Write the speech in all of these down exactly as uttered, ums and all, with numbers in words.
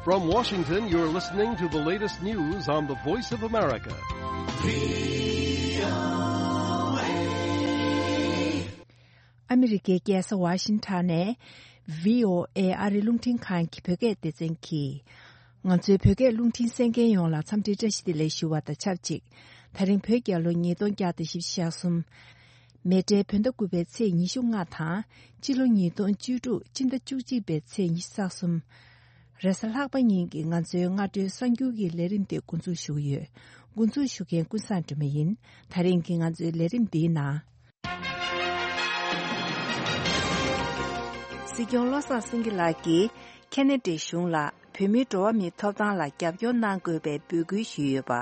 From Washington, you're listening to the latest news on the Voice of America. ཨ་མི་རི་ཀའི་རྒྱལ་ས་ཝ་ཤིང་ཊོན་ནས་བྷི་ཨོ་ཨེ་ཨ་རིའི་རླུང་འཕྲིན་ཁང་གི་བོད་སྐད་སྡེ་ཚན་གྱིས། ང་ཚོའི་བོད་སྐད་རླུང་འཕྲིན་གསན་མཁན་ཡོངས་ལ་འཚམས་འདྲིའི་བཀྲ་ཤིས་བདེ་ལེགས་ཞུ་བ་དང་ཆབས་ཅིག་ད་རིང་བོད་རྒྱལ་ལོ་ཉིས་སྟོང་བརྒྱ་དང་བཞི་བཅུ་ཞེ་གསུམ། མེ་སྤྲེལ་བོད་ཟླ་དགུ་པའི་ཚེས་ཉི་ཤུ་ལྔ་དང་། སྤྱི་ལོ་ཉིས་སྟོང་བཅུ་དྲུག་སྤྱི་ཟླ་བཅུ་གཅིག་པའི་ཚེས་ཉི་ཤུ་རྩ་གསུམ། རེས་གཟའ་ལྷག་པ་ཉིན་གྱི་ང་ཚོའི་སྔ་དྲོའི་གསར་འགྱུར་གྱི་ལས་རིམ་དེ་འགོ་འཛུགས་ཞུ་གི་ཡོད། འགོ་འཛུགས་ཞུ་མཁན་ཀུན་བཟང་སྒྲོལ་མ་ཡིན། ད་རིང་གི་ང་ཚོའི་ལས་རིམ་འདིའི་ནང་། སྲིད་སྐྱོང་བློ་བཟང་སེང་གེ་ལགས་ཀྱིས་ཁེ་ན་ཌའི་གཞུང་ལ་བོད་མིའི་འགྲོ་བ་མིའི་ཐོབ་ཐང་ལ་རྒྱབ་སྐྱོར་གནང་དགོས་པའི་འབོད་སྐུལ་ཞུས་ཡོད་པ།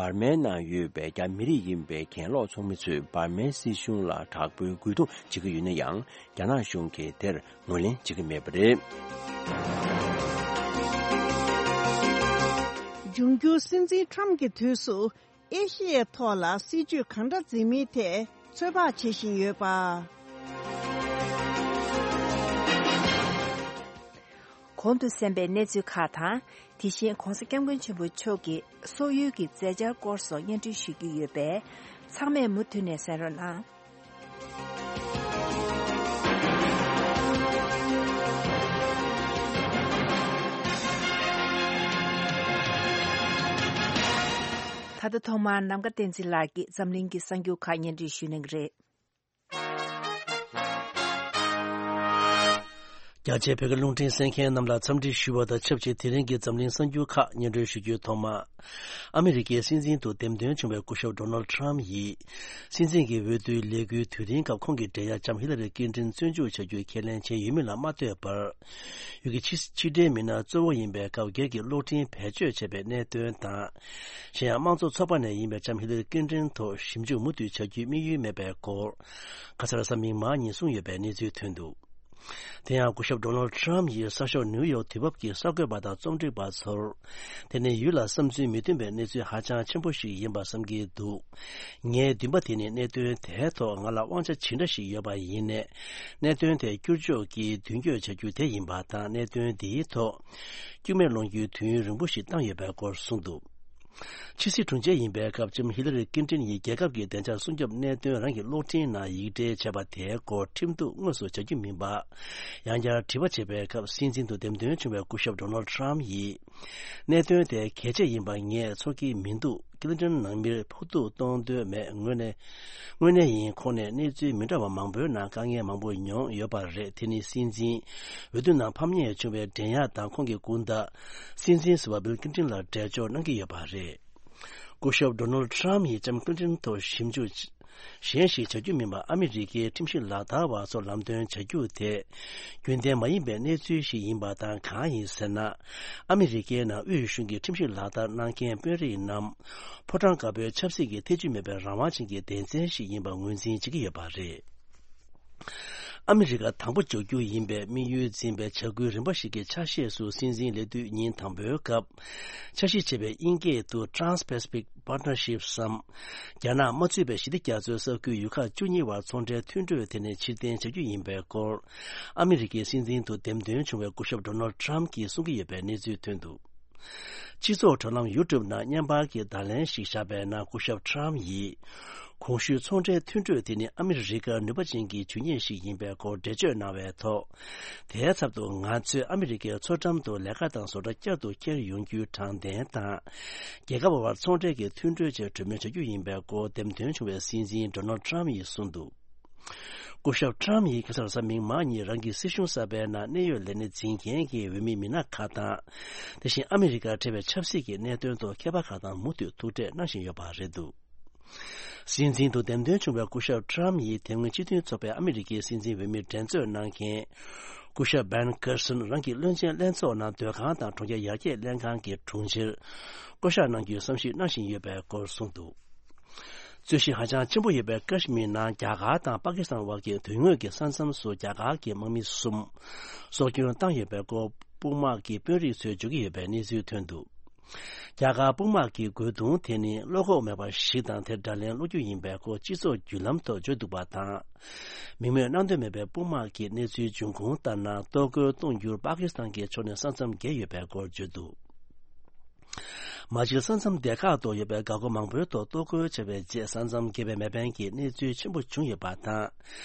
འབར་མའི་ནང་ཡོད་པའི་རྒྱ་མི་རིགས་ཡིན་པའི་གྱེན་ལོག་ཚོགས་མི་ཚོས་འབར་མའི་སྲིད་གཞུང་ལ་དྲག་པོའི་རྒོལ་རྡུང་བྱེད་ཀྱི་ཡོད་ན་ཡང་། རྒྱ་ནག་གཞུང་གིས་དེར་ངོས་ལེན་བྱེད་ཀྱི་མེད་པ་རེད། འབྱུང་འགྱུར་སྲིད་འཛིན་ཁྲམ་གྱི་དུས་སུ། ཨེ་ཤི་ཡའི་ཐོག་ལ་སྲིད་ཇུས་གང་འདྲ་འཛིན་མིན་ཐད་ཚོད་དཔག་བྱེད་བཞིན་ཡོད་པ། གོང་དུ་གསན་པའི་གནས་ཚུལ་ཁག་དང་། དེ་བཞིན་༧གོང་ས་༧སྐྱབས་མགོན་ཆེན་པོ་མཆོག་གི་སོག་ཡུལ་གྱི་མཛད་འཆར་སྐོར་སོགས་སྙན་སྒྲོན་ཞུ་རྒྱུ་ཡོད་པས། ཚང་མས་མུ་མཐུད་ནས་གསན་རོགས་གནང་། ད་ལྟ་ཐོག་མར་ནམ་མཁའ་བསྟན་འཛིན་ལགས་ཀྱིས་འཛམ་གླིང་གི་གསར་འགྱུར་ཁག་སྙན་སྒྲོན་ཞུ་གནང་གི་རེད། རྒྱ་ཆེའི་བོད་སྐད་རླུང་འཕྲིན་གསན་མཁན་རྣམས་ལ་འཚམས་འདྲི་ཞུ་བ་དང་ཆབས་ཅིག་དེ་རིང་གི་འཛམ་གླིང་གསར་འགྱུར་ཁག་སྙན་སྒྲོན་ཞུ་རྒྱུའི་ཐོག་མ། ཨ་མི་རི་ཀའི་སྲིད་འཛིན་དུ་འདེམས་ཐོན་བྱུང་བའི་སྐུ་ཞབས་ཌོ་ནལ་ཌི་ཊརམ་ཡིས། སྲིད་འཛིན་གྱི་འོས་བསྡུའི་ལས་འགུལ་དུས་སྟོན་སྐབས་ཁོང་གི་འབྲེལ་ཡག་ལྕམ་ཧི་ལ་རི་ཀིན་ཏྲིན་བཙོན་འཇུག་བྱ་རྒྱུའི་ཁས་ལེན་བྱས་ཡོད་མིན་ལ་མ་ལྟོས་པར། ཡུལ་གྱི་ཕྱི་ཕྱི་འབྲེལ་མི་སྣ་གཙོ་བོ་ཡིན་པའི་སྐབས་འགན་གྱི་གློག་འཕྲིན་བེད་སྤྱོད་བྱས་པའི་གནད་དོན་དང་། གཞན་ཡང་དམངས་གཙོ་ཚོགས་པ་ནས་ཡིན་པའི་ལྕམ་ཧི་ལ་རི་ཀིན་ཏྲིན་ཐོག་ཞིབ་འཇུག་མུ་མཐུད་བྱ་རྒྱུའི་དམིགས་ཡུལ་མེད་པའི་སྐོར། ཁ་སང་གཟའ་མིག་དམར་ཉིན་གསུངས་ཡོད་པའི་གནས་ཚུལ་ཐོན་འདུག་དེ་ཡང་སྐུ་ཞབས་ཌོ་ནལ་ཌི་ཊརམ་ཡིས་གསར་ཤོག་ནིའུ་ཡོག་དུས་བབ་ཀྱི་གསར་འགོད་པ་དང་རྩོམ་སྒྲིག་པ་ཚོར། དེ་ནི་ཡུལ་ལ་བསམ་ཚུལ་མི་མཐུན་པའི་གནས་ཚུལ་ཧ་ཅང་ཆེན་པོ་ཞིག་ཡིན་པ་བསམ་གྱི་འདུག་ངའི་འདུན་པ་དེ་ནི་གནད་དོན་དེའི་ཐོག་ང་ལ་དབང་ཆ་ཇི་འདྲ་ཞིག་ཡོད་པ་ཡིན་ནའི། གནད་དོན་དེ་བསྒྱུར་བཅོས་ཀྱིས་མདུན་སྐྱོད་བྱ་རྒྱུ་དེ་ཡིན་པ་དང་། གནད་དོན་འདིའི་ཐོག་སྐྱུག་མེར་སློང་རྒྱུའི་དུས་ཡུན་རིང་པོ་ཞིག་བཏང་ཡོད་པའི་སྐོར་གསུངས་འདུག་ཕྱི་སྲིད་དྲུང་ཆེ་ཡིན་པའི་སྐབས་ལྕམ་ཧི་ལ་རི་ཀིན་ཏྲིན་ཡིས་རྒྱལ་ཁབ་ཀྱི་བདེ་འཇགས་སྲུང་སྐྱོབ་གནད་དོན་རང་གི་གློག་འཕྲིན་ནང་ཡིག་འབྲེལ་བྱས་པ་དེའི་སྐོར་ཁྲིམས་གཏུག་དངོས་སུ་བྱ་རྒྱུ་མིན་པ། ཡང་བསྐྱར་དྲི་བ་བྱས་པའི་སྐབས་སྲིད་འཛིན་དུ་འདེམས་ཐོན་བྱུང་བའི་སྐུ་ཞབས་ཌོ་ནལ་ཌི་ཊརམ་ཡིས། གནད་དོན་དེ་གལ་ཆེ་ཡིན་པ་ངས་ཚོར་གྱི་མི་འདུག་ཀི་ལིན་ཏོན་ནང་མིར་ཕོག་ཐུག་གཏོང་འདོད་མེད། དངོས་གནས། དངོས་གནས་ཡིན། ཁོང་ནས་གནས་ཚུལ་མི་འདྲ་བ་མང་པོའི་ནང་དཀའ་ངལ་མང་པོ་མྱོང་ཡོད་པ་རེད། དེ་ནི་སྲིད་འཛིན་འོས་བསྡུ་ནང་ཕམ་ཉེས་བྱུང་བའི་འགྲན་ཡག་དང་ཁོང་གི་སྐུ་ཟླ་སྲིད་འཛིན་ཟུར་པ་བིལ་ཀིན་ཏིན་ལ་འབྲེལ་འཇོག་གནང་གི་ཡོད་པ་རེད། སྐུ་ཞབས་ཌོ་ནལ་ཌི་ཊརམ་ཡིས་ལྕམ་ཀིན་ཏིན་ཐོག་ཞིབ་འཇུག་གཞན་ཞིག་བྱ་རྒྱུ་མིན་པར་ཨ་མི་རི་ཀའི་ཁྲིམས་ཞིབ་ལག་བསྟར་བ་ཚོར་ལམ་སྟོན་བྱ་རྒྱུ་དེ་རྒྱུན་ལྡན་མ་ཡིན་པའི་གནས་ཚུལ་ཞིག་ཡིན་པ་དང་། གང་ཡིན་ཟེར་ན། ཨ་མི་རི་ཀའི་ནང་དབུས་གཞུང་གི་ཁྲིམས་ཞིབ་ལག་བསྟར་གནང་མཁན་དཔོན་རིགས་རྣམས་ཕོ་བྲང་དཀར་པོའི་ཆབ་སྲིད་ཀྱི་ཐེ་ཇུས་མེད་པའི་རང་དབང་ཅན་གྱི་སྡེ་ཚན་ཞིག་ཡིན་པ་ངོས་འཛིན་བྱེད་ཀྱི་ཡོད་པ་རེད། ཨ་མི་རི་ཀ་དང་པོ་འཇོག་རྒྱུ་ཡིན་པའི་དམིགས་ཡུལ་འཛིན་པའི་བྱ་འགུལ་རིམ་པ་ཞིག་གི་ཆ་ཤས་སུ་སྲིད་འཛིན་སླེབས་དུས་ཉིན་དང་པོའི་སྐབས། འཆར་གཞི་བྱས་པའི་དབྱིན་སྐད་དུ་Trans-Pacific Partnership སམ། རྒྱ་ནག་མ་ཚུད་པའི་ཞི་བདེ་རྒྱ་མཚོའི་ས་ཁུལ་ཡུལ་ཁག་བཅུ་གཉིས་བར་ཚོང་འབྲེལ་མཐུན་གྲོས་དེ་ནས་ཕྱིར་འཐེན་བྱ་རྒྱུ་ཡིན་པའི་སྐོར། ཨ་མི་རི་ཀའི་སྲིད་འཛིན་དུ་འདེམས་ཐོན་བྱུང་བའི་སྐུ་ཞབས་ཌོ་ནལ་ཌི་ཊརམ་གྱིས་གསུང་གི་ཡོད་པའི་གནས་ཚུལ་ཐོན་འདུག་སྤྱི་ཚོགས་དྲ་ལམ་ཡུ་ཊུབ་ནང་བརྙན་པར་གྱི་བརྡ་ལན་ཞིག་བཞག་པའི་ནང་སྐུ་ཞབས་ཊརམ་ཡིས། གོང་ཞུས་ཚོང་འབྲེལ་མཐུན་གྲོས་དེ་ནི་ཨ་མི་རི་ཀར་ནུས་པ་ཅན་གྱི་ཇུས་ཉེས་ཤིག་ཡིན་པའི་སྐོར་འགྲེལ་བརྗོད་གནང་བའི་ཐོག་དེའི་ཚབ་ཏུ་ང་ཚོས་ཨ་མི་རི་ཀའི་མཚོ་འགྲམ་དུ་ལས་ཀ་དང་བཟོ་གྲྭ་བསྐྱར་དུ་འཁྱེར་ཡོང་རྒྱུའི་དྲང་བདེན་དང་། རྒྱལ་ཁབ་དབར་ཚོང་འབྲེལ་གྱི་མཐུན་གྲོས་བཅས་གྲོས་མོལ་བྱ་རྒྱུ་ཡིན་པའི་སྐོར་འདེམས་ཐོན་བྱུང་བའི་སྲིད་འཛིན་ཌོ་ནལ་ཊརམ་ཡིས་གསུངས་འདུག་སྐུ་ཞབས་ཊརམ་ཡིས་ཁ་སང་གཟའ་མིག་དམར་ཉིན་རང་གི་སྲིད་གཞུང་གསར་པའི་ནང་གནད་ཡོད་ལས་སྣེ་འཛིན་མཁན་གྱི་འོས་མི་མི་སྣ་ཁག་དང་། དེ་བཞིན་ཨ་མི་རི་ཀར་འཕྲད་པའི་ཆབ་སྲིད་ཀྱི་གནད་དོན་ཐོག་མཁས་པ་ཁག་དང་མུ་མཐུད་ཐུག་འཕྲད་གནང་བཞིན་ཡོད་པ་རེད་འདུག་སྲིད་འཛིན་དུ་འདེམས་ཐོན་བྱུང་བའི་སྐུ་ཞབས་ཊརམ་ཡིས་དེ་སྔོན་སྤྱི་མཐུན་ཚོགས་པའི་ཨ་མི་རི་ཀའི་སྲིད་འཛིན་འོས་མི་འགྲན་རྩོད་གནང་མཁན། སྐུ་ཞབས་བན་ཀར་སན་རང་གི་བློན་ཆེན་ལྷན་ཚོགས་ནང་སྡོད་ཁང་དང་གྲོང་ཁྱེར་ཡར་རྒྱས་ལྷན་ཁང་གི་དྲུང་ཆེར་བསྐོ་གཞག་གནང་རྒྱུའི་བསམ་གཞིག་གནང་བཞིན་ཡོད་པའི་སྐོར་གསུངས་འདུག་རྩོད་གཞི་ཧ་ཅང་ཆེན་པོ་ཡོད་པའི་ཀ་ཤི་མིར་ནང་རྒྱ་གར་དང་པ་ཀི་སི་ཐན་བར་གྱི་དོན་དངོས་ཀྱི་ས་མཚམས་སུ་རྒྱ་གར་གྱི་དམག་མི་གསུམ་སྲོག་སྐྱོན་བཏང་ཡོད་པའི་སྐོར་དཔུང་དམག་གི་དཔོན་རིགས་ཚོས་བརྗོད་ཀྱི་ཡོད་པའི་གནས་ཚུལ་ཐོན་འདུག་རྒྱ་གར་དཔུང་དམག་གི་རྒོལ་རྡུང་དེ་ནི་བློ་ཁོག་མེད་པ་ཞིག་དང་དེར་དགྲ་ལན་སློག་རྒྱུ་ཡིན་པའི་སྐོར་སྤྱི་ཚོགས་བརྒྱུད་ལམ་ཐོག་བརྗོད་འདུག་པ་དང་། མིང་མེད་གནང་འདོད་མེད་པའི་དཔུང་དམག་གིས་གནས་ཚུལ་འབྱུང་ཁུངས་ལྟར་ན། གཏོར་རྒོལ་གཏོང་རྒྱུར་པ་ཀི་སི་ཐན་གྱི་ཕྱོགས་ནས་ས་མཚམས་བརྒལ་ཡོད་པའི་སྐོར་བརྗོད་འདུག་མ་གཞི་ས་མཚམས་སྡེ་ཁག་ཏུ་ཡོད་པའི་འགག་སྒོ་མང་པོའི་ཐོག་གཏོར་རྒོལ་བྱས་པའི་རྗེས། ས་མཚམས་བརྒལ་བའི་མེ་འཕེན་གྱི་གནས་ཚུལ་ཆེན་པོ་བྱུང་ཡོད་པ་དང་།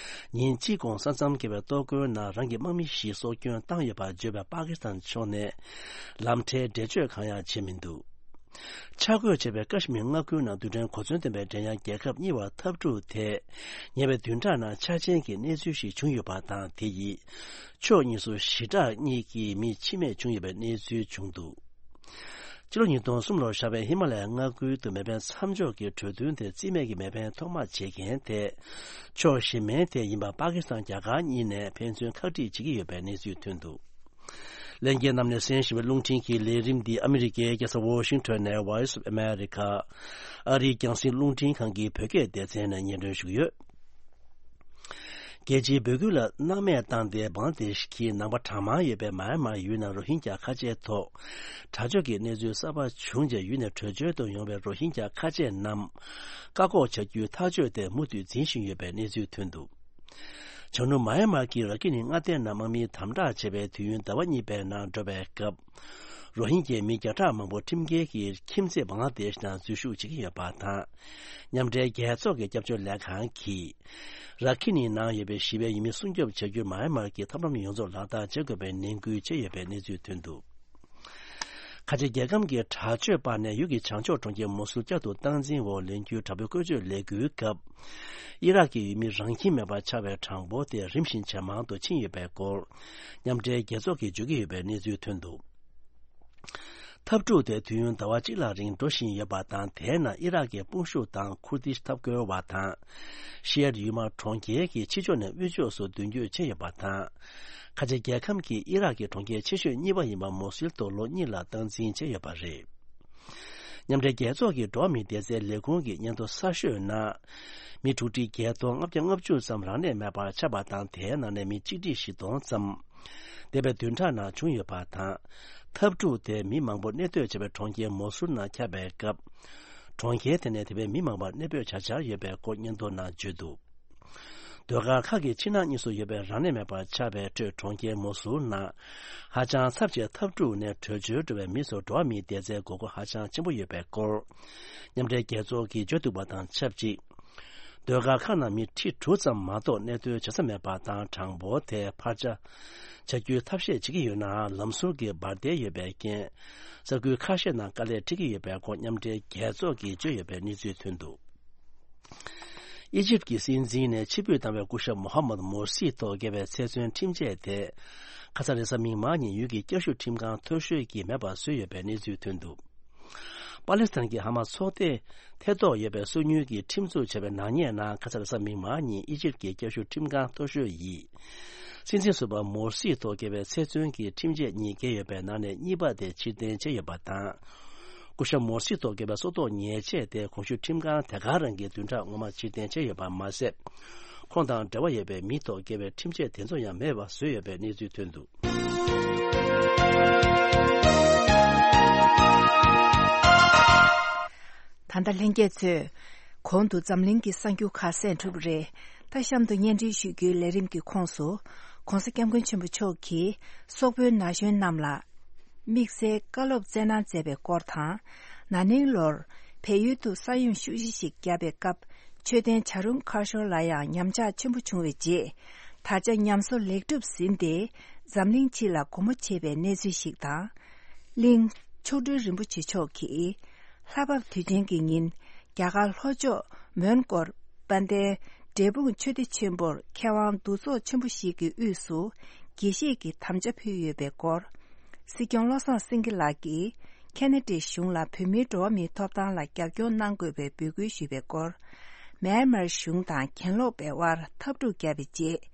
ཉིན་གཅིག་གོང་ས་མཚམས་བརྒལ་བའི་གཏོར་རྒོལ་ནང་རང་གི་དམག་མི་བཞི་སྲོག་སྐྱོན་བཏང་ཡོད་པར་བརྗོད་པའི་པ་ཀི་སི་ཐན་ཕྱོགས་ནས་ལམ་ཁྲལ་འགྲེལ་བརྗོད་གང་ཡང་བྱས་མི་འདུག་ཆ་བགོས་བྱས་པའི་ཀ་ཤི་མིར་མངའ་ཁུལ་ནང་རྡུལ་ཕྲན་གོ་མཚོན་ལྡན་པའི་འགྲན་ཡངས་རྒྱལ་ཁབ་གཉིས་བར་འཐབ་འཁྲུག་དེ། ཉེ་བའི་བདུན་ཕྲག་ནང་ཆ་ཆེན་གྱི་གནས་ཚུལ་ཞིག་བྱུང་ཡོད་པ་དང་། དེ་ཡིས་ཕྱོགས་གཉིས་སུ་ཞི་དྲག་གཉིས་ཀྱི་མི་འཆི་རྨས་བྱུང་ཡོད་པའི་གནས་ཚུལ་བྱུང་འདུག་ཕྱི་ལོ་ཉིས་སྟོང་གསུམ་ལོར་བཞག་པའི་ཧི་མ་ལ་ཡའི་མངའ་ཁུལ་དུ་མེ་འཕེན་མཚམས་འཇོག་གི་གྲོས་མཐུན་དེ་རྩིས་མེད་ཀྱི་མེ་འཕེན་ཐོག་མ་བྱེད་མཁན་དེ། ཕྱོགས་གཞན་མའི་དེ་ཡིན་པ་པ་ཀི་སི་ཐན་རྒྱ་གར་གཉིས་ནས་ཕན་ཚུན་ཁག་དཀྲིས་བྱེད་ཀྱི་ཡོད་པའི་གནས་ཚུལ་ཐོན་འདུག་ལྷན་རྒྱས་རྣམས་ནས་གསན་བཞིན་པའི་རླུང་འཕྲིན་གྱི་ལས་རིམ་འདི་ཨ་མི་རི་ཀའི་རྒྱལ་ས་ཝོ་ཤིང་ཊོན་ནས་Voice of America ཨ་རིའི་རྒྱང་སྲིང་རླུང་འཕྲིན་ཁང་གི་བོད་སྐད་སྡེ་ཚན་ནས་སྙན་སྒྲོན་ཞུ་གི་ཡོད། རྒྱལ་སྤྱིའི་བོད་ཁུལ་ལ་སྣང་མེད་བཏང་སྟེ་བང་སྟེ་གི་ནང་པ་གྲངས་མང་ཡོད་པའི་མཱ་ཡན་མར་ཡུལ་ནང་རོ་ཧིན་ཇཱ་ཁ་ཆེའི་ཐོག་དྲག་སྤྱོད་ཀྱི་གནས་ཚུལ་གསར་པ་བྱུང་རྗེས། ཡུལ་ནས་བྲོས་བྱོལ་དུ་ཡོང་བའི་རོ་ཧིན་ཇཱ་ཁ་ཆེ་རྣམས་བཀག་འགོག་བྱ་རྒྱུའི་ཐག་གཅོད་དེ་མུ་མཐུད་འཛིན་བཞིན་ཡོད་པའི་གནས་ཚུལ་ཐོན་འདུག་བྱང་ནུབ་མཱ་ཡན་མར་གྱི་ར་ཁི་ནི་མངའ་སྡེ་ནང་དམག་མིས་དམ་དྲག་བྱས་པའི་དུས་ཡུན་ཟླ་བ་གཉིས་པའི་ནང་འགྲོ་བའི་སྐབས། རོ་ཧིན་གྱི་མི་བརྒྱ་ཕྲག་མང་པོ་ཁྲིམས་འགལ་གྱིས་ཁྱིམ་མཚེས་བང་ལ་དེ་ཤི་ནང་འཛུལ་ཞུགས་བྱེད་ཀྱི་ཡོད་པ་དང་། མཉམ་འབྲེལ་རྒྱལ་ཚོགས་ཀྱི་སྐྱབས་བཅོལ་ལས་ཁང་གིས། ར་ཁི་ནི་ནང་ཡོད་པའི་ཞི་བའི་ཡུལ་མི་སྲུང་སྐྱོབ་བྱ་རྒྱུར་མཱ་ཡན་མར་གྱི་ཐབས་ལམ་ཡོངས་རྫོགས་ལག་བསྟར་བྱེད་དགོས་པའི་ནན་སྐུལ་བྱས་ཡོད་པའི་གནས་ཚུལ་ཐོན་འདུག་ཁ་ཆེ་རྒྱལ་ཁམས་ཀྱི་དྲག་སྤྱོད་པ་ནས་ཡུལ་གྱི་བྱང་ཕྱོགས་གྲོང་ཁྱེར་མོ་སུལ་བསྐྱར་དུ་སྟངས་འཛིན་འོག་ལེན་རྒྱུའི་དྲག་པོའི་བཀོལ་སྤྱོད་ལས་འགུལ་སྐབས། ཨི་རག་གི་ཡུལ་མི་རང་ཁྱིམ་མེད་པར་ཆགས་པའི་གྲངས་འབོར་དེ་རིམ་བཞིན་ཇེ་མང་དུ་ཕྱིན་ཡོད་པའི་སྐོར། མཉམ་འབྲེལ་རྒྱལ་ཚོགས་ཀྱིས་བརྗོད་ཀྱི་ཡོད་པའི་གནས་ཚུལ་ཐོན་འདུག་འཐབ་འཁྲུག་དེ་དུས་ཡུན་ཟླ་བ་གཅིག་ལྷག་རིང་འགྲོ་བཞིན་ཡོད་པ་དང་། དེའི་ནང་ཨི་རག་གི་དཔུང་ཤུགས་དང་ཁུར་དིཤ་འཐབ་རྒོལ་བ་དང་། ཤི་ཡར་ཡུལ་དམག་གྲོང་ཁྱེར་གྱི་ཕྱི་ཕྱོགས་ནས་དབུས་ཕྱོགས་སུ་མདུན་སྐྱོད་བྱས་ཡོད་པ་དང་། ཁ་ཆེ་རྒྱལ་ཁམས་ཀྱི་ཨི་རག་གི་གྲོང་ཁྱེར་ཆེ་ཤོས་གཉིས་པ་ཡིན་པ་མོ་སིལ་དུ་ལོ་གཉིས་ལ་སྟངས་འཛིན་བྱས་ཡོད་པ་རེད། མཉམ་འབྲེལ་རྒྱལ་ཚོགས་ཀྱི་འགྲོ་བ་མིའི་བདེ་རྩའི་ལས་ཁུངས་ཀྱི་སྙན་ཐོ་གསར་ཤོས་ནང་། མི་དྲུག་ཁྲི་བརྒྱད་སྟོང་ལྔ་བརྒྱ་ལྔ་བཅུ་ཙམ་རང་གནས་མེད་པར་ཆགས་པ་དང་། དེའི་ནང་ནས་མི་གཅིག་ཁྲི་བཞི་སྟོང་ཙམ། འདས་པའི་བདུན་ཕྲག་ནང་བྱུང་ཡོད་པ་དང་། འཐབ་འཁྲུག་དེ་མི་མང་པོ་གནས་སྡོད་བྱེད་པའི་གྲོང་ཁྱེར་མོ་སུར་ནང་ཁྱབ་པའི་སྐབས། གྲོང་ཁྱེར་དེ་ནས་དེ་བས་མི་མང་པོ་གནས་སྤོས་བྱ་འཆར་ཡོད་པའི་སྐོར་སྙན་ཐོ་ནང་བརྗོད་འདུག་ཟློས་གར་ཁག་གི་ཕྱི་ནང་གཉིས་སུ་ཡོད་པའི་རང་གནས་མེད་པར་ཆགས་པའི་ཁྲོད། གྲོང་ཁྱེར་མོ་སུར་ནང་ཧ་ཅང་ཚབས་ཆེའི་འཐབ་འཁྲུག་ནས་བྲོས་བྱོལ་འགྲོ་བའི་མི་ཚོར་འགྲོ་བ་མིའི་བདེ་རྩའི་དགོས་མཁོ་ཧ་ཅང་ཆེན་པོ་ཡོད་པའི་སྐོར། མཉམ་འབྲེལ་རྒྱལ་ཚོགས་ཀྱིས་བརྗོད་འདུག་པ་དང་ཆབས་ཅིག་ཟློས་གར་ཁག་ནང་མི་ཁྲི་དྲུག་ཙམ་མ་གཏོགས་གནས་སྡོད་བྱེད་ས་མེད་པ་དང་། གྲངས་འབོར་དེ་འཕར་ཆ་བྱ་རྒྱུའི་ཐབས་ཤེས་བྱེད་ཀྱི་ཡོད་ནའང་། ལམ་ཟུར་གྱི་འབར་མདེལ་ཡོད་པའི་རྐྱེན། ས་ཁུལ་ཁ་ཤས་ནང་དཀའ་ལས་འཕྲད་ཀྱི་ཡོད་པའི་སྐོར་མཉམ་འབྲེལ་རྒྱལ་ཚོགས་ཀྱིས་བརྗོད་ཡོད་པའི་གནས་ཚུལ་ཐོན་འདུག་ཨི་ཇིབ་ཀྱི་སྲིད་འཛིན་ནས་ཕྱིར་འབུད་བཏང་བའི་སྐུ་ཞབས་མོ་ཧ་མད་མོར་སི་ཐོག་བཀལ་བའི་ཚེ་བཙོན་ཁྲིམས་ཆད་དེ། ཁ་ས་རེས་གཟའ་མིག་དམར་ཉིན་ཡུལ་གྱི་བསྐྱར་ཞིབ་ཁྲིམས་ཁང་མཐོ་ཤོས་ཀྱིས་མེད་པར་བཟོས་ཡོད་པའི་གནས་ཚུལ་ཐོན་འདུག་པ་ལི་སི་ཐན་གྱི་ཧ་མ་སི་ཚོགས་སྡེ་ཐེ་གཏོགས་ཡོད་པའི་སོ་ཉུལ་གྱིས་ཁྲིམས་འཛུགས་བྱས་པའི་ནག་ཉེས་ནང་། ཁ་ས་རེས་གཟའ་མིག་དམར་ཉིན་ཨི་ཇིབ་ཀྱི་བསྐྱར་ཞིབ་ཁྲིམས་ཁང་མཐོ་ཤོས་ཡིས། སྲིད་འཛིན་ཟུར་པ་མོར་སི་ཐོག་བཀལ་བའི་ཚེ་བཙོན་གྱི་ཁྲིམས་ཆད་གཉིས་བཀལ་ཡོད་པའི་ནང་ནས་གཉིས་པ་དེ་ཕྱིར་འཐེན་བྱས་ཡོད་པ་དང་། སྐུ་ཞབས་མོར་སི་ཐོག་བཀལ་བའི་སྲོག་ཐོག་ཉེས་ཆད་དེ་གོང་ཞུས་ཁྲིམས་ཁང་དེ་ག་རང་གིས་བདུན་ཕྲག་སྔོན་མ་ཕྱིར་འཐེན་བྱས་ཡོད་པ་མ་ཟད། ཁོང་དང་འབྲེལ་བ་ཡོད་པའི་མི་ཐོག་བཀལ་བའི་ཁྲིམས་ཆད་དེ་ཚོ་ཡང་མེད་པ་བཟོས་ཡོད་པའི་གནས་ཚུལ་ཐོན་འདུག་ད་ལྟ་ལྷན་རྒྱས་ཚོས། གོང་དུ་འཛམ་གླིང་གི་གསར་འགྱུར་ཁག་གསན་གྲུབ་རེད། ད་གཤམ་དུ་སྙན་སྒྲོན་ཞུ་རྒྱུའི་ལས་རིམ་གྱི་ཁོངས་སུ། ྋགོང་ས་ྋསྐྱབས་མགོན་ཆེན་པོ་མཆོག་གིས་སོག་པོའི་ན་གཞོན་རྣམས་ལ། དམིགས་བསལ་བཀའ་སློབ་སྩལ་གནང་མཛད་པའི་སྐོར་དང་། ན་ནིང་ལོར་བལ་ཡུལ་དུ་ས་ཡོམ་ཤུགས་ཆེ་ཞིག་བརྒྱབ་པའི་སྐབས། མཆོད་རྟེན་བྱ་རུང་མཁར་ཤོར་ལ་ཡང་ཉམས་ཆག་ཆེན་པོ་བྱུང་བའི་རྗེས། ད་ཆ་ཉམས་གསོ་ལེགས་གྲུབ་ཟིན་ཏེ། འཛམ་གླིང་སྤྱི་ལ་སྒོ་མོ་འབྱེད་པའི་གནས་ཚུལ་ཞིག་དང་། གླིང་མཆོག་སྤྲུལ་རིན་པོ་ཆེ་མཆོག་གིས། ལྷ་བབས་དུས་ཆེན་གྱི་ཉིན། རྒྱ་གར་ལྷོ་ཕྱོགས་མོན་གྷོར་དཔལ་ལྡན་འབྲས་སྤུངས་ཆོས་སྡེ་ཆེན་པོར་མཁས་དབང་འདུ་ཚོགས་ཆེན་པོ་ཞིག་གི་དབུས་སུ་དགྱེས་བཞེས་ཀྱི་དམ་བཅའ་ཕུལ་ཡོད་པའི་སྐོར། སྲིད་སྐྱོང་བློ་བཟང་སེང་གེ་ལགས་ཀྱིས་ཁེ་ན་ཌའི་གཞུང་ལ་བོད་མིའི་འགྲོ་བ་མིའི་ཐོབ་ཐང་ལ་རྒྱབ་སྐྱོར་གནང་དགོས་པའི་འབོད་སྐུལ་ཞུས་པའི་སྐོར། མེན་མར་གཞུང་དང་གྱེན་ལོག་པའི་དབར་འཐབ་འཁྲུག་བརྒྱབ་པའི་རྗེས།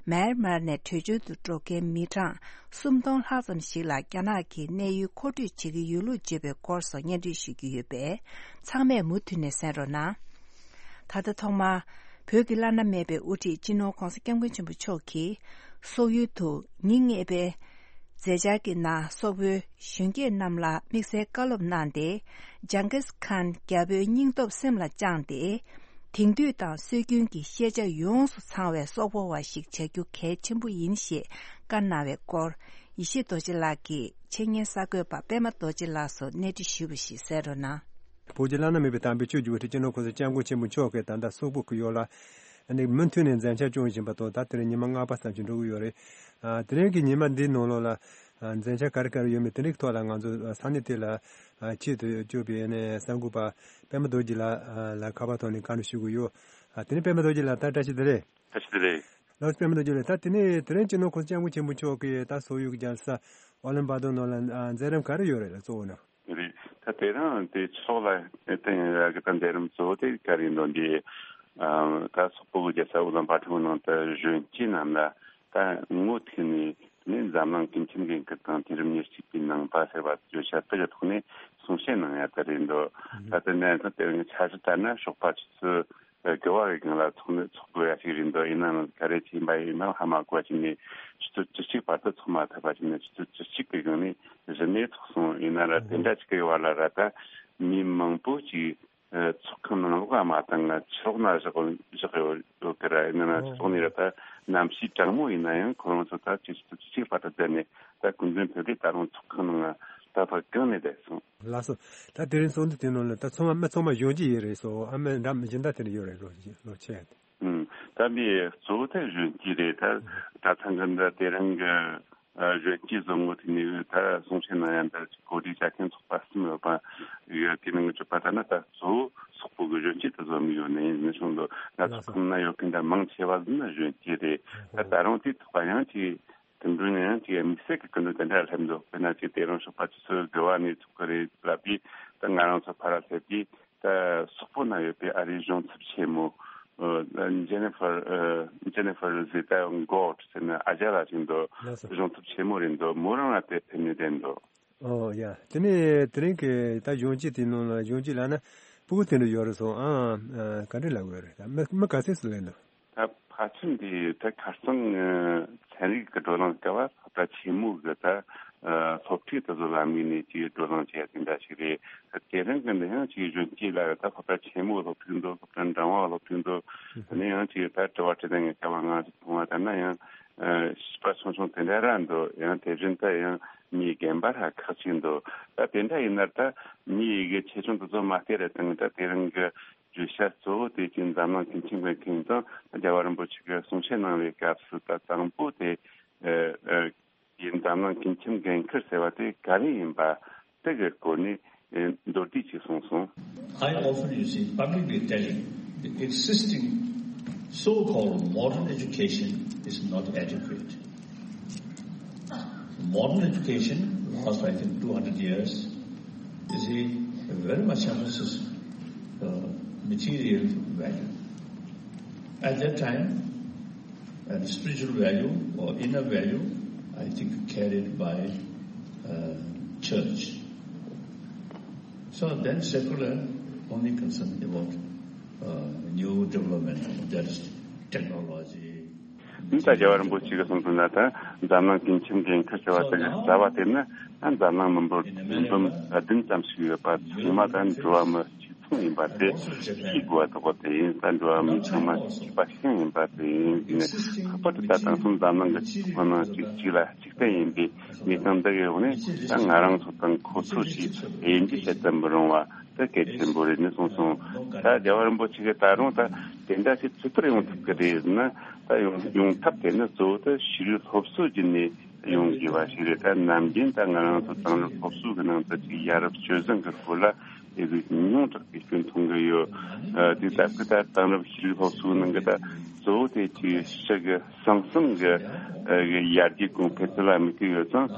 མེན་མར་ནས་བྲོས་བྱོལ་དུ་འགྲོ་མཁན་མི་གྲངས་སུམ་སྟོང་ལྷག་ཙམ་ཞིག་ལ་རྒྱ་ནག་གིས་གནས་ཡུལ་མཁོ་སྤྲོད་བྱེད་ཀྱི་ཡོད་ལུགས་བརྗོད་པའི་སྐོར་སོགས་སྙན་སྒྲོན་ཞུ་རྒྱུ་ཡོད་པས། ཚང་མས་མུ་མཐུད་ནས་གསན་རོགས་གནང་། ད་ལྟ་ཐོག་མར། བོད་ཀྱི་བླ་ན་མེད་པའི་དབུ་ཁྲིད་སྤྱི་ནོར་ྋགོང་ས་ྋསྐྱབས་མགོན་ཆེན་པོ་མཆོག་གིས། སོག་ཡུལ་དུ་ཉིན་ལྔའི་པའི་ མཛད་འཆར་གྱི་ནང་སོག་པོའི་གཞོན་སྐྱེས་རྣམས་ལ་དམིགས་བསལ་བཀའ་སློབ་གནང་སྟེ། ཇང་གིས་ཁཱན་རྒྱལ་པོའི་སྙིང་སྟོབས་སེམས་ལ་བཅངས་ཏེ། དེང་དུས་དང་སྲོལ་རྒྱུན་གྱི་ཤེས་བྱ་ཡོངས་སུ་ཚང་བའི་སོག་པོ་བ་ཞིག་བྱ་རྒྱུ་གལ་ཆེན་པོ་ཡིན་ཞེས་བཀའ་གནང་བའི་སྐོར། ཡེ་ཤེས་རྡོ་རྗེ་ལགས་ཀྱིས་འཆད་ཉན་གསར་འགོད་པ་པད་མ་རྡོ་རྗེ་ལགས་སུ་གནས་འདྲི་ཞུས་པ་ཞིག་གསན་རོགས་གནང་། བོད་ཀྱི་བླ་ན་མེད་པའི་དམ་པའི་ཆོས་བརྒྱུད་པ་སྤྱི་ནོར་༸གོང་ས་༸སྐྱབས་མགོན་ཆེན་པོ་མཆོག་གིས་ད་ལྟ་སོག་པོ་གི་ཡུལ་ལ་ནི་མུ་མཐུད་ནས་མཛད་འཆར་སྐྱོང་བཞིན་པ་དང་། ད་དེ་རིང་ཉི་མ་ལྔ་པ་ཙམ་ཞིག་འགྲོ་གི་ཡོད་རེད། ཨ། དེ་རིང་གི་ཉི་མ་འདིའི་ནང་ལོགས་ལ། ཨ། མཛད་འཆར་ག་རེ་ག་རེ་ཡོད་མེད་དེ་འདྲའི་ཐོག་ལ་ང་ཚོ་ས་གནས་དེ་ལ། ཨ། ཆེད་དུ་བསྐྱོད་པའི་ནས་གསར་འགོད་པ་པད་མ་རྡོ་རྗེ་ལགས། ཨ། ལ་ཁ་པར་ཐོག་ནས་བཀའ་འདྲི་ཞུ་གི་ཡོད། ཨ། དེ་ནས་པད་མ་རྡོ་རྗེ་ལགས། ད་བཀྲ་ཤིས་བདེ་ལེགས། བཀྲ་ཤིས་བདེ་ལེགས། ལགས་སོ། པད་མ་རྡོ་རྗེ་ལགས། ད་དེ་ནས་དེ་རིང་སྤྱི་ནོར་༸གོང་ས་༸སྐྱབས་མགོན་ཆེན་པོ་མཆོག་གིས་ད་སོག་ཡུལ་གྱི་རྒྱལ་ས་ཨོ་ལན་བྷ་ཏོག་ནང་ལ། ཨ། མཛད་རིམ་ག་རེ་ཡོད་རེད་ལ་གཙོ་བོ་ནི། རེད། ད་དེ་རིང་དེ་ཕྱོགས་ལ་བརྟེན་ཡག་གི་ད་མཛད་རིམ་གཙོ་བོ་དེ་ག་རེ་ཡིན་འདུག་འདི། ཨ། ད་སོག་པོ་གི་རྒྱལ་ས་ཨུ་ལན་བྷ་ཏོག་ནང་དུ་གཞོན་སྐྱེས་རྣམས་ལ་ད་ངོ་ཐུག་ནས་ནི་འཛམ་གླིང་ཀུན་ཁྱབ་འགན་ཁུར་དང་དུས་རབས་ཉེར་གཅིག་པའི་ནང་པ་ཟེར་བ་བརྗོད་བྱ་དེ་གི་ཐོག་ནས་གསུང་བཤད་གནང་ཡག་དེ་རེད་འདུག་ད་ལྟ་ནས་ད་དེ་རིང་འཆར་གཞི་ལྟར་ན་ཞོགས་པ་ཆུ་ཚོད་དགུ་པ་གི་སྒང་ལ་ཚོགས་མི་ཚོགས་དགོས་ཡ་ཞིག་རེད་འདུག་ཡིན་ནའང་ག་རེ་བྱས་པ་ཡིན་ནའང་ཧ་མ་གོ་བ་བྱས་ནས་ཆུ་ཚོད་བཅུ་གཅིག་བར་དུ་ཚོགས་མ་ཐུབ་པ་བྱས་ནས་ཆུ་ཚོད་བཅུ་གཅིག་གི་སྒང་ནས་གཞི་ནས་ཚོགས་སོང་། ཡིན་ན་ར་དེ་འདྲ་ཅིག་གི་བར་ལ་ར་ད་མི་མང་པོ་ཅིག་ཚོགས་ཁང་ནང་ལོགས་ལ་མ་བཏང་ང་ཕྱི་ལོགས་ན་བཞག་བཞག་ཡོད་ཡོད་གི་ར། ཡིན་ན་ན་ཕྱི་ལོགས་ནས་ར་ད་གནམ་གཤིས་གྲང་མོ་ཡིན་ན་ཡང་ཁོ་རང་ཚོ་ད་ཆུ་ཚོད་བཅུ་གཅིག་བར་དུ་བསྡད་ནས་ད་ཀུན་མཁྱེན་བོད་སྡེ་ད་རུང་ཚོགས་ཁང་ནང་ད་བར་གང་ནས་བསྡད་སོང་། ལགས་སོ། ད་དེ་རིང་ཚོགས་འདུ་དེ་ནང་ལ་ད་ཚང་མ་མི་ཚང་མ་གཞོན་སྐྱེས་ཡིན་རེད་སོ། ཨ་མ་འདྲ་མི་གཞན་དག་དེ་འདྲ་ཡོད་རེད། ལོ་ལོ་ཆེ་ཡ་དེ། ཨུམ། ད་འདི་གཙོ་བོ་དེ་གཞོན་སྐྱེས་རེད། ད་ད་ཐེངས་གི་འདི་དེ་རིང་གི་ཨ་གཞོན་སྐྱེས་བཟོ་ངོ་དེ་ནས་ད་གསུང་བཤད་གནང་ཡ་འདི་གོ་སྒྲིག་བྱ་མཁན་ཚོགས་པ་གསུམ་ཡོད་པ་ཡོད། དེ་ནང་གི་གྲུབ་པ་ལྟར་ན་ད་གཙོ་བོ་སོག་པོ་གི་གཞོན་སྐྱེས་དེ་བཟོ་མི་ཡོད་ནི་ཡིན་ནི་བྱུང་འདུག་ང་ཚོ་ཁོང་ན་ཡོད་མཁན་ད་མང་ཆེ་བ་ཟིན་ན་གཞོན་སྐྱེས་རེད། ད་ད་རུང་དེ་ཐོག་ཡང་ཅིག་དེ་འདྲ་ནས་ཡང་ཅིག་དམིགས་བསལ་གྱི་སྐུ་མགྲོན་དེ་འདྲ་སླེབས་འདུག་དཔེར་ན་ཅིག་དེ་རིང་ཞོགས་པ་ཆུ་ཚོད་དགུ་པ་ནས་ཚོགས་ཀྱི་རེད་ལབ་དུས་ད་ང་རང་ཚོ་ཕར་སླེབས་དུས་ད་སོག་པོ་ན་ཡོད་པའི་ཨ་རིའི་གཞུང་ཚབ་ཆེན་མོ་ཨ་ཇེ་ནི་ཧྥར་ཨ་ཇེ་ནི་ཧྥར་ཟེ་ཏཱ་གོ་ཟེར་ན་ཨ་ཅག་ལགས་ཅིག་འདུག་ལགས་སོ། གཞུང་ཚབ་ཆེན་མོ་རེད་འདུག་མོ་རང་ལ་དེ་ཕེབས་ནས་བསྡད་འདུག་ཨོ་ཡ། དེ་ནས་དེ་རིང་གི་ད་གཞོན་སྐྱེས་དེ་ནང་ལ་གཞོན་སྐྱེས་ལབ་ན་སྤུ་གུ་དེ་འདྲ་ཡོད་རེད་སོང་། ཨ་ཨ་ག་འདྲ་ལབ་དགོས་རེད། ད་མི་མི་ག་ཚོད་ཙམ་སླེབས་འདུག་ད་ཕལ་ཆེར་འདི་ད་ཁ་སང་ཚན་རིག་གི་བགྲོ་གླེང་སྐབས་སློབ་གྲྭ་ཆེན་མོ་གི་ད་སློབ་ཁྲིད་དེ་ཚོ་ལ་དམིགས་ནས་ཅིག་བགྲོ་གླེང་བྱས་དེ་འདྲ་ཞིག་རེད། དེ་རིང་གི་འདི་ཡང་ཅིག་གཞོན་སྐྱེས་ལ་ད་སློབ་གྲྭ་ཆེན་མོ་སློབ་ཁྲིད་འདུག་སློབ་གྲྭ་འབྲིང་བ་སློབ་ཁྲིད་འདུག་དེ་ནས་ཡང་ཅིག་ད་དྲི་བ་དྲི་ལན་གྱི་སྐབས་ང་ཚོ་མཐོང་བ་ལྟར་ན་ཡང་བྱིས་པ་ཆུང་ཆུང་དེ་འདྲ་ར་འདུག་ཡང་དེ་བཞིན་དུ་ཡང་མིའི་རྒན་པ་ར་ཁག་ཅིག་འདུག་ད་དེ་འདྲ་ཡིན་ན་ད་མིའི་ཡི་གེ་ཆེ་ཆུང་དེ་ཚོ་མ་བལྟས་ར་དང་ད་དེ་རིང་གི་བརྗོད་བྱ་གཙོ་བོ་དེ་ཅིག་འཛམ་གླིང་སྐུ་ཁྲིམས་ཀྱི་ཁེངས་དང་རྒྱལ་བ་རིན་པོ་ཆེ་གིས་གསུང་བཤད་གནང་བའི་སྐབས་སུ་ད་དང་པོ་དེ་ཨ་ཨ་ཡིན། འཛམ་གླིང་སྐུ་ཁྲིམས་འགན་འཁུར་ཟེར་བ་དེ་ག་རེ་ཡིན་པ་དེ་གི་སྐོར་ནས་ཨ་མདོར་བསྡུས་ཅིག་གསུངས་སོང་། I often, you see, publicly telling the existing so-called modern education is not adequate. Modern education, last, I think, two hundred years, you see, very much emphasis uh, material value. At that time, and spiritual value or inner value, I think, carried by uh, church. So then secular only concerned about uh, new development, that is technology, འདི་ལྟར་རྒྱལ་བ་རིན་པོ་ཆེ་གིས་གསུངས་པ་ན་ད་འཛམ་གླིང་སྐུ་ཁྲིམས་འགན་འཁུར་ཟེར་བ་དེ་གི་རྩ་བ་དེ་ནི་ད་འཛམ་གླིང་མི་འབོར་བདུན་བདུན་ཙམ་ཞིག་ཡོད་པ་ཚང་མ་ད་འགྲོ་བ་མི་གཅིག་མཚུངས་ཡིན་པ་དེ་ཤེས་དགོས་པ་དོགས་པ་དེ་ཡིན། ད་འགྲོ་བ་མི་ཚང་མ་གཅིག་པ་གཅིག་རྐྱང་ཡིན་པ་དེ་ཡིན་ནས་ལྷག་པར་དུ་ད་དེང་སང་འཛམ་གླིང་གི་སྤྱི་ཚོགས་ནང་གཅིག་གཅིག་ལ་གཅིག་བརྟེན་ཡིན་པའི་གནས་སྟངས་འདི་གི་འོག་ནས་ད་ང་རང་ཚོ་དང་ཁོ་ཚོ་ཞེས་དབྱེ་འབྱེད་བྱེད་དུ་མི་རུང་བ། དེ་གལ་ཆེན་པོ་རེད་ནས་གསུངས་སོང་། ད་རྒྱལ་བ་རིན་པོ་ཆེ་གིས་ད་རུང་ད་དེ་འདྲ་ཞིག་ཇི་ལྟར་ཡོང་ཐུབ་ཀྱི་རེད་ཟེར་ན། ད་ཡོང་ཡོང་ཐབས་དེ་ནི་གཙོ་བོ་ད་ཤེས་རིག་སློབ་གསོ་བརྒྱུད་ནས་ཡོང་དགོས་པ་ཞིག་རེད། ད་ནམ་རྒྱུན་ད་ང་རང་ཚོ་དེང་རབས་སློབ་གསོ་གི་ནང་དུ་ཅིག་ཡ་རབས་སྤྱོད་བཟང་གི་སྐོར་ལ་དེ་ཟིག་ཉུང་དྲགས་པའི་སྐྱོན་མཐོང་གི་ཡོད། ཨ་དེ་ད་སྐུ་ད་དེང་རབས་ཤེས་རིག་སློབ་གསོའི་ནང་གི་ད་གཙོ་བོ་དེ་ཅིག་ཕྱི་གི་ཟང་ཟིང་གི་ཨ་གི་ཡར་རྒྱས་གོང་འཕེལ་དེ་ལ་དམིགས་ཀྱི་ཡོད་ཙང་།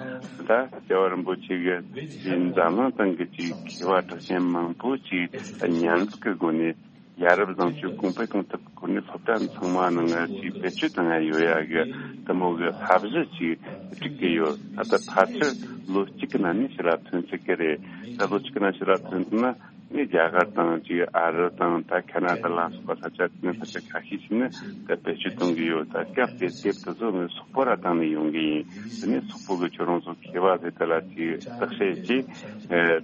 ད་རྒྱལ་བ་རིན་པོ་ཆེ་གིས་འཛམ་གླིང་སྟེང་གི་ཅིག་མཁས་པ་གྲགས་ཅན་མང་པོ་ཅིག་མཉམ་འཛོམས་ཀྱི་སྒོ་ནས་ཡ་རབས་བཟང་སྤྱོད་གོང་འཕེལ་གཏོང་ཐབས་སྐོར་ནས་སློབ་གྲྭ་ཚང་མ་ནང་ང་ཅིག་བེད་སྤྱོད་གཏོང་ཡ་ཡོད་ཡ་གི་དེ་མོ་གི་བསླབ་གཞི་ཅིག་སྒྲིག་གི་ཡོད། ད་ལྟ་ཕལ་ཆེར་ལོ་གཅིག་གི་ནང་ནས་ཕྱི་ལ་ཐོན་ཚར་གི་རེད། ད་ལོ་གཅིག་གི་ནང་ཕྱི་ལ་ཐོན་ཐུབ་ན། ནི་རྒྱ་གར་དང་ཅིག་ཨ་རི་དང་ད་ཁ་ན་ཌ་ལ་སོགས་པ་ས་ཆ་དེ་ནས་ས་ཆ་ཁ་ཤས་ཤིག་ནས་ད་བེད་སྤྱོད་གཏོང་གི་ཡོད། ད་སྐབས་དེ་དེབ་དེ་ཚོ་ནི་སོག་པོ་ར་བཏང་ནས་ཡོང་གི་ཡིན། དེ་ནས་སོག་པོ་གི་ཁྱོད་རང་ཚོ་མཁས་པ་ཟེར་དེ་ལ་ཅིག་བརྟག་དཔྱད་ཅིག་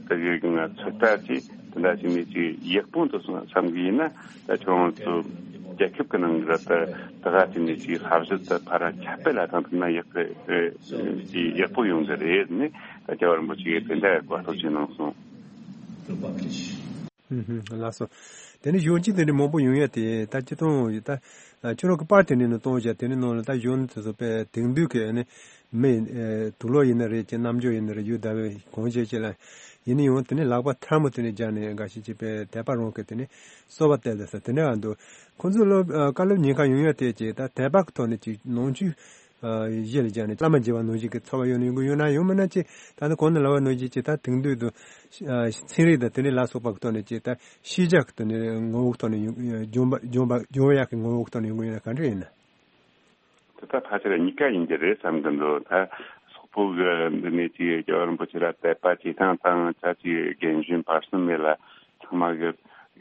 དེ་གི་ང་ཚོད་ལྟ་ཅིག་དེ་འདྲ་ཞིག་ནས་ཅིག་ཡག་པོ་འདུག་སོང་བསམ་གི་ཡིན་ན། ད་ཁྱོད་རང་ཚོ་རྒྱལ་ཁབ་ཀྱི་ནང་གི་ར་ད་ད་ག་དེ་ནས་ཅིག་བསླབ་གཞི་ད་ཕ་ར་ཁྱབ་སྤེལ་ལ་བཏང་ཐུབ་ན་ཡག་གི་ཅིག་ཡག་པོ་ཡོང་གི་རེད། ནི་ད་རྒྱལ་བ་རིན་པོ་ཆེ་གིས་དེ་འདྲ་གོ་ཐག་བྱས་གནང་སོང་། ལགས་སོ། དེ་ནས་གཞོན་སྐྱེས་དེ་འདྲ་མང་པོ་ཡོང་ཡ་དེ་ད་སྤྱི་བཏང་ད་ཁྱོད་རང་གི་པར་དེ་འདྲ་ནང་གཏོང་བྱ་དེ་འདྲ་ནང་ལ་ད་གཞོན་ནུ་དེ་ཚོ་དཔེ་དེང་དུས་ཀྱི་ནི་མི་དུག་ལོག་ཡིན་ན་རེད་ཀྱི་རྣམ་འགྱུར་ཡིན་ན་རེད་ཡུལ་དར་བའི་གང་བྱེད་ཅེས་ལ་ཡིན་ན་ཡང་དེ་ནས་ལག་པ་ཐལ་མོ་དེ་འདྲ་སྦྱར་ནས་འགའ་ཞིག་ཅིག་དཔེ་དད་པ་རང་གི་དེ་ནས་གསོལ་བ་བཏབ་ལ་ས་དེ་འདྲ་འདུག་ཁོང་ཚོ་སློབ་དཀའ་སློབ་ཉེན་ཁ་ཡོང་ཡ་དེ་ཅིག་ད་དད་པ་གི་ཐོག་ནས་ཅིག་ནང་ཆོས་གཞི་ལ་བཞག་ནས་བླ་མ་མཇལ་བ་ནང་བཞིན་གྱི་ཚོར་བ་ཡོད་ན་ཡོང་གི་ཡོད་ན་ཡང་མིན་ན་ཅིག་ད་ནི་གོང་ནས་ལབ་པ་ནང་བཞིན་ཅིག་ད་དེང་དུས་དུ་ཚན་རིག་དང་དེ་འདྲའི་ལ་སོགས་པ་གི་ཐོག་ནས་ཅིག་ད་ཤེས་བྱ་གི་ཐོག་ནས་ངོ་བོ་གི་ཐོག་ནས་ཡོང་སྦྱོང་བ་སྦྱོང་བ་སྦྱོང་བ་ཡག་གི་ངོ་བོ་གི་ཐོག་ནས་ཡོང་གི་ཡོད་ན་ག་འདྲ་ཡིན་ན། དེ་ད་ཕལ་ཆེར་གཉིས་ཀ་ཡིན་གྱི་རེད་བསམ་གི་འདུག་ད་སོག་པོ་གི་འདི་ནས་ཅིག་རྒྱལ་བ་རིན་པོ་ཆེ་ལ་དད་པ་བྱེད་སྟངས་དང་ད་ཅིག་རྒན་གཞོན་བར་གསུམ་མེད་ལ་ཚང་མ་གི་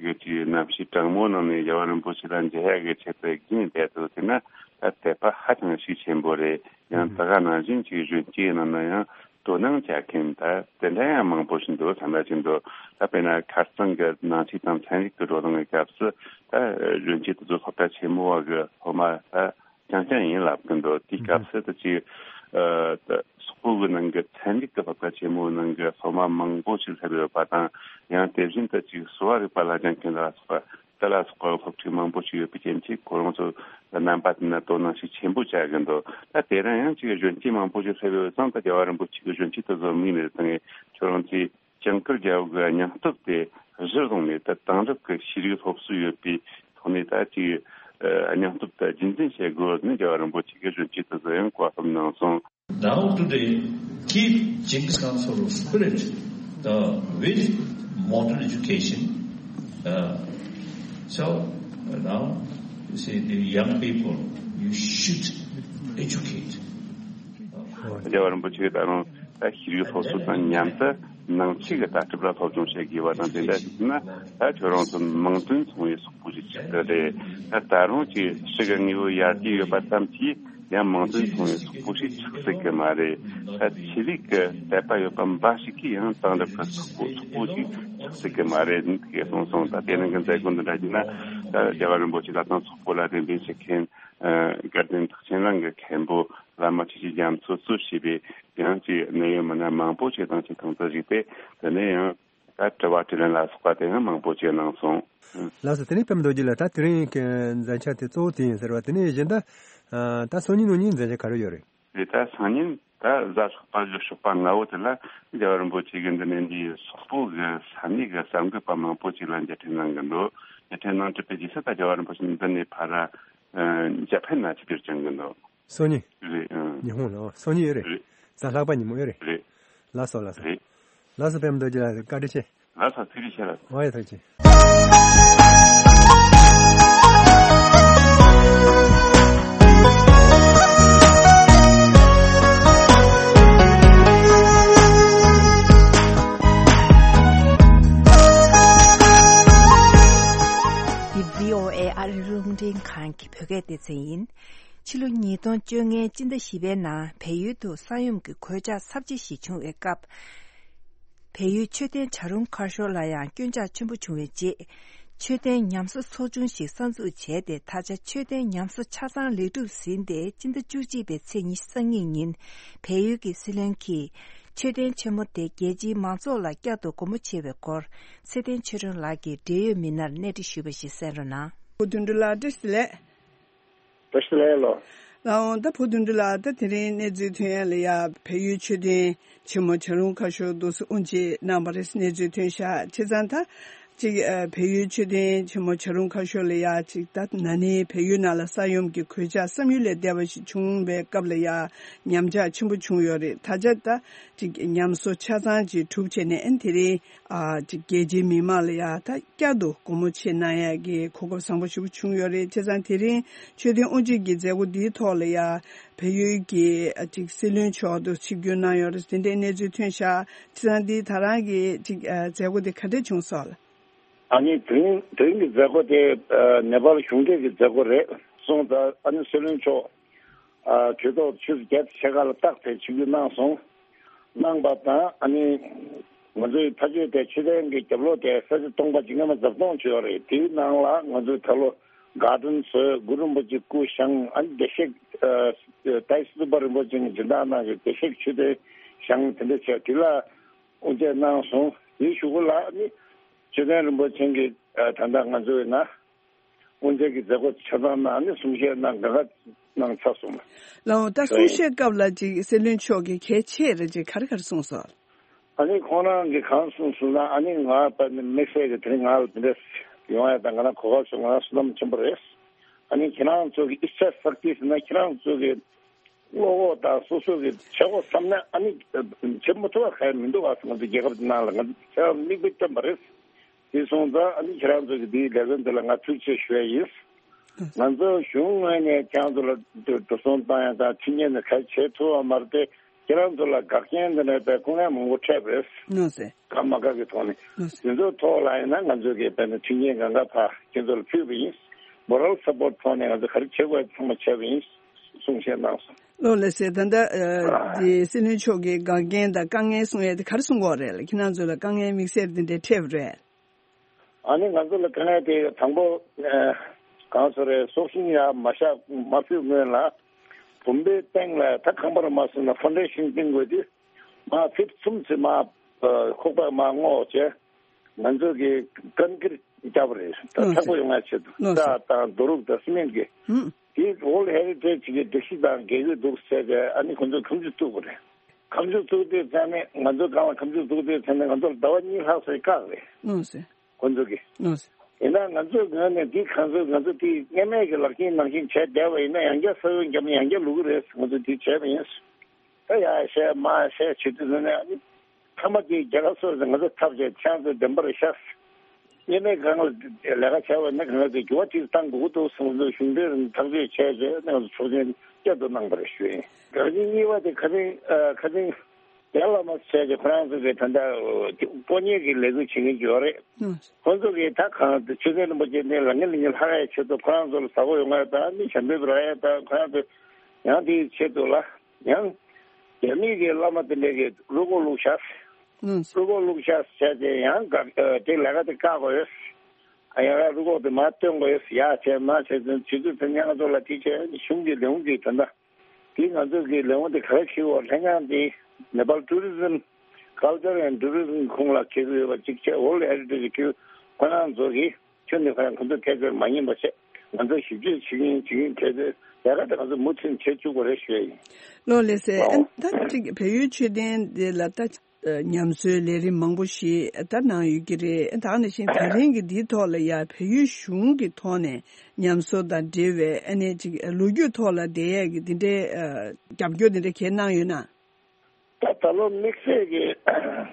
གི་ཅིག་རྣམ་ཤེས་དྲང་མོ་ནང་ནས་རྒྱལ་བ་རིན་པོ་ཆེ་ལ་མཇལ་ཡག་གི་ཆེད་དུ་བརྒྱུད་བསྡད་འདུག་ཟེར་ན་ད་དད་པ་ཧ་ཅང་ཤུགས་ཆེན་པོ་རེད། ཡང་ད་ག་ནང་བཞིན་ཅིག་གཞོན་སྐྱེས་ནང་ན་ཡང་དོ་སྣང་བྱ་མཁན་ད་དེ་འདྲ་ཡང་མང་པོ་ཞིག་འདུག་བསམ་པ་ཞིག་འདུག་ད་དཔེར་ན་ཁ་རྩང་གི་ནང་ཆོས་དང་ཚན་རིག་གི་བགྲོ་གླེང་གི་སྐབས་སུ་ད་གཞོན་སྐྱེས་དེ་ཚོ་སློབ་གྲྭ་ཆེན་མོ་བ་གི་སློབ་མ་ད་རྐྱང་རྐྱང་ཡིན་ལབ་གི་འདུག་དེའི་སྐབས་སུ་ད་ཅིག་ཨ་ད་སོག་པོ་གི་ནང་གི་ཚན་རིག་གི་སློབ་གྲྭ་ཆེན་མོའི་ནང་གི་སློབ་མ་མང་པོ་ཞིག་སླེབས་ཡོད་པ་དང་། ཡང་དེ་བཞིན་དུ་ཅིག་གསོ་བ་རིག་པ་ལ་སྦྱང་མཁན་ལ་སོགས་པ་དེ་ལ་སོགས་པ་སློབ་ཕྲུག་མང་པོ་ཞིག་ཡོད་པའི་རྐྱེན་གྱིས་ཁོ་རང་ཚོ་རྣམ་པ་དེ་ན་དོ་སྣང་ཤུགས་ཆེན་པོ་བྱ་གི་འདུག་ད་དེ་རིང་ཡང་ཅིག་གཞོན་སྐྱེས་མང་པོ་ཞིག་སླེབས་ཡོད་ཙང་ད་རྒྱལ་བ་རིན་པོ་ཆེ་གི་གཞོན་སྐྱེས་དེ་ཚོ་མིག་ནས་བཏང་ངས་ཁྱོད་རང་ཚོས་ཇིང་གུར་རྒྱལ་པོ་གི་སྙིང་སྟོབས་དེ་གཞིར་བཟུང་ནས་ད་དེང་རབས་ཀྱི་ཤེས་རིག་སློབ་གསོ་ཡོད་པའི་ཐོག་ནས་ད་ཅིག་ཨ་སྙིང་སྟོབས་དེ་རྒྱུན་འཛིན་བྱེད་དགོས་ནས་རྒྱལ་བ་རིན་པོ་ཆེ་གི་གཞོན་སྐྱེས་དེ་ཚོ་ཡང་བཀའ་སློབ་གནང་སོང་། Now today, keep Genghis Khan sort of spirit uh, with modern education. Uh, so uh, now, you see, the young people, you should educate. རྒྱལ་བ་རིན་པོ་ཆེ་གིས་ད་རུང་ད་ཤེས་རིག་སློབ་གསོ་དང་མཉམ་དུ་ནང་ཆོས་ཀྱི་ལྟ་གྲུབ་ལ་སློབ་སྦྱོང་བྱེད་དགོས་པ་དང་དེ་འདྲ་ཞིག་ན་ད་ཁྱོད་རང་ཚོ་མིང་དོན་མཚུངས་པའི་སོག་པོ་ཞིག་ཆགས་ཀྱི་རེད། ད་ད་རུང་ཅིག་ཕྱི་གི་དངོས་པོ་ཡར་རྒྱས་ཡོད་པ་ཙམ་གྱིས་ཡང་མིང་དོན་མཚུངས་པའི་སོག་པོ་ཞིག་ཆགས་སྲིད་ཀྱི་མ་རེད། ད་ཆོས་ལུགས་ཀྱི་དད་པ་ཡོད་པ་འབའ་ཞིག་གིས་ཡང་དེང་རབས་ཀྱི་སོག་པོ་སོག་པོ་ཞིག་ཆགས་སྲིད་ཀྱི་མ་རེད་ཟེར་གསུངས་སོང་། ད་དེ་རིང་གི་མཛད་སྒོ་འདི་འདྲ་ཞིག་ན་ད་རྒྱལ་བ་རིན་པོ་ཆེ་ལ་དང་སོག་པོ་ལ་རེ་འདུན་བྱེད་མཁན་དགའ་ལྡན་རྟགས་ཅན་གླིང་གི་མཁན་པོ་བླ་མ་ཆོས་ཀྱི་རྒྱ་མཚོ་གཙོས་བྱས་པའི་ཡང་ཅིག་གནད་ཡོད་མི་སྣ་མང་པོ་ཞིག་དང་ཅིག་ཐུག་འཕྲད་ཞུས་ཏེ། དེ་ནས་ཡང་ད་དྲི་བ་དྲིས་ལན་ལ་སོགས་པ་དེ་ཡང་མང་པོ་ཞིག་གནང་སོང་། ལགས་སོ། དེ་ནས་པདྨ་རྡོ་རྗེ་ལགས། ད་དེ་རིང་གི་མཛད་འཆར་དེ་གཙོ་བོ་དེ་ཡིན་ཟེར་བ། དེ་ནས་གཞན་དག་ད་སང་ཉིན་གནངས་ཉིན་མཛད་འཆར་ག་རེ་ཡོད་རེད། རེད། ད་སང་ཉིན་ད་གཟའ་ལྷག་པ་གི་ཞོགས་པ་སྔ་པོ་དེ་ལ་རྒྱལ་བ་རིན་པོ་ཆེ་གིས་འདི་ནས་འདིའི་སོག་པོ་གི་ས་གནས་ཀྱི་གསར་འགོད་པ་མང་པོ་ཞིག་ལ་མཇལ་འཕྲད་གནང་གི་འདུག་མཇལ་འཕྲད་གནང་གྲུབ་པའི་རྗེས་སུ་ད་རྒྱལ་བ་རིན་པོ་ཆེ་འདི་ནས་ཕར་ཨ་ཇ་པན་ན་ཆིབས་བསྒྱུར་བྱུང་གི་འདུག་སང་ཉིན། རེད། ཨང་། ཉི་ཧོང་ལ། ཨོ། སང་ཉིན་ཡོད་རེད། རེད། གཟའ་ལྷག་པ་ཉིན་མོ་ཡོད་རེད། རེད། ལགས་སོ། ལགས་སོ། རེད། ལགས་སོ། པདྨ་རྡོ་རྗེ་ལགས། བཀའ་དྲིན་ཆེ། ལགས་སོ། ཐུགས་རྗེ་ཆེ་ལགས། ཨོ་ཡ། ཐུགས་རྗེ་ཆེ། འདི་བྷི་ཨོ་ཨེ་ཨ་རི་རླུང་འཕྲིན་ཁང་གི་བོད་སྐད་སྡེ་ཚན་ཡིན། ཕྱི་ལོ་ཉིས་སྟོང་བཅོ་ལྔའི་སྤྱི་ཟླ་བཞི་པའི་ནང་བལ་ཡུལ་དུ་ས་ཡོམ་གྱི་གོད་ཆག་ཚབས་ཆེ་ཞིག་བྱུང་བའི་སྐབས། བལ་ཡུལ་མཆོད་རྟེན་བྱ་རུང་མཁར་ཤོར་ལ་ཡང་སྐྱོན་ཆག་ཆེན་པོ་བྱུང་བའི་རྗེས། མཆོད་རྟེན་ཉམས་གསོ་ཚོགས་ཆུང་ཞིག་གསར་འཛུགས་བྱས་ཏེ། ད་ཆ་མཆོད་རྟེན་ཉམས་གསོ་ཆ་ཚང་ལེགས་གྲུབ་ཟིན་ཏེ། སྤྱི་ཟླ་བཅུ་གཅིག་པའི་ཚེས་ཉི་ཤུ་རྩ་གཉིས་ཉིན་བལ་ཡུལ་གྱི་སྲིད་བློན་གྱིས་མཆོད་རྟེན་ཆེན་མོ་དེ་རྒྱལ་སྤྱིའི་མང་ཚོགས་ལ་བསྐྱར་དུ་སྒོ་མོ་ཕྱེ་བའི་སྐོར། ཚེ་བརྟན་ཆོས་སྒྲོན་ལགས་ཀྱིས་འབྲེལ་ཡོད་མི་སྣར་གནས་འདྲི་ཞུས་པ་ཞིག་གསན་རོགས་གནང་། བུ་དོན་གྲུབ་ལགས། བཀྲ་ཤིས་བདེ་ལེགས། བཀྲ་ཤིས་བདེ་ལེགས་ལགས། ལགས་འོང་། ད་བུ་དོན་གྲུབ་ལགས། ད་དེ་རིང་གནས་ཚུལ་ཐོན་ཡ་ལ་ཡ་བལ་ཡུལ་མཆོད་རྟེན་ཆེན་མོ་བྱ་རུང་མཁར་ཤོར་འདུག་སེ་དབུ་འབྱེད་གནང་བ་རེད། གནས་ཚུལ་ཐོན་ཤག་བྱས་ཙང་ད་ཅིག་ཨ་བལ་ཡུལ་མཆོད་རྟེན་ཆེན་མོ་བྱ་རུང་མཁར་ཤོར་ལ་ཡ་ཅིག་ད་ན་ནིང་བལ་ཡུལ་ནང་ལ་ས་ཡོམ་གྱི་གོད་ཆག་བསམ་ཡུལ་ལས་འདས་པ་ཞིག་བྱུང་བའི་སྐབས་ལ་ཡ་ཉམས་ཆག་ཆེན་པོ་བྱུང་ཡོད་རེད། ད་ཆ་ད་ཅིག་ཉམས་གསོ་ཆ་ཚང་ཅིག་གྲུབ་བྱས་ནས་ཨ་ནི་དེ་རིང་ཨ་ཅིག་རྒྱལ་སྤྱིའི་མི་མང་ལ་ཡ་ད་བསྐྱར་དུ་སྒོ་མོ་ཕྱེ་གནང་ཡ་གི་གོ་སྐབས་བཟང་པོ་ཞིག་བྱུང་ཡོད་རེད། བྱས་ཙང་དེ་རིང་མཆོད་རྟེན་དབུ་འབྱེད་ཀྱི་མཛད་སྒོ་འདིའི་ཐོག་ལ་ཡ་བལ་ཡུལ་གྱི་ཨ་ཅིག་སྲིད་བློན་མཆོག་ཏུ་ཆིབས་བསྒྱུར་གནང་ཡོད་རེད། དེ་འདྲའི་གནས་ཚུལ་ཐོན་ཤག་བྱས་ཙང་འདི་ད་རང་གི་ཅིག་ཨ་མཛད་སྒོ་དེ་ག་འདྲས་བྱུང་སོང་ལགས། ཨ་ནི་དེ་རིང་དེ་རིང་གི་མཛད་སྒོ་དེ་ཨ་ནེ་པཱལ་གཞུང་འབྲེལ་གྱི་མཛད་སྒོ་རེད་གསུངས། ད་ཨ་ནི་སྲིད་བློན་མཆོག་ཨ་གྲོས་ཚོགས་ཆུ་ཚོད་བརྒྱད་དང་ཕྱེད་ཀ་ལ་རྟགས་དེ་ཆིབས་བསྒྱུར་གནང་སོང་། གནང་པ་དང་ཨ་ནི་ང་ཚོའི་ཕ་ཆོས་དེ་མཆོད་རྟེན་གྱི་རྒྱབ་ལོགས་དེ་ས་ཆ་སྟོང་པ་ཅིག་སྔོན་མ་བརྡབ་སྟོང་བྱས་ཡོད་རེད། དེའི་ནང་ལ་ང་ཚོས་ད་ལོ་གར་ཌེན་བཟོས། གུ་རུ་རིན་པོ་ཆེ་སྐུ་བཞེངས། ཨ་ནི་བདེ་གཤེགས་ཨ་ཏཱའི་སི་ཏུ་པ་རིན་པོ་ཆེ་གི་སྦྱིན་བདག་གནང་བའི་བདེ་གཤེགས་མཆོད་རྟེན་བཞེངས། དེ་འདྲ་བྱས། དེ་ལ་དབུ་འབྱེད་གནང་སོང་། དེའི་གཞུག་གུ་ལ་ཨ་ནི་མཆོད་རྟེན་རིན་པོ་ཆེ་གི་ཨ་ད་ལྟ་ང་ཚོའི་ནང་དབུ་འབྱེད་ཀྱི་མཛད་སྒོ་ཆ་ཚང་ནང་ནས་གསུང་བཤད་གནང་། གང་ག་གནང་ཚར་སོང་། ལགས་འོང་། ད་གསུང་བཤད་སྐབས་ལ་ཅིག་སྲིད་བློན་མཆོག་གིས་གལ་ཆེ་རེ་ཅིག་ག་རེ་ག་རེ་གསུངས་སོང་། ཨ་ནི་ཁོང་རང་གིས་གང་གསུངས་སོང་ན། ཨ་ནི་ང་དཔེར་ན་དམིགས་བསལ་གྱི་དེ་རིང་ང་ལ་དེ་འདྲ་ཡོང་ཡ་དང་། ང་རང་གོ་སྐབས་བྱུང་། ང་རང་བསོད་ནམས་ཆེན་པོ་རེད། ཨ་ནི་ཁྱེད་རང་ཚོ་གི་ཨི་ཆ་སག་ཏི་ཟེར་ན་ཁྱེད་རང་ཚོ་གི་བློ་ཁོག་དང་སོ་སོ་གི་བྱེད་དགོས་བསམ་ན་ཨ་ནི་བྱེད་མ་ཐུབ་པ་གང་ཡང་མི་འདུག་ཨ། ང་ཚོ་རྒྱལ་ཁབ་འདི་ནང་ལ་ང་ཚོ་ཆ་མིག་དཔེ་བསྟན་པ་རེད། དེ་སོང་ཙང་ཨ་ནི་ཁྱེད་རང་ཚོ་གི་འདིའི་ལས་དོན་འདི་ལ་ང་ཐུགས་རྗེ་ཆེ་ཞུ་ཡ་ཡིན། ང་ཚོ་གཞུང་ངོས་ནས་ཁྱེད་རང་ཚོ་ལ་འགྲོ་སོང་བཏང་ཡ་དང་མཐུན་རྐྱེན་ནི་ག་རེ་བྱེད་ཐུབ་པ་མ་རེད་དེ། ཁྱེད་རང་ཚོ་ལ་འགག་རྐྱེན་འདི་ནས་དཔེ་སྐུ་ངལ་མང་པོ་འཕྲད་པ་རེད། ནོ་སེ། དགའ་མ་དགའ་གི་ཐོག་ནས། ནོ་སེ། དེ་ཚོའི་ཐོག་ལ་ཡིན་ན་ང་ཚོ་གིས་དཔེར་ན་མཐུན་རྐྱེན་གང་ག་ཕར་ཁྱེད་ཚོ་ལ་ཕུལ་བ་ཡིན། མོ་རལ་སབ་པོར་ཐོག་ནས་ང་ཚོ་ག་རེ་བྱེད་དགོས་ཚང་མ་བྱས་པ་ཡིན་གསུང་བཤད་གནང་སོང་། ལགས་ལགས་སེ། ད་ལྟ་ཨ་འདི་སྲིད་བློན་མཆོག་གིས་འགག་རྐྱེན་དང་དཀའ་ངལ་གསུང་ཡས་དེ་ག་རེ་གསུང་གི་ཡོད་རེད། ཁྱེད་རང་ཚོ་ལ་དཀའ་ངལ་དམིགས་བསལ་དེ་འདྲ་འཕྲད་པ་རེད། ཨ་ནི་ང་ཚོ་ལ་དཀའ་ངལ་དེ་དང་པོ་ཨ་གང་ཟེར་རེད། སྲོག་ཤིང་ཡར་མ་བཞག་མ་ཕུལ་སྔོན་ལ་བུམ་པའི་སྟེང་ལ་ད་ཁང་པར་མ་སོང་ན་ཕའུན་ཌེ་ཤིན་བཏིང་དགོས་དུས་མར་ཕིཊ་གསུམ་ཙམ་མར་ཨ་ཁོག་པ་མར་སྔོག་བྱས། ང་ཚོ་གིས་ཀོན་ཀི་རིཊ་བརྒྱབ་པ་རེད། ད་ནོ་ཚགས་པོ་སེ། ཡོང་ཡ་ཆེད་དུ། ནོ་སེ། རྩྭ་དང་རྡོ་རུག་དང་སི་མེན་གྱི། ཧུམ། དེ་World Heritage གི་སྒྲིག་གཞི་དང་འགལ་གྱི་འདུག་ཟེར་ཏེ་ཨ་ནི་ཁོ་ཚོས་ཁ་མཆུ་བཙུགས་པ་རེད། ཁ་མཆུ་བཙུགས་དུས་ཙང་ནས་ང་ཚོ་སྒང་ལ་ཁ་མཆུ་བཙུགས་དུས་ཙང་ནས་ང་ཚོ་ལ་ཟླ་བ་གཉིས་ལྷག་ཙམ་བཀག་རེད། ནོ་སེ། ཁོ་ཚོ་གིས། ནོ་སེ། ཡིན་ན་ང་ཚོའི་ངོས་ནས་འདི་གང་ཚོད་ང་ཚོ་དེ་སྔོན་མའི་གི་ལག་ཤེས་ནང་བཞིན་བྱས་བསྡད་པ་ཡིན་ན་ཡང་བསྐྱར་ས་བོན་བརྒྱབ་ནས་ཡང་བསྐྱར་ལུག་གི་རེད། ང་ཚོ་དེ་བྱས་པ་ཡིན། ད་ཡར་བཤད་མར་བཤད་བྱེད་དུས་ནས་ཨ་ནི་མཐའ་མ་དེ་རྒྱལ་ཁབ་སོ་སོས་ང་ཚོ་ཐབས་བྱས་ཁྱེད་ཚོ་བདེན་པར་ཤག་སྔོན་མའི་སྒང་ལ་ལས་ཀ་བྱས་པ་ཡིན་ན་གང་ལ་དེ་འགྱུར་བ་ཅིག་བཏང་དགོས་ཀྱི་འདུག་གསུངས་ཚུལ་གཞུང་འབྲེལ་ཐག་གཅོད་བྱས་རྗེས་ནས་ང་ཚོ་ཆོག་མཆན་བསྐྱར་དུ་གནང་བ་རེད་ཞུ་ཡིན། འགག་རྐྱེན་གཉིས་པ་དེ་ཁ་སང་ཨ་ཁ་སང་རྒྱ་བླ་མ་བྱས་ཏེ་ཁོ་རང་ཚོ་གིས་ད་ལྟ་སྤོ་ཉེ་གི་ལས་འགུལ་བྱེད་མཁན་ཅིག་ཡོད་རེད། ཨང་། ཁོ་ཚོ་གིས་ད་གང་ཆོས་སྲིད་རིན་པོ་ཆེ་ནས་ལ་ངན་ལ་ཉེ་ལྷག་ཡ་ཆེད་དུ་ཁོ་རང་ཚོ་ལ་ཟ་ཁོ་ཡོང་ཡ་དང་མི་ཞབས་འདེགས་རག་ཡ་དང་ཁོ་རང་ཚོ་ཡང་དེའི་ཆེད་དུ་ལ་ཡང་རྒྱ་མི་གི་བླ་མ་དེ་འདྲས་ཀྱིས་རུ་སྐོགས་བླུགས་ཤག་ཨང་། རུ་སྐོགས་བླུགས་ཤག་བྱས་ཏེ་ཡང་ག་དེ་ལས་ཀ་དེ་བཀག་དགོས་ཡོད། ཡང་ཡང་རུ་སྐོགས་དེ་མར་བཏོན་དགོས་ཡོད། ཡ་བྱས་མ་བྱས་ཚུན་ཆུ་ཚོད་དེ་ཉག་ཚོ་ལ་དེ་བྱས་གཞུང་གི་ལས་ཁུངས་ཀྱིས་ད་ལྟ། དེ་ང་ཚོ་གི་ལས་ཁུངས་དེ་ག་རེ་བྱེད་འོ་ལྷན་ཁང་དེ་Nepal Tourism Culture and Tourism ཁོངས་ལ་འཁེལ་གྱི་ཡོད་པ་གཅིག་བྱས། World Heritage ཁེལ་ཁོ་རང་ཚོ་གིས་ཁྱོན་ནས་ཁོ་རང་ཁོ་ཚོ་ཐད་ཀར་མ་ཉན་པ་བྱས། ང་ཚོ་ཞིབ་དཔྱོད་བྱེད་ཀྱིན་བྱེད་ཀྱིན་གལ་ཏེ་ལས་ཀ་དེ་ང་ཚོ་མུ་མཐུད་བྱེད་བཅུག་པ་རེད་ཞུ་ཡ་ཡིན། ལགས་ལགས་སེ། ཨ་ད་ཅིག་བལ་ཡུལ་མཆོད་རྟེན་འདི་ལ་ད། ཉམས་གསོའི་ལས་རིམ་མང་པོ་ཞིག་ད་གནང་ཡོད་ཀྱི་རེད། ད་ག་ནང་བཞིན་ད་རིང་གི་འདིའི་ཐོག་ལ་ཡ་བལ་ཡུལ་གཞུང་གི་ཐོག་ནས་ཉམས་གསོ་དང་འབྲེལ་བའི་ཨ་ནི་ཅིག་ལོ་རྒྱུས་ཐོག་ལ་བསྡད་ཡས་ཀྱི་འདི་འདྲའི་རྒྱབ་སྐྱོར་འདི་འདྲ་གས་གནང་ཡོད་ན། ད་ད་ལོ་དམིགས་བསལ་གྱི་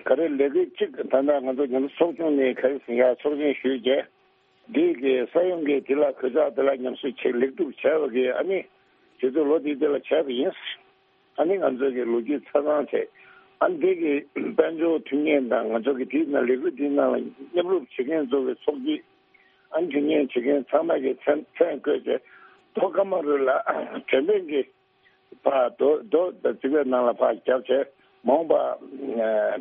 ག་རེ་ལས་འགུལ་གཅིག་ད་ལྟ་ང་ཚོ་ཉམས་གསོ་ཚོགས་ཆུང་ནས་ག་རེ་ཟིན་ཡ་ཚོགས་ཆེན་ཞུས་རྗེས། འདི་གི་ས་ཡོམ་གྱི་དེ་ལ་གོད་ཆག་དེ་ལ་ཉམས་གསོ་བྱེད་ལེགས་གྲུབ་བྱས་པ་གི་ཨ་ནི་དེ་ཚོ་ལོ་དེ་དེ་ལ་བྱས་པ་ཡིན། ཨ་ནི་ང་ཚོ་གི་ལོ་རྒྱུས་ཆ་ཚང་བྱས། ཨ་ནི་འདི་གི་དཔལ་འབྱོར་མཐུན་རྐྱེན་དང་ང་ཚོ་གི་དེའི་ནང་ལས་འགུལ་དེའི་ནང་ལ་མཉམ་རུབ་བྱེད་མཁན་ཚོ་གི་ཚོགས་སྐྱིད། ཨ་ནི་མཐུན་རྐྱེན་བྱེད་མཁན་ཚང་མ་གི་མཚན་མཚན་བཀོད་བྱས། ཐོག་ཀ་མ་རུ་ལ་དྲན་རྟེན་གྱི་ཕར་རྡོ་རྡོ་དང་རྩིག་པའི་ནང་ལ་ཕར་བརྒྱབ་བྱས་མ་འོངས་པ་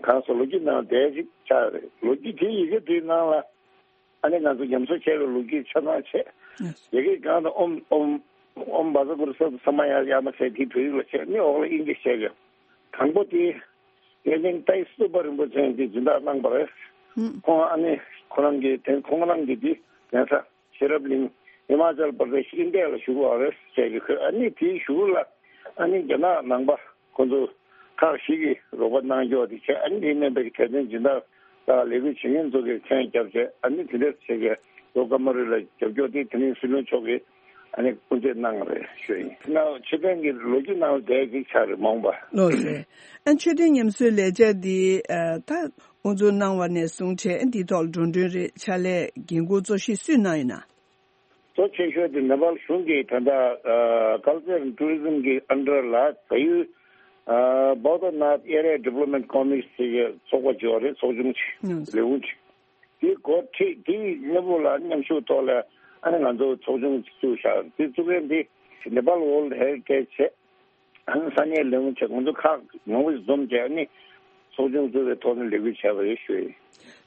གང་སོ་ལོ་རྒྱུས་ནང་དེ་ཞིག་ཆགས་རེད། ལོ་རྒྱུས་དེའི་ཡི་གེ་དེའི་ནང་ལ། ཨ་ནི་ང་ཚོ་ཉམས་གསོ་བྱས་པའི་ལོ་རྒྱུས་ཆ་ཚང་བྱས། ཡ་གི་གང་དུ་ཨོམ་ཨོམ་ཨོམ་བཛྲ་གུ་རུ་སོགས་ས་མ་ཡ་ཡ་མ་ཟེར་དེ་བོད་ཡིག་ལ་བྱས་ནི་འོག་ལ་ཨིན་ཇི་བྱས་ཀྱང་། དང་པོ་དེ་དབྱར་གླིང་ཏཱའི་སི་ཏུ་པ་རིན་པོ་ཆེ་གིས་སྦྱིན་བདག་གནང་བ་རེད། ཁོང་ཨ་ནི་ཁོ་རང་གི་དེ་ཁོང་རང་གི་དེ་གདན་ས་ཤེས་རབ་གླིང་ཧི་མ་ཅལ་པར་དེ་ཤི་ཨིན་ཌི་ཡ་ལ་བཞུགས་པ་རེད་བྱས་ཀྱི་ཁོས་ཨ་ནི་དེའི་གཞུག་ལ་ཨ་ནི་རྒྱ་ནག་ནང་པ། ཁོ་ཚོ་ཁག་ཞིག་གིས་རོགས་པ་གནང་ཀྱོག་དེ་བྱས། ཨ་ནི་དེ་མིན་པའི་གལ་ཆེན་སྦྱིན་བདག་དང་ལས་འགུལ་བྱེད་མཁན་ཚོ་གིས་མཚན་བརྒྱབ་བྱས། ཨ་ནི་དེ་འདྲ་བྱས་ཀྱི་ལོ་ཀ་མ་རུ་ལ་རྒྱབ་སྐྱོར་དེ་དེ་རིང་སྲིད་བློན་མཆོག་གིས་ཨ་ནི་སྐུ་མདུན་གནང་བ་རེད་ཞུ་ཡིན། ན་མཆོད་རྟེན་གྱི་ལོ་རྒྱུས་ནང་ལ་བསྡད་ཅིག་ཆགས་རེད་མ་འོངས་པ། ལགས་སེ། ཨ་མཆོད་རྟེན་ཉམས་གསོའི་ལས་འཆར་འདི་ད་དབུ་འཛུགས་གནང་བ་ནས་བཟུང་བྱས་འདིའི་ཐོག་ལ་འགྲོ་གྲོན་རེད་ཕྱག་ལས་འགན་འཁུར་གཙོ་ཤོས་སུས་གནང་ཡོད་ན། གཙོ་ཆེ་ཤོས་དེ་ནེ་པཱལ་གཞུང་གིས་ད་ལྟ་ཨ་Culture and Tourism གི་ཨན་ཌར་ལ་བལ་ཡུལ་ཨ་Bauddhanath Area Development Committee ཟེར་གྱི་ཚོགས་པ་ཅིག་ཡོད་རེད། ཚོགས་ཆུང་ཅིག་ལས་ཁུངས་ཅིག་དེ་འགོ་ཁྲིད་དེའི་གནས་བབ་ལ་མཉམ་ཞུགས་ཐོག་ལ་ཨ་ནི་ང་ཚོ་ཚོགས་ཆུང་བཙུགས་བཞག་དེ་བཙུགས་མཁན་དེ་ནེ་པཱལ་ཝརལ་ཧེ་རི་ཊེཇ་བྱས། ཨ་ནི་ས་གནས་ལས་ཁུངས་བྱས། ང་ཚོ་ཁག་མང་པོ་ཞིག་འཛོམས་བྱས་ཨ་ནི་ཚོགས་ཆུང་བཙུགས་པའི་ཐོག་ནས་ལས་འགུལ་བྱས་པ་རེད་ཞུ་ཡིན།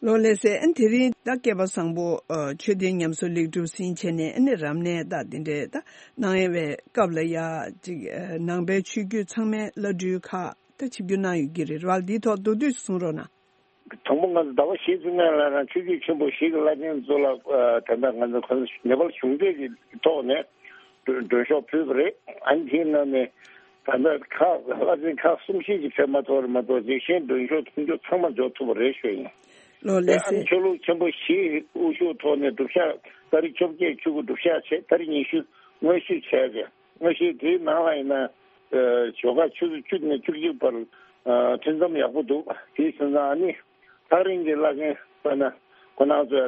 ལོ་ལགས་སེ། ཨ་ནི་དེ་རིང་ད་སྐལ་པ་བཟང་པོ་ཨ་ཆོས་ལྡན་ཉམས་གསོ་ལེགས་གྲུབ་ཟིན་བྱས་ནས་ཨ་ནི་རབ་གནས་ད་དེ་འདྲའི་ད་གནང་ཡས་པའི་སྐབས་ལ་ཡ་ཅིག་ཨ་ནང་པའི་ཆོས་བརྒྱུད་ཚང་མའི་བླ་སྤྲུལ་ཁག་ད་ཆིབས་བསྒྱུར་གནང་ཡོད་ཀྱི་རེད་བ། འདིའི་ཐོག་མདོར་བསྡུས་གསུང་རོགས་གནང་། དང་པོ་ང་ཚོ་ཟླ་བ་བཞི་ཙམ་ནང་ལ་རང་ཆོས་བརྒྱུད་ཆེན་པོ་བཞི་གི་བླ་ཆེན་ཚོ་ལ་ཨ་ད་ལྟ་ང་ཚོ་ཁོ་ཚོ་ནེ་པཱལ་གཞུང་འབྲེལ་གྱི་ཐོག་ནས་མགྲོན་མགྲོན་ཤོག་ཕུལ་བ་རེད། ཨ་ནི་དེའི་ནང་ནས་ད་ལྟ་ཁག་བླ་ཆེན་ཁག་གསུམ་བཞི་ཅིག་ཕེབས་མ་ཐུབ་རེད་མ་གཏོགས་རྗེས་ཤན་མགྲོན་ཤོག་མཐུན་འགྱུར་ཚང་མ་འབྱོར་ཐུབ་པ་རེད་ཞུ་ཡིན། ལོ་ལགས་ཨ་ནི་སེ། ཆོས་ལུགས་ཆེན་པོ་བཞིའི་དབུ་བཞུགས་ཐོག་ནས་སྒྲུབ་ཞག་ཏ་རིག་བཅོ་བརྒྱད་ཆོས་སྐུ་སྒྲུབ་ཞག་བྱས། ཏ་རིག་ཉི་ཤུ་དངོས་བཞུགས་བྱས་ཏེ། དངོས་གཞི་དེའི་ནང་ལ་ཡིན་ན་ཨ་ཞོགས་ཀ་ཆུ་ཚོད་བཅུ་ནས་བཅུ་གཅིག་བར་ཨ་ཐུན་མཚམས་ཡག་པོ་འདུག་དེའི་ཕྱིར་ན་ཨ་ནི་ཐག་རིང་གི་བླ་ཆེན་དཔེར་ན་ཁོ་རང་ཚོ་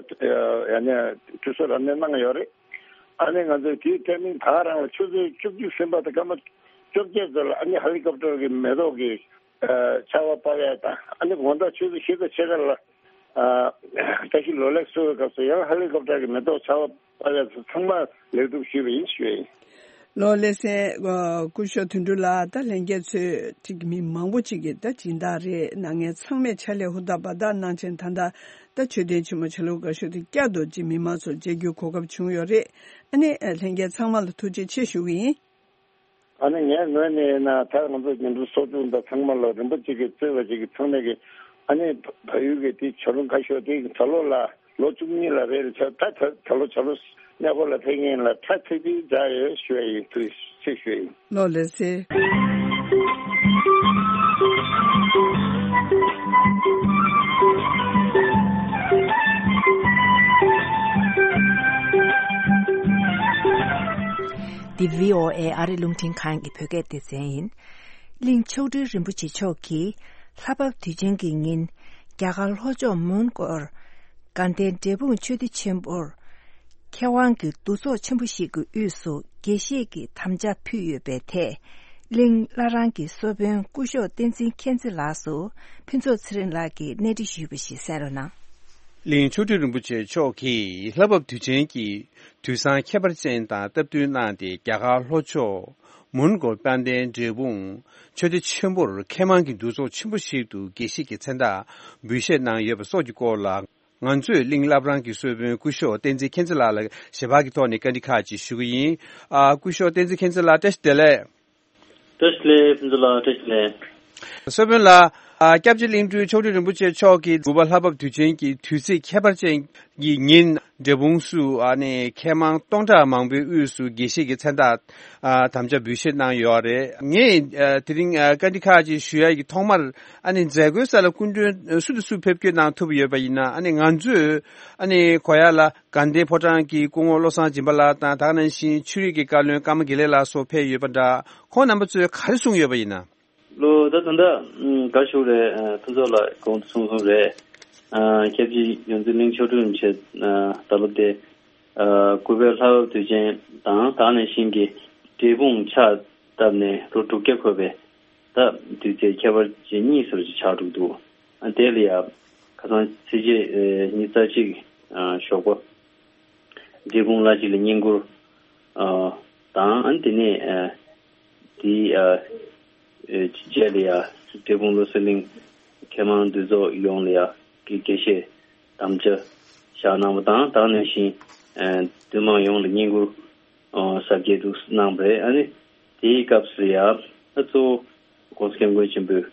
ཡ་ནས་དུས་སོ་རབ་གནས་གནང་ཡོད་རེད། ཨ་ནི་ང་ཚོས་དེའི་ཊའི་མིང་ད་ག་རང་ལ་ཆུ་ཚོད་བཅུ་གཅིག་ཟིན་པ་དང་སྐར་མ་བཅོ་བརྒྱད་ཙམ་ལ་ཨ་ནི་ཧེ་ལི་ཀོབ་ཊར་གི་མེ་ཏོག་གི་ཨ་ཆར་པ་བབས་ཡ་དང་ཨ་ནི་དགོང་དག་ཆུ་ཚོད་བཞི་དང་ཕྱེད་ཀ་ལ། ཨ་བཀྲ་ཤིས་ལོ་ལེགས་གསོལ་བའི་སྐབས་སུ་ཡང་ཧེ་ལི་ཀོབ་ཊར་གྱི་མེ་ཏོག་ཆར་པ་བབས་ཡ་ཚང་མ་ལེགས་གྲུབ་ཞུས་པ་ཡིན་ཞུས་ཡིན། ལོ་ལགས་སེ། ཨ་སྐུ་ཞབས་དོན་གྲུབ་ལགས། ད་ལྷན་རྒྱས་ཚོས་ཅིག་མི་མང་པོ་ཅིག་གིས་ད་སྦྱིན་བདག་རེད་གནང་མཁན་ཚང་མས་ཕྱག་ལས་ཧུར་ཐག་འབད་ཐག་གནང་བྱས་ད་ལྟ་ད་མཆོད་རྟེན་ཆེན་མོ་ཆ་ལུགས་དགའ་ཤོས་དེ་བསྐྱར་དུ་ཅིག་མི་མང་ཚོར་མཇལ་རྒྱུའི་གོ་སྐབས་བྱུང་ཡོད་རེད། ཨ་ནི་ཨ་ལྷན་རྒྱས་ཚང་མ་ལ་ཐུགས་རྗེ་ཆེ་ཞུ་གི་ཡིན། ཨ་ནི་ངའི་ངོས་ནས་ཡིན་ན་ད་ང་ཚོ་ཉིན་གྲངས་སོ་བཅུ་འདི་ཚང་མ་ལ་རིན་པོ་ཆེ་གི་གཙོས་པ་ཅིག་གི་ཚང་མས་ཀྱི་ཨ་ནི་བལ་ཡུལ་གྱི་དེ་བྱ་རུང་ཁ་ཤོར་དེ་ད་ལོ་ལ་ལོ་བཅུ་གཉིས་ལ་རེད་ལ་ཆ་ད་ད་ད་ལོ་བྱ་རུང་གནས་སྐོར་ལ་ཕེབས་མཁན་ལ་ཁྲ་ཚིག་དེ་འཇགས་ཡོད་ཞུ་ཡ་ཡིན། ཐུགས་རྗེ་ཆེ་ཞུ་ཡ་ཡིན། ལོ་ལགས་སེ། འདི་བྷི་ཨོ་ཨེ་ཨ་རི་རླུང་འཕྲིན་ཁང་གི་བོད་སྐད་སྡེ་ཚན་ཡིན། གླིང་མཆོག་སྤྲུལ་རིན་པོ་ཆེ་མཆོག་གིས་ལྷ་བབས་དུས་ཆེན་གྱི་ཉིན་རྒྱ་གར་ལྷོ་ཕྱོགས་མོན་གྷོར་དགའ་ལྡན་འབྲས་སྤུངས་ཆོས་སྡེ་ཆེན་པོར་མཁས་དབང་གི་འདུ་ཚོགས་ཆེན་པོ་ཞིག་གི་དབུས་སུ་དགེ་བཤེས་ཀྱི་དམ་བཅའ་ཕུལ་ཡོད་པའི་ཐད་གླིང་བླ་བྲང་གི་གསོལ་དཔོན་སྐུ་ཞབས་བསྟན་འཛིན་མཁྱེན་བརྩེ་ལགས་སུ་ཕུན་ཚོགས་ཚེ་རིང་ལགས་ཀྱིས་གནས་འདྲི་ཞུས་པ་ཞིག་གསན་རོགས་གནང་། གླིང་མཆོག་སྤྲུལ་རིན་པོ་ཆེ་མཆོག་གིས་ལྷ་བབས་དུས་ཆེན་གྱི་དུས་བཟང་ཁྱད་པར་ཅན་དང་སྟབས་བསྟུན་གནང་སྟེ་རྒྱ་གར་ལྷོ་ཕྱོགས་མོན་གྷོ་དཔལ་ལྡན་འབྲས་སྤུངས་ཆོས་སྡེ་ཆེན་པོར་མཁས་མང་གི་འདུ་ཚོགས་ཆེན་པོ་ཞིག་ཏུ་དགེ་བཤེས་ཀྱི་མཚན་རྟགས་འབུལ་བཞེས་གནང་ཡོད་པ་སོགས་ཀྱི་སྐོར་ལ་ང་ཚོས་གླིང་བླ་བྲང་གི་གསོལ་དཔོན་སྐུ་ཞབས་བསྟན་འཛིན་མཁྱེན་བརྩེ་ལགས་ལ་ཞལ་པར་གྱི་ཐོག་ནས་བཀའ་འདྲི་ཁག་ཅིག་ཞུ་གི་ཡིན། ཨ་སྐུ་ཞབས་བསྟན་འཛིན་མཁྱེན་བརྩེ་ལགས་བཀྲ་ཤིས་བདེ་ལེགས། བཀྲ་ཤིས་བདེ་ལེགས་ཕུན་ཚོགས་ལགས། བཀྲ་ཤིས་བདེ་ལེགས། གསོལ་དཔོན་ལགས། ཨ་སྐྱབས་རྗེ་གླིང་སྤྲུལ་མཆོག་སྤྲུལ་རིན་པོ་ཆེ་མཆོག་གིས་དགུ་པ་ལྷ་བབས་དུས་ཆེན་གྱི་དུས་ཚིགས་ཁྱད་པར་ཅན་གྱི་ཉིན་འབྲས་སྤུངས་སུ་ཨ་ནི་མཁས་མང་སྟོང་ཕྲག་མང་པོའི་དབུས་སུ་དགེ་བཤེས་ཀྱི་མཚན་རྟགས་ཨ་དམ་བཅའ་འབུལ་བཞེས་གནང་ཡོད་རེད། ངས་ཨ་དེ་རིང་ཨ་བཀའ་འདྲི་ཁག་ཅིག་ཞུ་ཡ་གི་ཐོག་མར་ཨ་ནི་མཛད་སྒོའི་ས་ལ་སྐུ་མགྲོན་སུ་དང་སུ་ཕེབས་སྐྱོད་གནང་ཐུབ་ཡོད་པ་ཡིན་ན་ཨ་ནི་ང་ཚོས་ཨ་ནི་གོ་ཡ་ལ། དགའ་ལྡན་ཕོ་བྲང་གི་སྐུ་ངོ་བློ་བཟང་སྦྱིན་པ་ལགས་དང་ད་ག་ནང་བཞིན་ཆོས་རིག་གི་བཀའ་བློན་ཀརྨ་དགེ་ལེགས་ལགས་སོགས་ཕེབས་ཡོད་པ་འདྲ། ཁོང་རྣམ་པ་ཚོས་ག་རེ་གསུངས་ཡོད་པ་ཡིན་ན། ལོ་ད་ད་ལྟ་དགའ་ཞུ་རེད། ཕུན་ཚོགས་ལགས་གོང་དུ་གསུངས་གསུངས་རེད། སྐྱབས་རྗེ་ཡོངས་འཛིན་གླིང་མཆོག་སྤྲུལ་རིན་པོ་ཆེ་ད་ལོ་དེ་དགུ་པའི་ལྷ་བབས་དུས་ཆེན་དང་ད་ག་ནང་བཞིན་གྱི་འབྲས་སྤུངས་ཕྱག་བཏབ་ནས་ལོ་དྲུག་བརྒྱ་འཁོར་བའི་ད་དུས་ཚེས་ཁྱད་པར་ཅན་གཉིས་སུ་ཆགས་འགྲོ་གི་འདུག་དེ་ལ་ཡང་ཁ་སང་ཚེས་བཅུ་ཉི་ཤུ་རྩ་གཅིག་ཞོགས་པ། འབྲས་སྤུངས་བླ་སྤྱི་ལ་བསྙེན་བཀུར་དང་། དེ་ནས་དེའི་རྗེས་ལ་ཡང་འབྲས་སྤུངས་བློ་གསལ་གླིང་མཁས་མང་འདུས་ཚོགས་ཡོངས་ལ་ཡང་དགེ་བཤེས་དམ་བཅའ་བཞག་གནང་བ་དང་། ད་ག་ནང་བཞིན་འདུས་མང་ཡོངས་ལ་བསྙེན་བཀུར་གཟབ་རྒྱས་འདུག་གནང་བ་རེད། ཨ་ནི་དེའི་སྐབས་སུ་ཡང་ད་གཙོ་བོ་༸གོང་ས་༸སྐྱབས་མགོན་ཆེན་པོའི་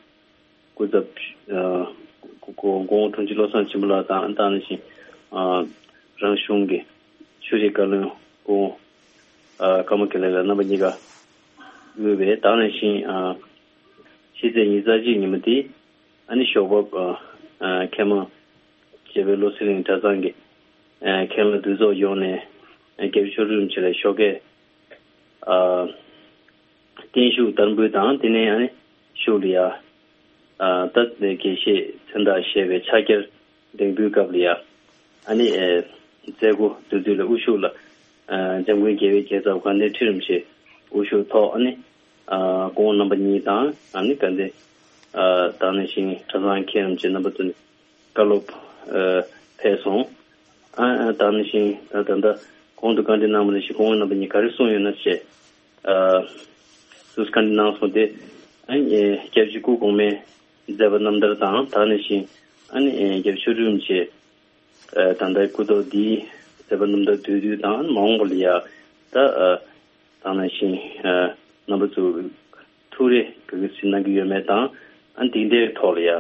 སྐུ་ཚབ་ཨ་སྐུ་སྐུ་ངོ་དྲུང་ཆེ་བློ་བཟང་སྦྱིན་པ་ལགས་དང་། ད་ག་ནང་བཞིན་ཨ་རང་གཞུང་གི་ཆོས་རིག་བཀའ་བློན་སྐུ་ངོ་ཨ་ཀརྨ་དགེ་ལེགས་ལགས་རྣམ་པ་གཉིས་ཀ་དབུས་པའི། ད་ག་ནང་བཞིན་ཨ་ཕྱི་ཚེས་ཉི་ཤུ་རྩ་གཅིག་ཉིན་མོ་དེ་ཨ་ནི་ཞོགས་པ་ཨ་མཁས་མང་བཅས་པའི་བློ་གསལ་གླིང་གྲྭ་ཚང་གི་མཁན་སློབ་འདུས་ཚོགས་ཡོངས་ནས་རྒྱལ་བའི་ཆོ་འཕྲུལ་རིན་པོ་ཆེ་ལ་ཞོགས་ཀས་ཨ་བརྟན་བཞུགས་བསྟར་འབུལ་དང་། དེ་ནས་ཨ་ནི་གཞུག་ལ་ཡ་ཨ་ད་དགེ་བཤེས་མཚན་རྟགས་བཞེས་པའི་ཕྱག་འཁྱེར་འདེགས་འབུལ་སྐབས་ལ་ཡ་ཨ་ནི་ཨེ་མཛད་སྒོ་དེ་དུས་ལ་དབུ་བཞུགས་ལ་ཨ་འཇམ་མགོན་རྒྱལ་བའི་རྒྱལ་ཚབ་དགའ་ལྡན་ཁྲི་རིན་པོ་ཆེ་དབུ་བཞུགས་ཐོག་ཨ་ནི་ཨ་སྐུ་ངོ་རྣམ་པ་གཉིས་དང་། ཨ་ནི་དགའ་ལྡན་ཨ་ད་ག་ནང་བཞིན་གྲྭ་ཚང་མཁན་རིན་པོ་ཆེ་རྣམ་པ་ཚོ་ནས་བཀའ་སློབ་ཨ་ ཕེབས་སོང་། ཨ་ཨ་ད་ནང་བཞིན་ད་ད་ད་གོང་དུ་བཀའ་འདྲི་གནང་བ་ནང་བཞིན་སྐུ་ངོ་རྣམ་པ་གཉིས་ག་རེ་གསུངས་ཡོད་ན་ཞེས་ཨ་སུས་བཀའ་འདྲི་གནང་སོང་སྟེ། ཨ་ནི་སྐྱབས་རྗེ་སྐུ་གོང་མའི་མཛད་པ་རྣམ་ཐར་དང་ད་ནང་བཞིན་ཨ་ནི་སྐྱབས་ཆོས་སྒྲོན་རིན་པོ་ཆེ་ཨ་ད་ལྟའི་སྐུ་ཐོག་འདིའི་མཛད་པ་རྣམ་ཐར་བསྡུས་བསྡུས་དང་མ་འོངས་པ་ལ་ཡ་ད་ཨ་དང་ནང་བཞིན་ཨ་རྣམ་པ་ཚོ་ཐུགས་རེ་ག་གི་ཟིན་གནང་གི་ཡོད་མེད་དང་ཨ་འདི་འདྲའི་ཐོག་ལ་ཡ་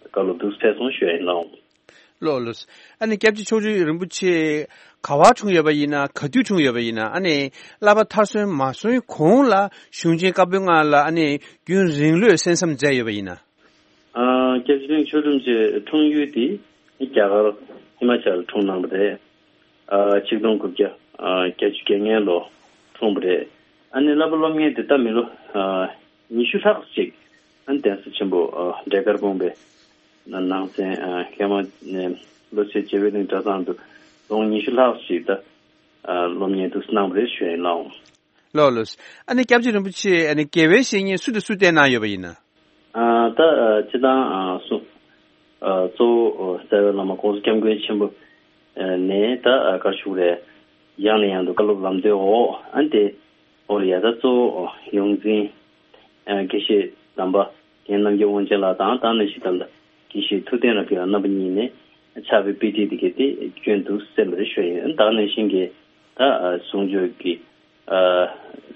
བཀའ་སློབ་འདུག་སེ་ཕེབས་སོང་ཞུ་ཡ་ཡིན་ལགས། ལགས་ལགས། ཨ་ནི་སྐྱབས་རྗེ་མཆོག་སྤྲུལ་རིན་པོ་ཆེ་ག་བར་འཁྲུངས་ཡོད་པ་ཡིན་ན་ག་དུས་འཁྲུངས་ཡོད་པ་ཡིན་ན། ཨ་ནི་བསླབ་པ་མཐར་སོན་མ་སོན་གོང་ལ་གཞུང་ཆེན་བཀའ་པོད་ལྔ་ལ་ཨ་ནི་རྒྱུན་རིང་ལོས་གསན་བསམ་མཛད་ཡོད་པ་ཡིན་ན། ཨ་སྐྱབས་རྗེ་གླིང་ཆོས་སྒྲོན་རིན་པོ་ཆེ་འཁྲུངས་ཡུལ་དེ་རྒྱ་གར་ཧི་མ་ཅལ་འཁྲུངས་གནང་བ་རེད། ཨ་ཆིག་སྟོང་དགུ་བརྒྱ་ཨ་བརྒྱད་ཅུ་གྱ་ལྔ་ལོ་འཁྲུངས་པ་རེད། ཨ་ནི་བསླབ་པ་སློབ་གཉེར་དེ་ད་མི་ལོ་ཨ་ཉི་ཤུ་ལྷག་ཅིག་ཨ་ནི་གདན་ས་ཆེན་པོ་ཨ་འབྲས་དཀར་སྤུངས་པའི་ནང་ཚན་ཨ་མཁས་མང་ནས་བློ་གསལ་རྒྱལ་བའི་གླིང་གྲྭ་ཚང་དུ་ལོ་ངོ་ཉི་ཤུ་ལྷག་ཅིག་ད་ཨ་སློབ་གཉེར་དུ་གནང་བ་རེད་ཞུ་ཡ་ཡིན་ལགས། ལགས་ལགས། ཨ་ནི་སྐྱབས་རྗེ་རིན་པོ་ཆེ་ཨ་ནི་དགེ་བའི་བཤེས་གཉེན་སུ་དང་སུ་བསྟེན་གནང་ཡོད་པ་ཡིན་ན། ཨ་ད་ཨ་སྤྱི་བཏང་ཨ་སུ་ཨ་གཙོ་བོ་ཨ་རྩ་བའི་བླ་མ་༸གོང་ས་༸སྐྱབས་མགོན་ཆེན་པོ་ཨ་ནས་ད་ཨ་ག་རེ་ཞུ་དགོས་རེད། ཡང་ནས་ཡང་དུ་བཀའ་སློབ་ལམ་སྟོན་འོག་ཨ་ནི་དེ་འོག་ལ་ཡ་ད་གཙོ་བོ་ཡོངས་འཛིན་ཨ་དགེ་བཤེས་དམ་པ་རྒན་རྣམ་རྒྱལ་དབང་ཆེན་ལགས་དང་ད་ནང་བཞིན་ད་ལྟ་དགེ་བཤེས་ཐུབ་བསྟན་རབ་རྒྱས་ལགས་རྣམ་པ་གཉིས་ནས་ཕྱག་དཔེ་དཔེ་ཁྲིད་དེ་གས་དེ་སྐྱོན་དུ་གསན་པ་རེད་ཞུ་ཡ་ཡིན། ད་ནང་བཞིན་གྱི་ད་ཨ་གསུང་ཆོས་ཀྱི་ཨ་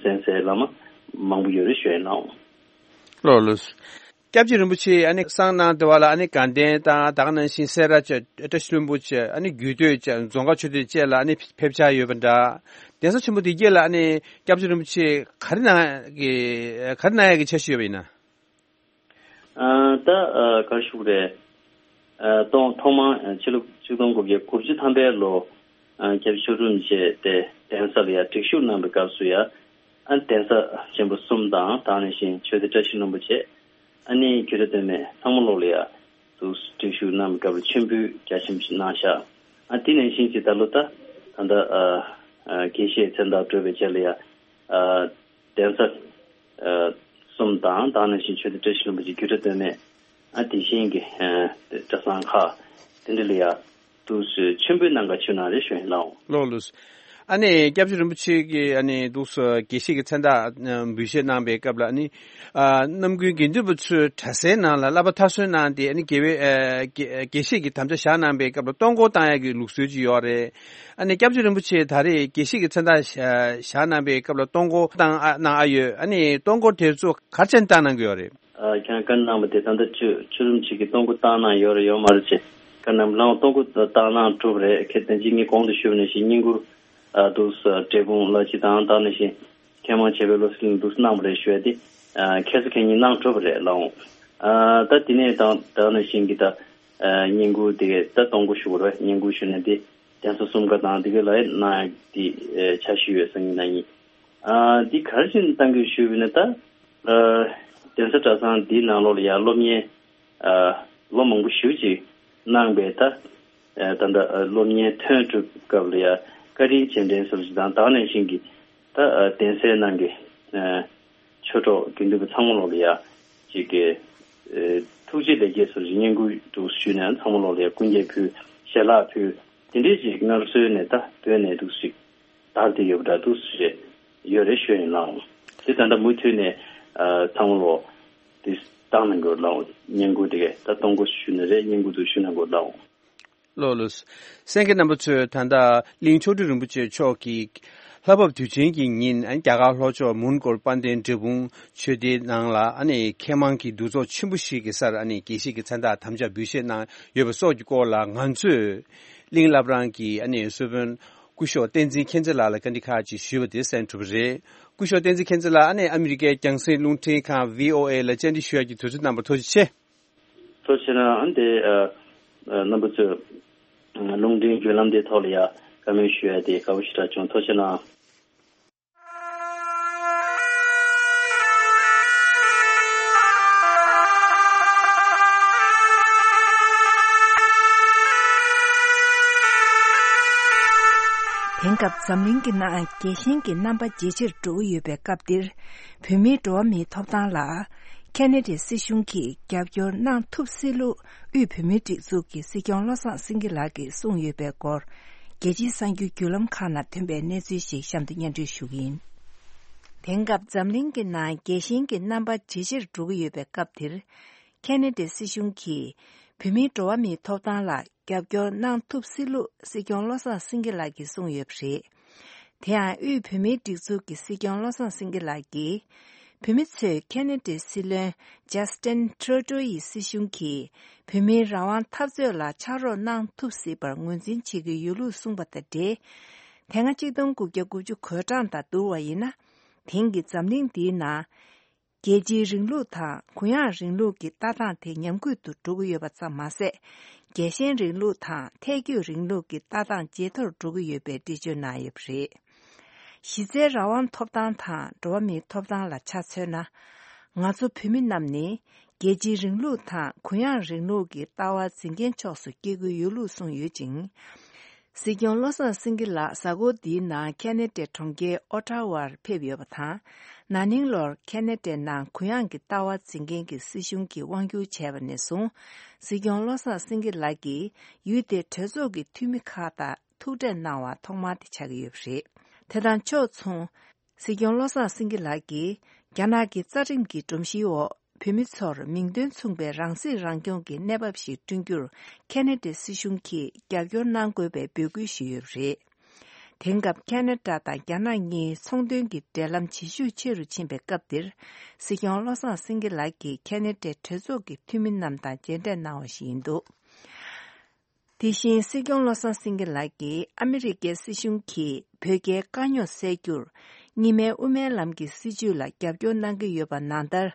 གསན་སའི་བླ་མ་མང་པོ་ཡོད་རེད་ཞུ་ཡ་ཡིན་ལགས། ལགས་ལགས། སྐྱབས་རྗེ་རིན་པོ་ཆེ་ཨ་ནི་གསང་སྣང་དེ་བ་ལ་ཨ་ནི་དགའ་ལྡན་དང་ད་ག་ནང་བཞིན་སེ་ར་བཅས་བཀྲ་ཤིས་ལྷུན་པོ་བཅས་ཨ་ནི་རྒྱུད་སྟོད་བཅས་རྫོང་དཀར་ཆོས་སྡེ་བཅས་ལ་ཨ་ནི་ཕེབས་འཆར་ཡོད་པ་འདྲ། གདན་ས་ཆེན་པོ་འདི་གྱད་ལ་ཨ་ནི་སྐྱབས་རྗེ་རིན་པོ་ཆེ་ག་རེ་གནང་གི་ག་རེ་གནང་ཡ་གི་འཆར་གཞི་ཡོད་པ་ཡིན་ན། ཨ་ད་ཨ་ག་རེ་ཞུ་དགོས་རེད། ཨ་ཐོག་ཐོག་མར་ཨ་ཕྱི་ལོ་ཆིག་སྟོང་དགུ་བརྒྱ་དགུ་བཅུ་ཐམ་པའི་ལོ་ཨ་སྐྱབས་རྗེ་མཆོག་སྤྲུལ་རིན་པོ་ཆེ་དེ་གདན་ས་ལ་ཡ་སྒྲིག་ཞུགས་གནང་བའི་སྐབས་སུ་ཡ་ཨ་གདན་ས་ཆེན་པོ་གསུམ་དང་ད་ག་ནང་བཞིན་ཆོས་སྡེ་བཀྲ་ཤིས་ལྷུན་པོ་བཅས་ཨ་ནི་རྒྱུད་གྲྭ་སྟོད་སྨད་ཚང་མ་ལོག་ལ་ཡ་དུ་སྒྲིག་ཞུགས་གནང་བའི་སྐབས་ལ་མཆོད་འབུལ་རྒྱ་ཆེན་པོ་ཞིག་གནང་ཤག་ཨ་དེ་ནང་བཞིན་གྱི་ད་ལོ་ད་ད་ལྟ་ཨ་ཨ་དགེ་བཤེས་མཚན་རྟགས་གྲུབ་པའི་རྗེས་ལ་ཡ་ཨ་གདན་ས་ཨ་གསུམ་དང་ད་ག་ནང་བཞིན་ཆོས་སྡེ་བཀྲ་ཤིས་ལྷུན་པོ་བཅས་རྒྱུད་གྲྭ་སྟོད་སྨད་ཨ་དེ་བཞིན་གྱི་ཨ་གྲྭ་ཚང་ཁག་དེ་འདྲ་ལ་ཡ་དུ་མཆོད་འབུལ་གནང་ག་ཆུ་ནང་རེ་ཞུ་ཡིན་ལགས། ལགས་ལགས། ཨ་ནི་སྐྱབས་རྗེ་རིན་པོ་ཆེ་གིས་ཨ་ནི་འདུག་སེ་དགེ་བཤེས་ཀྱི་མཚན་རྟགས་འབུལ་བཞེས་གནང་བའི་སྐབས་ལ་ཨ་ནི་ཨ་རྣམ་ཀུན་དགེ་འདུན་པ་ཚོའི་གྲྭ་སའི་ནང་ལ་བསླབ་པ་མཐར་སོན་གནང་སྟེ་ཨ་ནི་དགེ་བའི་ཨ་དགེ་དགེ་བཤེས་ཀྱི་དམ་བཅའ་བཞག་གནང་བའི་སྐབས་ལ་གཏོང་སྒོ་བཏང་ཡག་གི་ལུགས་སྲོལ་ཅིག་ཡོད་རེད། ཨ་ནི་སྐྱབས་རྗེ་རིན་པོ་ཆེ་ད་རེས་དགེ་བཤེས་ཀྱི་མཚན་རྟགས་བཞག་གནང་བའི་སྐབས་ལ་གཏོང་སྒོ་བཏང་ཨ་གནང་ཨ་ཡོད། ཨ་ནི་གཏོང་སྒོ་དེ་ཚོ་ག་རེ་བྱས་ནས་བཏང་གནང་གི་ཡོད་རེད། ཨ་ཁྱེད་རང་བཀའ་གནང་བ་དེ་ད་ལྟ་ཆོས་ཆོས་རིན་པོ་ཆེ་གིས་གཏོང་སྒོ་བཏང་གནང་ཡོད་རེད་ཡོད་མ་རེད་ཅེས་བཀའ་གནང་བ་ལའང་གཏོང་སྒོ་བཏང་གནང་གྲུབ་རེད། ཁྱེད་བདེན་ཅིག་ངས་གོང་དུ་ཞུས་པ་ནང་བཞིན་བསྙེན་བཀུར་ཨ་འདུག་སེ་འབྲས་སྤུངས་ལ་ཅི་དང་ད་ནང་བཞིན་མཁས་མང་བྱེད་པའི་བློ་གསལ་འདུག་སེ་གནང་བ་རེད་ཞུ་ཡ་དེ་ཨ་ཁ་སང་ཁ་ཉིན་གནང་གྲུབ་པ་རེད་ལགས་འོང་། ཨ་ད་དེ་ནས་དང་ད་ནང་བཞིན་གྱི་ད་ཨ་བསྙེན་བཀུར་དེ་གས་ད་གཏོང་སྒོ་ཞུ་དགོས་རེད། བསྙེན་བཀུར་ཞུ་ནས་དེ་གདན་ས་གསུམ་ཀ་དང་དེ་གས་ལ་གནང་ཡ་དེ་ཨ་འཆར་གཞི་ཡོད་ས་ཡིན་ན་ཡིན། ཨ་འདི་ག་རེ་བྱས་ནས་གཏང་གི་ཞུས་པ་ཡིན་ན་ད་ཨ་གདན་ས་གྲྭ་ཚང་འདིའི་ནང་ལོགས་ལ་ཡང་སློབ་གཉེར་ཨ་ལོ་མང་པོ་ཞེ་པོ་ཅིག་གནང་བའི་ད་ཨ་ད་ལྟ་ཨ་སློབ་གཉེར་ཐོན་གྲུབ་སྐབས་ལ་ཡང་བཀའ་དྲིན་རྗེས་དྲན་ཟེར་བ་ཅིག་དང་ད་ག་ནང་བཞིན་གྱི་ད་ཨ་གདན་སའི་ནང་གི་ཨ་ཆོས་གྲོགས་དགེ་འདུན་པ་ཚང་མ་ལོགས་ལ་ཡང་ཅིག་གི་ཨ་ཐུགས་རྗེ་ལེགས་སྐྱེས་ཟེར་བ་ཅིག་བསྙེན་བཀུར་འདུག་ཞུས་ནས་ཚང་མ་ལོགས་ལ་ཡང་སྐུ་འགྱེད་ཕུལ་ཞལ་ལག་ཕུལ་དེ་འདྲའི་ཅིག་སྔར་སྲོལ་ནས་ད་བོད་ནས་འདུག་ཅིག་དར་ཏེ་ཡོད་པ་འདྲ་འདུག་ཟེར་ཡོད་རེད་ཞུ་ཡིན་ལགས། དེ་ད་ལྟ་མུ་མཐུད་ནས་ཨ་ཚང་མ་ལོག་དེ་བཏང་གནང་དགོས་ལགས། བསྙེན་བཀུར་དེ་གས་ད་གཏོང་སྒོ་ཞུས་ནས་རེད། བསྙེན་བཀུར་དུ་ཞུ་གནང་དགོས་ལགས། ལགས་ལགས། གསན་མཁན་རྣམ་པ་ཚོས་ད་ལྟ་གླིང་མཆོག་སྤྲུལ་རིན་པོ་ཆེ་མཆོག་གིས་ལྷ་བབས་དུས་ཆེན་གྱི་ཉིན་རྒྱ་གར་ལྷོ་ཕྱོགས་མོན་གྷོ་དཔལ་ལྡན་འབྲས་སྤུངས་ཆོས་སྡེའི་ནང་ལ་ཨ་ནི་མཁས་མང་གི་འདུ་ཚོགས་ཆེན་པོ་ཞིག་གི་སར་ཨ་ནི་དགེ་བཤེས་ཀྱི་མཚན་རྟགས་དམ་བཅའ་འབུལ་བཞེས་གནང་ཡོད་པ་སོགས་ཀྱི་སྐོར་ལ་ང་ཚོས་གླིང་བླ་བྲང་གི་ཨ་ནི་གསོལ་དཔོན་སྐུ་ཞབས་བསྟན་འཛིན་མཁྱེན་བརྩེ་ལགས་ལ་བཀའ་འདྲི་ཁག་ཅིག་ཞུས་པ་དེ་གསན་གྲུབ་པ་རེད། སྐུ་ཞབས་བསྟན་འཛིན་མཁྱེན་བརྩེ་ལགས་ཨ་ནི་ཨ་མི་རི་ཀའི་རྒྱང་སྲིང་རླུང་འཕྲིན་ཁང་བྷི་ཨོ་ཨེ་ལ་བཅར་འདྲི་ཞུ་ཡག་གི་དུས་ཚོད་གནང་བར་ཐུགས་རྗེ་ཆེ། ཐུགས་རྗེ་གནང་། ཨ་ནི་དེ་ཨ་རྣམ་པ་ཚོས་རླུང་འཕྲིན་བརྒྱུད་ལམ་དེའི་ཐོག་ལ་ཡ་བཀའ་མོལ་ཞུ་ཡ་དེ་དགའ་པོ་ཞེ་དྲག་བྱུང་། ཐུགས་རྗེ་གནང་། དེང་སྐབས་འཛམ་གླིང་གི་ནང་རྒྱལ་ཞེན་གྱི་རྣམ་པ་ཇེ་ཆེར་འགྲོ་གི་ཡོད་པའི་སྐབས་འདིར། བོད་མིའི་འགྲོ་བ་མིའི་ཐོབ་ཐང་ལ་ ཁེ་ན་ཌའི་སྲིད་གཞུང་གིས་རྒྱབ་སྐྱོར་གནང་ཐུབ་སྲིད་ལུགས་དབུས་བོད་མིའི་སྒྲིག་འཛུགས་ཀྱི་སྲིད་སྐྱོང་བློ་བཟང་སེང་གེ་ལགས་ཀྱིས་གསུངས་ཡོད་པའི་སྐོར། རྒྱལ་སྤྱིའི་གསར་འགྱུར་བརྒྱུད་ལམ་ཁག་ནང་ཐོན་པའི་གནས་ཚུལ་ཞིག་གཤམ་དུ་སྙན་སྒྲོན་ཞུ་གི་ཡིན། དེང་སྐབས་འཛམ་གླིང་གི་ནང་རྒྱལ་ཞེན་གྱི་རྣམ་པ་ཇེ་ཆེར་འགྲོ་གི་ཡོད་པའི་སྐབས་འདིར། ཁེ་ན་ཌའི་སྲིད་གཞུང་གིས་བོད་མིའི་འགྲོ་བ་མིའི་ཐོབ་ཐང་ལ་རྒྱབ་སྐྱོར་གནང་ཐུབ་སྲིད་ལུགས་སྲིད་སྐྱོང་བློ་བཟང་སེང་གེ་ལགས་ཀྱིས་གསུངས་ཡོད་པ་རེད། དེ་ཡང་དབུས་བོད་མིའི་སྒྲིག་འཛུགས་ཀྱི་སྲིད་སྐྱོང་བློ་བཟང་སེང་གེ་ལགས་ཀྱིས། བོད་མི་ཚོས་ཁེ་ན་ཌའི་སྲིད་བློན་ཇ་སི་ཊིན་ཁྲུ་ཌོ་ཡི་སྲིད་གཞུང་གིས་བོད་མིའི་རང་དབང་འཐབ་རྩོད་ལ་ཕྱག་རོགས་གནང་ཐུབ་སྲིད་པར་ངོས་འཛིན་བྱེད་ཀྱི་ཡོད་ལུགས་གསུངས་པ་དང་འབྲེལ། དེ་སྔ་ཆིག་སྟོང་དགུ་བརྒྱ་དགུ་བཅུ་གོ་གྲངས་དང་བསྡུར་བ་ཡིན་ན། དེང་གི་འཛམ་གླིང་འདིའི་ནང་། རྒྱལ་སྤྱིའི་རིང་ལུགས་དང་གུ་ཡངས་རིང་ལུགས་ཀྱི་ལྟ་སྟངས་དེ་ཉམས་རྒུད་དུ་འགྲོ་གི་ཡོད་པ་ཙམ་མ་ཟད། རྒྱལ་ཞེན་རིང་ལུགས་དང་ཐལ་འགྱུར་རིང་ལུགས་ཀྱི་ལྟ་སྟངས་ཇེ་མཐོར་འགྲོ་གི་ཡོད་པའི་འགྲེལ་བརྗོད་གནང་ཡོད་པ་རེད། གཞི་རྩའི་རང་དབང་ཐོབ་ཐང་དང་འགྲོ་བ་མིའི་ཐོབ་ཐང་ལ་ཆ་མཚོན་ན། ང་ཚོ་བོད་མི་རྣམས་ནི་རྒྱལ་སྤྱིའི་རིང་ལུགས་དང་གུ་ཡངས་རིང་ལུགས་ཀྱི་ལྟ་བ་འཛིན་མཁན་ཕྱོགས་སུ་སྐྱེ་དགོས་ཡོད་ལུགས་གསུངས་ཡོད་ཅིང་། སྲིད་སྐྱོང་བློ་བཟང་སེང་གེ་ལགས་གཟའ་འཁོར་འདིའི་ནང་ཁེ་ན་ཌའི་གྲོང་ཁྱེར་ཨོ་ཊ་ཝར་ཕེབས་ཡོད་པ་དང་། ན་ནིང་ལོར་ཁེ་ན་ཌའི་ནང་གུ་ཡངས་ཀྱི་ལྟ་བ་འཛིན་མཁན་གྱི་སྲིད་གཞུང་གིས་དབང་བསྒྱུར་བྱས་པ་ནས་བཟུང་། སྲིད་སྐྱོང་བློ་བཟང་སེང་གེ་ལགས་ཀྱིས་ཡུལ་དེའི་གྲོས་ཚོགས་ཀྱི་འཐུས་མི་ཁག་དང་ཐུག་འཕྲད་གནང་བ་ཐོག་མ་དེ་ཆགས་ཀྱི་ཡོད་པ་རེད། དེ་དང་ཕྱོགས་མཚུངས། སྲིད་སྐྱོང་བློ་བཟང་སེང་གེ་ལགས་ཀྱིས་རྒྱ་ནག་གི་རྩ་ཁྲིམས་ཀྱི་སྒྲོམ་གཞིའི་འོག་བོད་མི་ཚོར་མིང་དོན་མཚུངས་པའི་རང་སྲིད་རང་སྐྱོང་གི་གནས་བབ་ཞིག་བསྐྲུན་རྒྱུར་ཁེ་ན་ཌའི་སྲིད་གཞུང་གིས་རྒྱབ་སྐྱོར་གནང་དགོས་པའི་འབོད་སྐུལ་ཞུས་ཡོད་པ་རེད། དེང་སྐབས་ཁེ་ན་ཌ་དང་རྒྱ་ནག་གཉིས་ཚོང་དོན་གྱི་འབྲེལ་ལམ་ཇེ་ཤུགས་ཆེ་རུ་ཕྱིན་པའི་སྐབས་འདིར། སྲིད་སྐྱོང་བློ་བཟང་སེང་གེ་ལགས་ཀྱིས་ཁེ་ན་ཌའི་གྲོས་ཚོགས་ཀྱི་འཐུས་མི་རྣམས་དང་མཇལ་འཕྲད་གནང་བ་ཞིག་ཡིན་འདུག་དེ་བཞིན་སྲིད་སྐྱོང་བློ་བཟང་སེང་གེ་ལགས་ཀྱིས་ཨ་མི་རི་ཀའི་སྲིད་གཞུང་གིས་བོད་རྒྱའི་དཀའ་རྙོག་སེལ་རྒྱུར་གཉིས་སྨན་དབུ་མའི་ལམ་གྱི་སྲིད་བྱུས་ལ་རྒྱབ་སྐྱོར་གནང་གི་ཡོད་པ་ནང་ལྟར།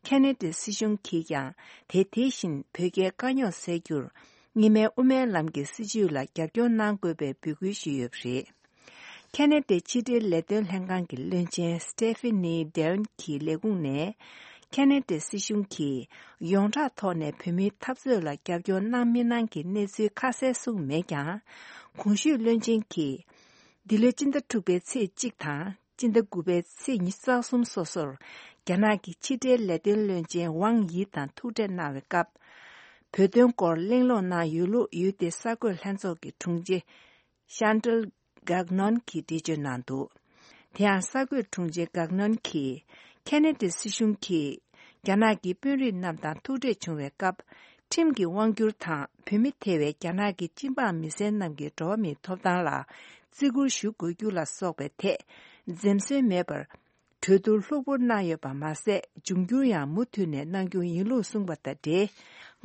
ཁེ་ན་ཌའི་སྲིད་གཞུང་གིས་ཀྱང་དེ་དེ་བཞིན་བོད་རྒྱའི་དཀའ་རྙོག་སེལ་རྒྱུར་གཉིས་སྨན་དབུ་མའི་ལམ་གྱི་སྲིད་བྱུས་ལ་རྒྱབ་སྐྱོར་གནང་དགོས་པའི་འབོད་སྐུལ་ཞུས་ཡོད་པ་རེད། ཁེ་ན་ཌའི་ཕྱི་འབྲེལ་ལས་དོན་ལྷན་ཁང་གི་བློན་ཆེན་Stephanie Davitt གྱི་ལས་ཁུངས་ནས། ཁེ་ན་ཌའི་སྲིད་གཞུང་གིས་ཡོངས་གྲགས་ཐོག་ནས་བོད་མིའི་འཐབ་རྩོད་ལ་རྒྱབ་སྐྱོར་གནང་མི་གནང་གི་གནས་ཚུལ་ཁ་གསལ་གསུངས་མེད་ཀྱང་། གོང་ཞུས་བློན་ཆེན་གྱིས། འདི་ལོའི་སྤྱི་ཟླ་དྲུག་པའི་ཚེས་གཅིག་དང་སྤྱི་ཟླ་དགུ་པའི་ཚེས་ཉི་ཤུ་རྩ་གསུམ་སོ་སོར། རྒྱ་ནག་གི་ཕྱི་འབྲེལ་ལས་དོན་བློན་ཆེན་ཝང་ཡི་དང་ཐུག་འཕྲད་གནང་བའི་སྐབས། བོད་དོན་སྐོར་གླེང་སློང་གནང་ཡོད་ལུགས་ཡུལ་དེའི་གསར་འགོད་ལྷན་ཚོགས་ཀྱི་དྲུང་ཆེ། Chantal Gagnon གྱིས་འགྲེལ་བརྗོད་གནང་འདུག་དེ་ཡང་གསར་འགོད་དྲུང་ཆེ་Gagnon གྱིས། ཁེ་ན་ཌའི་སྲིད་གཞུང་གིས། རྒྱ་ནག་གི་དཔོན་རིགས་རྣམས་དང་ཐུག་འཕྲད་བྱུང་བའི་སྐབས། ཁྲིམས་ཀྱི་དབང་བསྒྱུར་དང་བོད་མི་ཐེ་བའི་རྒྱ་ནག་གི་སྤྱི་འབངས་མི་སེར་རྣམས་ཀྱི་འགྲོ་བ་མིའི་ཐོབ་ཐང་ལ་བརྩི་བཀུར་ཞུ་དགོས་རྒྱུ་ལ་སོགས་པའི་ཐད། འཛེམ་ཟོན་མེད་པར། གྲོས་བསྡུར་ལྷུག་པོ་གནང་ཡོད་པ་མ་ཟད། འབྱུང་འགྱུར་ཡང་མུ་མཐུད་ནས་གནང་རྒྱུ་ཡིན་ལུགས་གསུངས་པ་དང་འབྲེལ།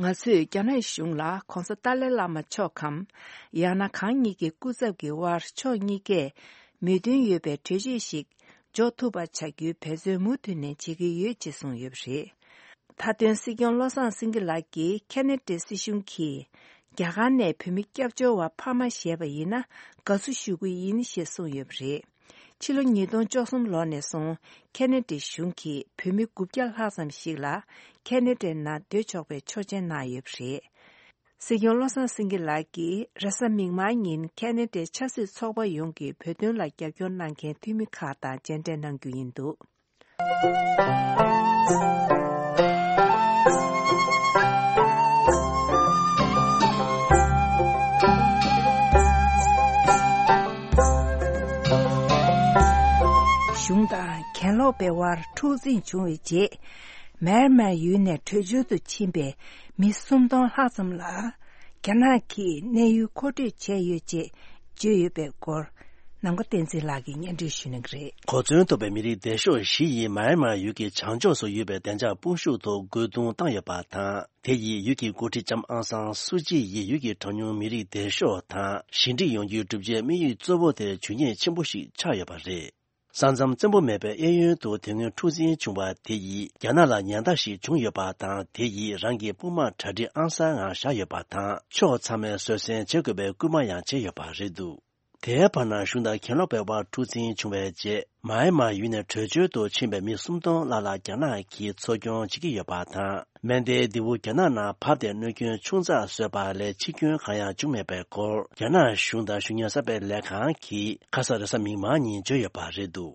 ང་ཚོས་རྒྱ་ནག་གཞུང་ལ་༧གོང་ས་ཏཱ་ལའི་བླ་མ་མཆོག་གམ། ཡང་ན་གང་ཉིད་ཀྱི་སྐུ་ཚབ་ཀྱི་དབར་ཕྱོགས་གཉིས་ཀས་མོས་མཐུན་ཡོད་པའི་གྲོས་ཆོད་ཞིག་འཇོག་ཐུབ་པ་བྱ་རྒྱུའི་འབད་བརྩོན་མུ་མཐུད་ནས་བྱེད་ཀྱི་ཡོད་ཅེས་གསུངས་ཡོད་པ་རེད། མཐའ་དོན་སྲིད་སྐྱོང་བློ་བཟང་སེང་གེ་ལགས་ཀྱིས་ཁེ་ན་ཌའི་སྲིད་གཞུང་གིས་རྒྱ་གར་ནས་བོད་མི་སྐྱབས་བཅོལ་བ་ཕ་མ་བཞེས་པ་ཡིན་ན་དགའ་བསུ་ཞུ་གི་ཡིན་ཞེས་གསུངས་ཡོད་པ་རེད། ཕྱི་ལོ་ཉིས་སྟོང་བཅུ་གསུམ་ལོ་ནས་བཟུང་ཁེ་ན་ཌའི་གཞུང་གིས་བོད་མི་དགུ་བརྒྱ་ལྷག་ཙམ་ཞིག་ལ་ཁེ་ན་ཌའི་ནང་སྡོད་ཆོག་པའི་ཆོག་མཆན་གནང་ཡོད་པ་རེད། སྲིད་སྐྱོང་བློ་བཟང་སེང་གེ་ལགས་ཀྱིས་རེས་གཟའ་མིག་དམར་ཉིན་ཁེ་ན་ཌའི་ཆབ་སྲིད་ཚོགས་པ་ཡོངས་ཀྱི་བོད་དོན་ལ་རྒྱབ་སྐྱོར་གནང་མཁན་འཐུས་མི་ཁག་དང་མཇལ་འཕྲད་གནང་རྒྱུ་ཡིན་འདུག་གཞུང་དང་གྱེན་ལོག་པའི་དབར་འཁྲུག་འཛིང་བྱུང་བའི་རྗེས། མེན་མར་ཡུལ་ནས་བྲོས་བྱོལ་དུ་ཕྱིན་པའི་མི་སུམ་སྟོང་ལྷག་ཙམ་ལ། རྒྱ་ནག་གིས་གནས་ཡུལ་མཁོ་སྤྲོད་བྱས་ཡོད་ཅེས་བརྗོད་ཡོད་པའི་སྐོར། ནམ་མཁའ་བསྟན་འཛིན་ལགས་ཀྱིས་སྙན་སྒྲོན་ཞུ་གནང་གི་རེད། གོ་མཚོན་ཐོབ་པའི་མི་རིགས་སྡེ་ཤོག་བཞི་ཡིས་མཱ་ཡན་མཱ་ཡུལ་གྱི་བྱང་ཕྱོགས་སུ་ཡོད་པའི་བདེ་འཇགས་དཔུང་ཤུགས་ཐོག་རྒོལ་རྡུང་བཏང་ཡོད་པ་དང་། དེ་ཡིས་ཡུལ་གྱི་འགོ་ཁྲིད་ལྕམ་ཨང་སང་སུ་ཅི་ཡིས་ཡུལ་གྱི་གྲངས་ཉུང་མི་རིགས་སྡེ་ཤོག་དང་ཞི་འགྲིག་ཡོང་རྒྱུའི་གྲུབ་ཆའི་དམིགས་ཡུལ་གཙོ་བོ་དེར་ཇུས་ཉེས་ཆེན་པོ་ཞིག་ཆགས་ཡོད་པ་རེད། ས་མཚམས་བཙན་པོ་མེད་པའི་གཡས་གཡོན་དུ་དེ་སྔོན་འཁྲུག་འཛིང་བྱུང་བ་དེ་ཡིས་རྒྱ་ནག་ལ་ཉེན་བརྡ་ཞིག་བྱུང་ཡོད་པ་དང་། དེ་ཡིས་རང་གི་དཔུང་དམག་གྲ་སྒྲིག་ཨང་གསར་ངང་བཞག་ཡོད་པ་དང་། ཕྱོགས་ཚང་མས་བཟོད་བསྲན་བྱེད་དགོས་པའི་སྐུལ་མ་ཡང་བྱས་ཡོད་པ་རེད་འདུག་དེའི་བར་ན་གཞུང་དང་གྱེན་ལོག་པའི་དབར་འཁྲུག་འཛིང་བྱུང་བའི་རྗེས། མཱ་ཡན་མཱ་ཡུལ་ནས་བྲོས་བྱོལ་དུ་ཕྱིན་པའི་མི་སུམ་སྟོང་ལྷག་ལ་རྒྱ་ནག་གིས་འཚོ་སྐྱོང་བྱེད་ཀྱི་ཡོད་པ་དང་། མན་ཌེའི་ལྡེ་གུ་རྒྱ་ནག་ནང་བབས་ཏེ་གནོད་སྐྱོན་ཆུང་ཙག་བཟོས་པ་ལས་འཆི་སྐྱོན་གང་ཡང་བྱུང་མེད་པའི་སྐོར། རྒྱ་ནག་གཞུང་དང་གཞུང་གཉེར་གསར་པའི་ལས་ཁང་གིས་ཁ་ས་རེས་གཟའ་མིག་དམར་ཉིན་བརྗོད་ཡོད་པ་རེད་འདུག་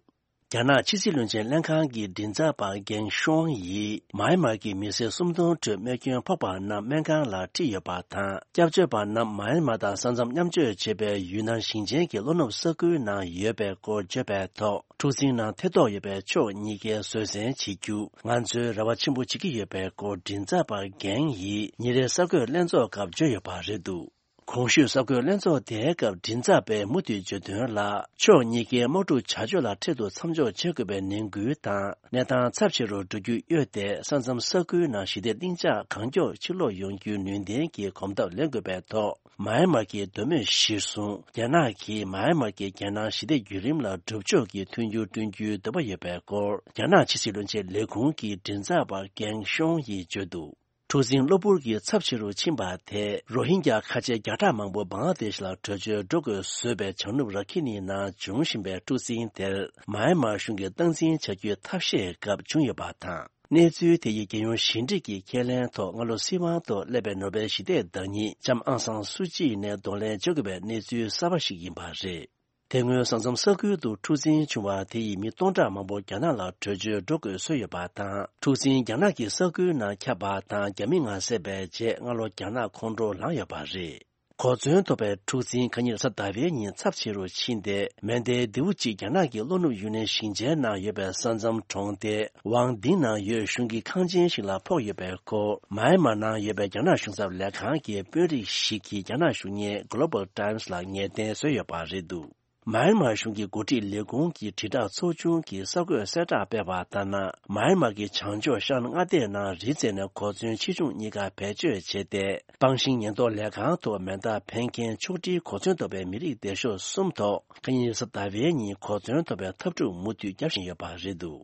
རྒྱ་ནག་ཕྱི་སྲིད་བློན་ཆེན་ལྷན་ཁང་གི་མགྲིན་ཚབ་པ་གེང་ཤོང་ཡིས། མཱ་ཡན་མར་གྱི་མི་སེར་སུམ་སྟོང་ཁྲོད་རྨས་སྐྱོན་ཕོག་པ་རྣམས་སྨན་ཁང་ལ་ཁྲིད་ཡོད་པ་དང་། སྐྱབས་བཅོལ་བ་རྣམས་མཱ་ཡན་མར་དང་ས་མཚམས་མཉམ་སྤྱོད་བྱེད་པའི་ཡུན་ནན་ཞིང་ཆེན་གྱི་ལྷོ་ནུབ་ས་ཁུལ་ནང་ཡོད་པའི་སྐོར་བརྗོད་པའི་ཐོག་འཁྲུག་འཛིང་ནང་ཐེ་གཏོགས་ཡོད་པའི་ཕྱོགས་གཉིས་ཀས་བཟོད་བསྲན་བྱེད་རྒྱུ་ང་ཚོས་རེ་བ་ཆེན་པོ་བྱེད་ཀྱི་ཡོད་པའི་སྐོར་མགྲིན་ཚབ་པ་གེང་ཡིས་ཉིན་རེའི་གསར་འགོད་ལྷན་ཚོགས་སྐབས་བརྗོད་ཡོད་པ་རེད་འདུག་གོང་ཞུས་གསར་འགོད་ལྷན་ཚོགས་དེའི་སྐབས་མགྲིན་ཚབ་པས་མུ་མཐུད་བརྗོད་དོན་ལ། ཕྱོགས་གཉིས་ཀའི་དམག་འཁྲུག་བྱ་སྤྱོད་ལ་འཕྲལ་དུ་མཚམས་འཇོག་བྱེད་དགོས་པའི་ནན་སྐུལ་དང་། གནས་སྟངས་ཚབས་ཆེ་རུ་འགྲོ་རྒྱུ་གཡོལ་ཏེ། ས་མཚམས་ས་ཁུལ་ནང་ཞི་བདེ་ལྷིང་འཇགས་གང་མགྱོགས་ཕྱིར་ལོག་ཡོང་རྒྱུའི་ནུས་ལྡན་གྱི་གོམ་སྟབས་ལེན་དགོས་པའི་ཐོག་མཱ་ཡན་མར་གྱི་འདོད་མོས་གཞིར་བཟུང་། རྒྱ་ནག་གིས་མཱ་ཡན་མར་གྱི་རྒྱལ་ནང་ཞི་བདེ་བརྒྱུད་རིམ་ལ་སྒྲུབ་ཕྱོགས་ཀྱི་མཐུན་འགྱུར་བསྐྲུན་རྒྱུའི་འདོད་པ་ཡོད་པའི་སྐོར། རྒྱ་ནག་ཕྱི་སྲིད་བློན་ཆེན་ལས་ཁུངས་ཀྱི་མགྲིན་ཚབ་པ་གེང་ཤོང་ཡིས་བརྗོད་འདུག་འཁྲུག་འཛིང་གློ་བུར་གྱིས་ཚབས་ཆེ་རུ་ཕྱིན་པ་དེས། རོ་ཧིན་རྒྱ་ཁ་ཆེ་བརྒྱ་ཕྲག་མང་པོ་བང་ལ་དེཤ་ལ་བྲོས་བྱོལ་འགྲོ་དགོས་བཟོས་པའི་བྱང་ནུབ་ར་ཁི་ནི་ནང་འབྱུང་བཞིན་པའི་འཁྲུག་འཛིང་དེར། མཱ་ཡན་མར་གཞུང་གིས་སྟངས་འཛིན་བྱ་རྒྱུའི་ཐབས་ཤེས་སྐབས་བྱུང་ཡོད་པ་དང་། གནས་ཚུལ་དེ་ཡིས་རྒྱལ་ཡོངས་ཞི་འགྲིག་གི་ཁས་ལེན་ཐོག་སྔ་ལོ་སྲིད་དབང་ཐོག་སླེབས་པའི་ནོ་བེལ་ཞི་བདེའི་བདག་ཉིད་ལྕམ་ཨང་སང་སུ་ཅི་ནས་གདོང་ལེན་བྱེད་དགོས་པའི་གནས་ཚུལ་གསར་པ་ཞིག་ཡིན་པ་རེད། དེ་སྔོན་ས་མཚམས་ས་ཁུལ་དུ་འཁྲུག་འཛིང་བྱུང་བ་དེ་ཡིས་མི་སྟོང་ཕྲག་མང་པོ་རྒྱ་ནག་ལ་བྲོས་བྱོལ་འགྲོ་དགོས་བཟོས་ཡོད་པ་དང་། འཁྲུག་འཛིང་རྒྱ་ནག་གི་ས་ཁུལ་ནང་ཁྱབ་པ་དང་། རྒྱ་མི་ངལ་གསོ་བའི་རྗེས་སྔ་ལོ་རྒྱ་ནག་ཁོང་ཁྲོ་ལངས་ཡོད་པ་རེད། གོ་མཚོན་ཐོབ་པའི་འཁྲུག་འཛིང་ཁ་ཉིན་རེས་གཟའ་ཟླ་བའི་ཉིན་ཚབས་ཆེ་རུ་ཕྱིན་ཏེ། མེ་མདའི་མདེའུ་གཅིག་རྒྱ་ནག་གི་ལྷོ་ནུབ་ཡུན་ནན་ཞིང་ཆེན་ནང་ཡོད་པའི་ས་མཚམས་གྲོང་སྡེ་ཝང་ཏིང་ནང་ཡོད་གཞུང་གི་ཁང་ཆེན་ཞིག་ལ་ཕོག་ཡོད་པའི་སྐོར། མཱ་ཡན་མར་ནང་ཡོད་པའི་རྒྱ་ནག་གཞུང་ཚབ་ལས་ཁང་གི་དཔོན་རིགས་ཤིག་གིས་རྒྱ་ནག་གཞུང་གཉེར་Global Times ལ་ངེས་གཏན་བཟོས་ཡོད་པ་རེད་འདུག་མཱ་ཡན་མར་གཞུང་གི་འགོ་ཁྲིད་ལས་ཁུངས་ཀྱི་དྲིལ་བསྒྲགས་ཚོགས་ཆུང་གིས་གསར་འགོད་གསལ་བསྒྲགས་སྤེལ་བ་ལྟར་ན། མཱ་ཡན་མར་གྱི་བྱང་ཕྱོགས་ཤར་མངའ་སྡེའི་ནང་རི་རྩེ་ནས་གོ་མཚོན་ཆེ་ཆུང་གཉིས་ཀ་བེད་སྤྱོད་བྱས་ཏེ། སྤང་ཤིང་ཉེན་རྟོག་ལས་ཁང་དུ་མེ་མདའ་འཕེན་མཁན་ཕྱོགས་སྒྲིལ་གོ་མཚོན་ཐོབ་པའི་མི་རིགས་སྡེ་ཤོག་གསུམ་ཐོག་ཁ་ཉིན་རེས་གཟའ་ཟླ་བའི་ཉིན་གོ་མཚོན་ཐོབ་པའི་འཐབ་འཁྲུག་མུ་མཐུད་བརྒྱབ་བཞིན་ཡོད་པ་རེད་འདུག་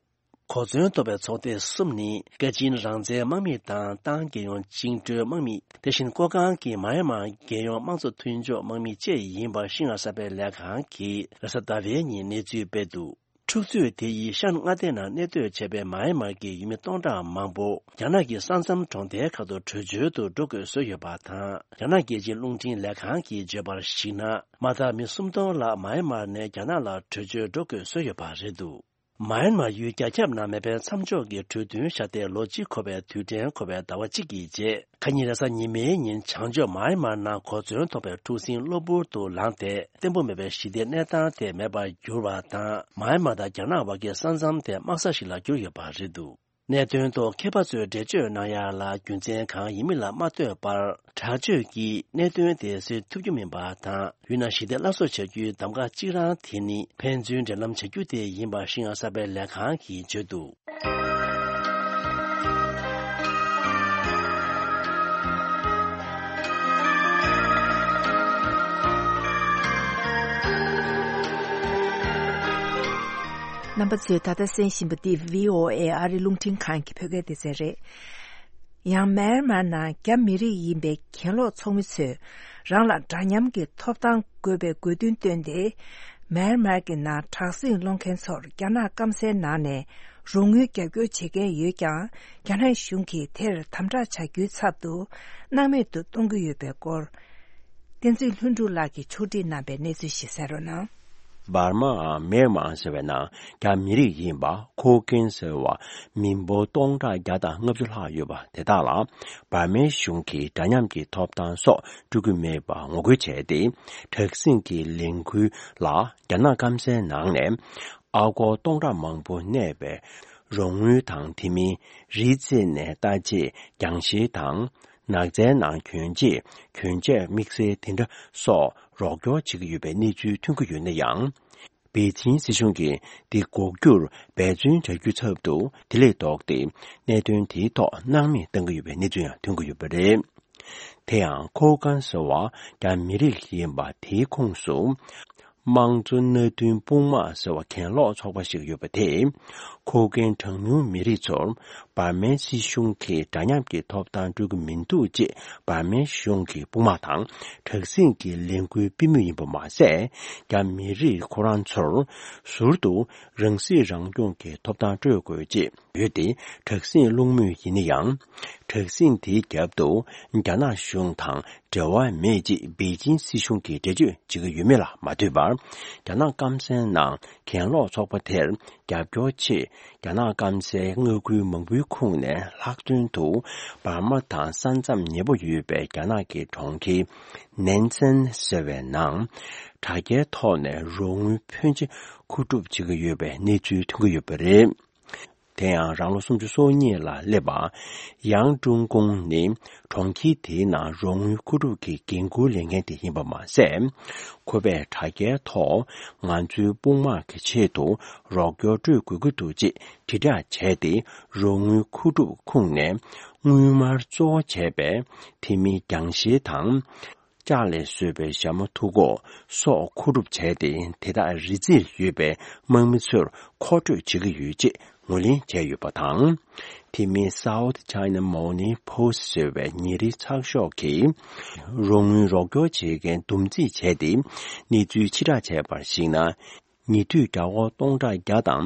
གོ་མཚོན་ཐོབ་པའི་ཚོགས་སྡེ་གསུམ་ནི། པེ་ཅིན་རང་བཙན་དམག་མི་དང་ཏང་རྒྱལ་ཡོངས་བཅིངས་འགྲོལ་དམག་མི། དེ་བཞིན་ཀོ་ཀང་གི་མཱ་ཡན་མར་རྒྱལ་ཡོངས་དམངས་གཙོ་མཐུན་ཕྱོགས་དམག་མི་བཅས་ཡིན་པ་ཤིན་ཧྭ་གསར་སྤེལ་ལས་ཁང་གིས་རེས་གཟའ་ཟླ་བའི་ཉིན་གནས་ཚུལ་སྤེལ་འདུག་འཁྲུག་རྩོད་དེ་ཡིས་ཤར་མངའ་སྡེ་ནང་གནས་སྡོད་བྱས་པའི་མཱ་ཡན་མར་གྱི་ཡུལ་མི་སྟོང་ཕྲག་མང་པོ་རྒྱ་ནག་གི་ས་མཚམས་གྲོང་རྡལ་ཁག་ཏུ་བྲོས་བྱོལ་དུ་འགྲོ་དགོས་བཟོས་ཡོད་པ་དང་། རྒྱ་ནག་རྒྱལ་སྤྱིའི་རླུང་འཕྲིན་ལས་ཁང་གིས་བརྗོད་པར་གཞིགས་ན། མ་མཐའ་མི་སུམ་སྟོང་ལྷག་མཱ་ཡན་མར་ནས་རྒྱ་ནག་ལ་བྲོས་བྱོལ་འགྲོ་དགོས་བཟོས་ཡོད་པ་རེད་འདུག་མཱ་ཡན་མར་ཡུལ་རྒྱ་ཁྱབ་ནང་མེ་འཕེན་མཚམས་འཇོག་གི་གྲོས་མཐུན་བཞག་སྟེ་ལོ་གཅིག་འཁོར་བའི་དུས་དྲན་འཁོར་བའི་ཟླ་བ་གཅིག་གི་རྗེས། ཁ་ཉིན་རེས་གཟའ་ཉི་མའི་ཉིན་བྱང་ཕྱོགས་མཱ་ཡན་མར་ནང་གོ་མཚོན་ཐོབ་པའི་འཁྲུག་འཛིང་གློ་བུར་དུ་ལངས་ཏེ། བརྟན་པོ་མེད་པའི་ཞི་བདེའི་གནས་སྟངས་དེ་མེད་པར་གྱུར་བ་དང་། མཱ་ཡན་མར་དང་རྒྱ་ནག་བར་གྱི་ས་མཚམས་དེ་དམག་ས་ཞིག་ལ་གྱུར་ཡོད་པ་རེད་འདུག་གནད་དོན་ཐོག་མཁས་པ་ཚོས་འགྲེལ་བརྗོད་གནང་ཡག་ལ་རྒྱུ་མཚན་གང་ཡིན་མིན་ལ་མ་ལྟོས་པར། དྲག་སྤྱོད་ཀྱིས་གནད་དོན་དེ་སེལ་ཐུབ་རྒྱུ་མིན་པ་དང་། ཡུལ་ནང་ཞི་བདེ་སླར་གསོ་བྱ་རྒྱུའི་གདམ་ག་གཅིག་རང་དེ་ནི། ཕན་ཚུན་འབྲེལ་ལམ་བྱ་རྒྱུ་དེ་ཡིན་པ་ཤིན་ཧྭ་གསར་སྤེལ་ལས་ཁང་གིས་བརྗོད་འདུག་རྣམ་པ་ཚོས་ད་ལྟ་གསན་བཞིན་པ་འདི་བྷི་ཨོ་ཨེ་ཨ་རི་རླུང་འཕྲིན་ཁང་གི་བོད་སྐད་སྡེ་ཚན་རེད། ཡང་མཱན་མཱར་ནང་རྒྱ་མི་རིགས་ཡིན་པའི་གྱེན་ལོག་ཚོགས་མི་ཚོས་རང་ལ་འདྲ་མཉམ་གྱི་ཐོབ་ཐང་དགོས་པའི་དགོས་འདུན་བཏོན་ཏེ། མཱན་མཱར་གྱི་ནང་དྲག་ཟིང་སློང་མཁན་ཚོར་རྒྱ་ནག་སྐམ་སའི་ནང་ནས་རོགས་དངུལ་རྒྱབ་སྐྱོར་བྱེད་མཁན་ཡོད་ཀྱང་། རྒྱ་ནག་གཞུང་གིས་དེར་དམ་དྲག་བྱ་རྒྱུའི་ཚབ་ཏུ་སྣང་མེད་དུ་གཏོང་གི་ཡོད་པའི་སྐོར། བསྟན་འཛིན་ལྷུན་གྲུབ་ལགས་ཀྱིས་ཕྱོགས་སྒྲིག་གནང་པའི་གནས་ཚུལ་ཞིག་གསན་རོགས་གནང་། འབར་མ་མེར་མང་ཟེར་བའི་ནང་རྒྱ་མི་རིགས་ཡིན་པ་ཁོ་ཀེན་ཟེར་བ་མི་འབོར་སྟོང་ཕྲག་བརྒྱ་དང་ལྔ་བཅུ་ལྷག་ཡོད་པ་དེ་དག་ལ་འབར་མའི་གཞུང་གིས་འདྲ་མཉམ་གྱི་ཐོབ་ཐང་སོགས་སྤྲོད་ཀྱི་མེད་པར་ངོ་རྒོལ་བྱས་ཏེ། དྲག་ཟིང་གི་ལས་འགུལ་ལ་རྒྱ་ནག་སྐམ་སའི་ནང་ནས་ཨ་སྒོར་སྟོང་ཕྲག་མང་པོ་གནས་པའི་རོགས་དངུལ་དང་། དེ་མིན་རི་རྩེ་ནས་ལྟ་དཔྱད་རྒྱང་ཤེལ་དང་། ནགས་ཚལ་ནང་གྱོན་ཆས། གྱོན་ཆས་དམིགས་བསལ་དེ་འདྲ་སོགས་རོགས་སྐྱོར་བྱེད་ཀྱི་ཡོད་པའི་གནས་ཚུལ་ཐོན་གྱི་ཡོད་ན་ཡང་། པེ་ཅིན་སྲིད་གཞུང་གིས་འདི་འགོག་རྒྱུར་འབད་བརྩོན་བྱ་རྒྱུའི་ཚབ་ཏུ། དེ་ལས་ལྡོག་སྟེ་གནད་དོན་དེའི་ཐོག་སྣང་མེད་བཏང་གི་ཡོད་པའི་གནས་ཚུལ་ཡང་ཐོན་གྱི་ཡོད་པ་རེད། དེ་ཡང་ཁོ་ཀན་ཟེར་བ་རྒྱ་མི་རིགས་ཡིན་པ་དེའི་ཁོངས་སུ། དམངས་གཙོ་མནའ་མཐུན་དཔུང་དམག་ཟེར་བ་གྱེན་ལོག་ཚོགས་པ་ཞིག་ཡོད་པ་དེས། ཁོ་ཀན་གྲངས་ཉུང་མི་རིགས་ཚོར་འབར་མའི་སྲིད་གཞུང་གིས་འདྲ་མཉམ་གྱི་ཐོབ་ཐང་སྤྲོད་ཀྱི་མི་འདུག་ཅེས་འབར་མའི་གཞུང་གི་དཔུང་དམག་དང་དྲག་ཟིང་གི་ལས་འགུལ་སྤེལ་མུས་ཡིན་པ་མ་ཟད། རྒྱ་མི་རིགས་ཁོ་རང་ཚོར་ཟུར་དུ་རང་སྲིད་རང་སྐྱོང་གི་ཐོབ་ཐང་སྤྲོད་དགོས་ཅེས་ཡོད་དེ། དྲག་ཟིང་སློང་མུས་ཡིན་ན་ཡང་། དྲག་ཟིང་དེའི་རྒྱབ་ཏུ་རྒྱ་ནག་གཞུང་དང་འབྲེལ་བ་མེད་ཅེས་པེ་ཅིན་སྲིད་གཞུང་གིས་འགྲེལ་བརྗོད་བྱེད་ཀྱི་ཡོད་མེད་ལ་མ་ལྟོས་པར། རྒྱ་ནག་སྐམ་སའི་ནང་གྱེན་ལོག་ཚོགས་པ་དེར་རྒྱབ་སྐྱོར་ཆེད། རྒྱ་ནག་སྐམ་སའི་མངའ་ཁུལ་མང་པོའི་ཁོངས་ནས་ལྷག་དོན་དུ་འབར་མ་དང་ས་མཚམས་ཉེ་པོ་ཡོད་པའི་རྒྱ་ནག་གི་གྲོང་ཁྱེར་ནན་ཚན་ཟེར་བའི་ནང་དྲ་རྒྱའི་ཐོག་ནས་རོགས་དངུལ་ཕོན་ཆེ་མཁོ་སྒྲུབ་བྱེད་ཀྱི་ཡོད་པའི་གནས་ཚུལ་ཐོན་གྱི་ཡོད་པ་རེད། དེ་ཡང་རང་ལོ་སུམ་ཅུ་སོ་གཉིས་ལ་སླེབས་པ་ཡང་ཀྲུང་ཀུང་ནི་གྲོང་ཁྱེར་དེའི་ནང་རོགས་དངུལ་མཁོ་སྒྲུབ་ཀྱི་འགན་འཁུར་ལེན་མཁན་དེ་ཡིན་པ་མ་ཟད། ཁོ་པས་དྲ་རྒྱའི་ཐོག་ང་ཚོའི་དཔུང་དམག་གི་ཆེད་དུ་རོགས་སྐྱོར་སྤྲོད་དགོས་ཀྱི་འདུག་ཅེས་དྲིལ་བསྒྲགས་བྱས་ཏེ། རོགས་དངུལ་མཁོ་སྒྲུབ་ཁུངས་ནས་དངུལ་སྨར་གཙོ་བོ་བྱས་པའི་དེ་མིན་རྒྱང་ཤེལ་དང་། ལྕགས་ལས་བཟོས་པའི་ཞྭ་མོ་ཐུག་ཀོག་སོགས་མཁོ་སྒྲུབ་བྱས་ཏེ། དེ་དག་རི་རྩེར་ཡོད་པའི་དམག་མི་ཚོར་མཁོ་སྤྲོད་བྱེད་ཀྱི་ཡོད་ཅེས་ངོས་ལེན་བྱས་ཡོད་པ་དང་། དེ་མིན་South China Morning Post ཟེར་བའི་ཉིན་རེའི་ཚགས་ཤོག་གིས་རོགས་དངུལ་རོགས་སྐྱོར་བྱེད་མཁན་བསྡོམས་རྩིས་བྱས་ཏེ། གནས་ཚུལ་ཕྱིར་བསྒྲགས་བྱས་པར་གཞིགས་ན། ཉེ་དུས་རྒྱ་སྒོར་སྟོང་ཕྲག་བརྒྱ་དང་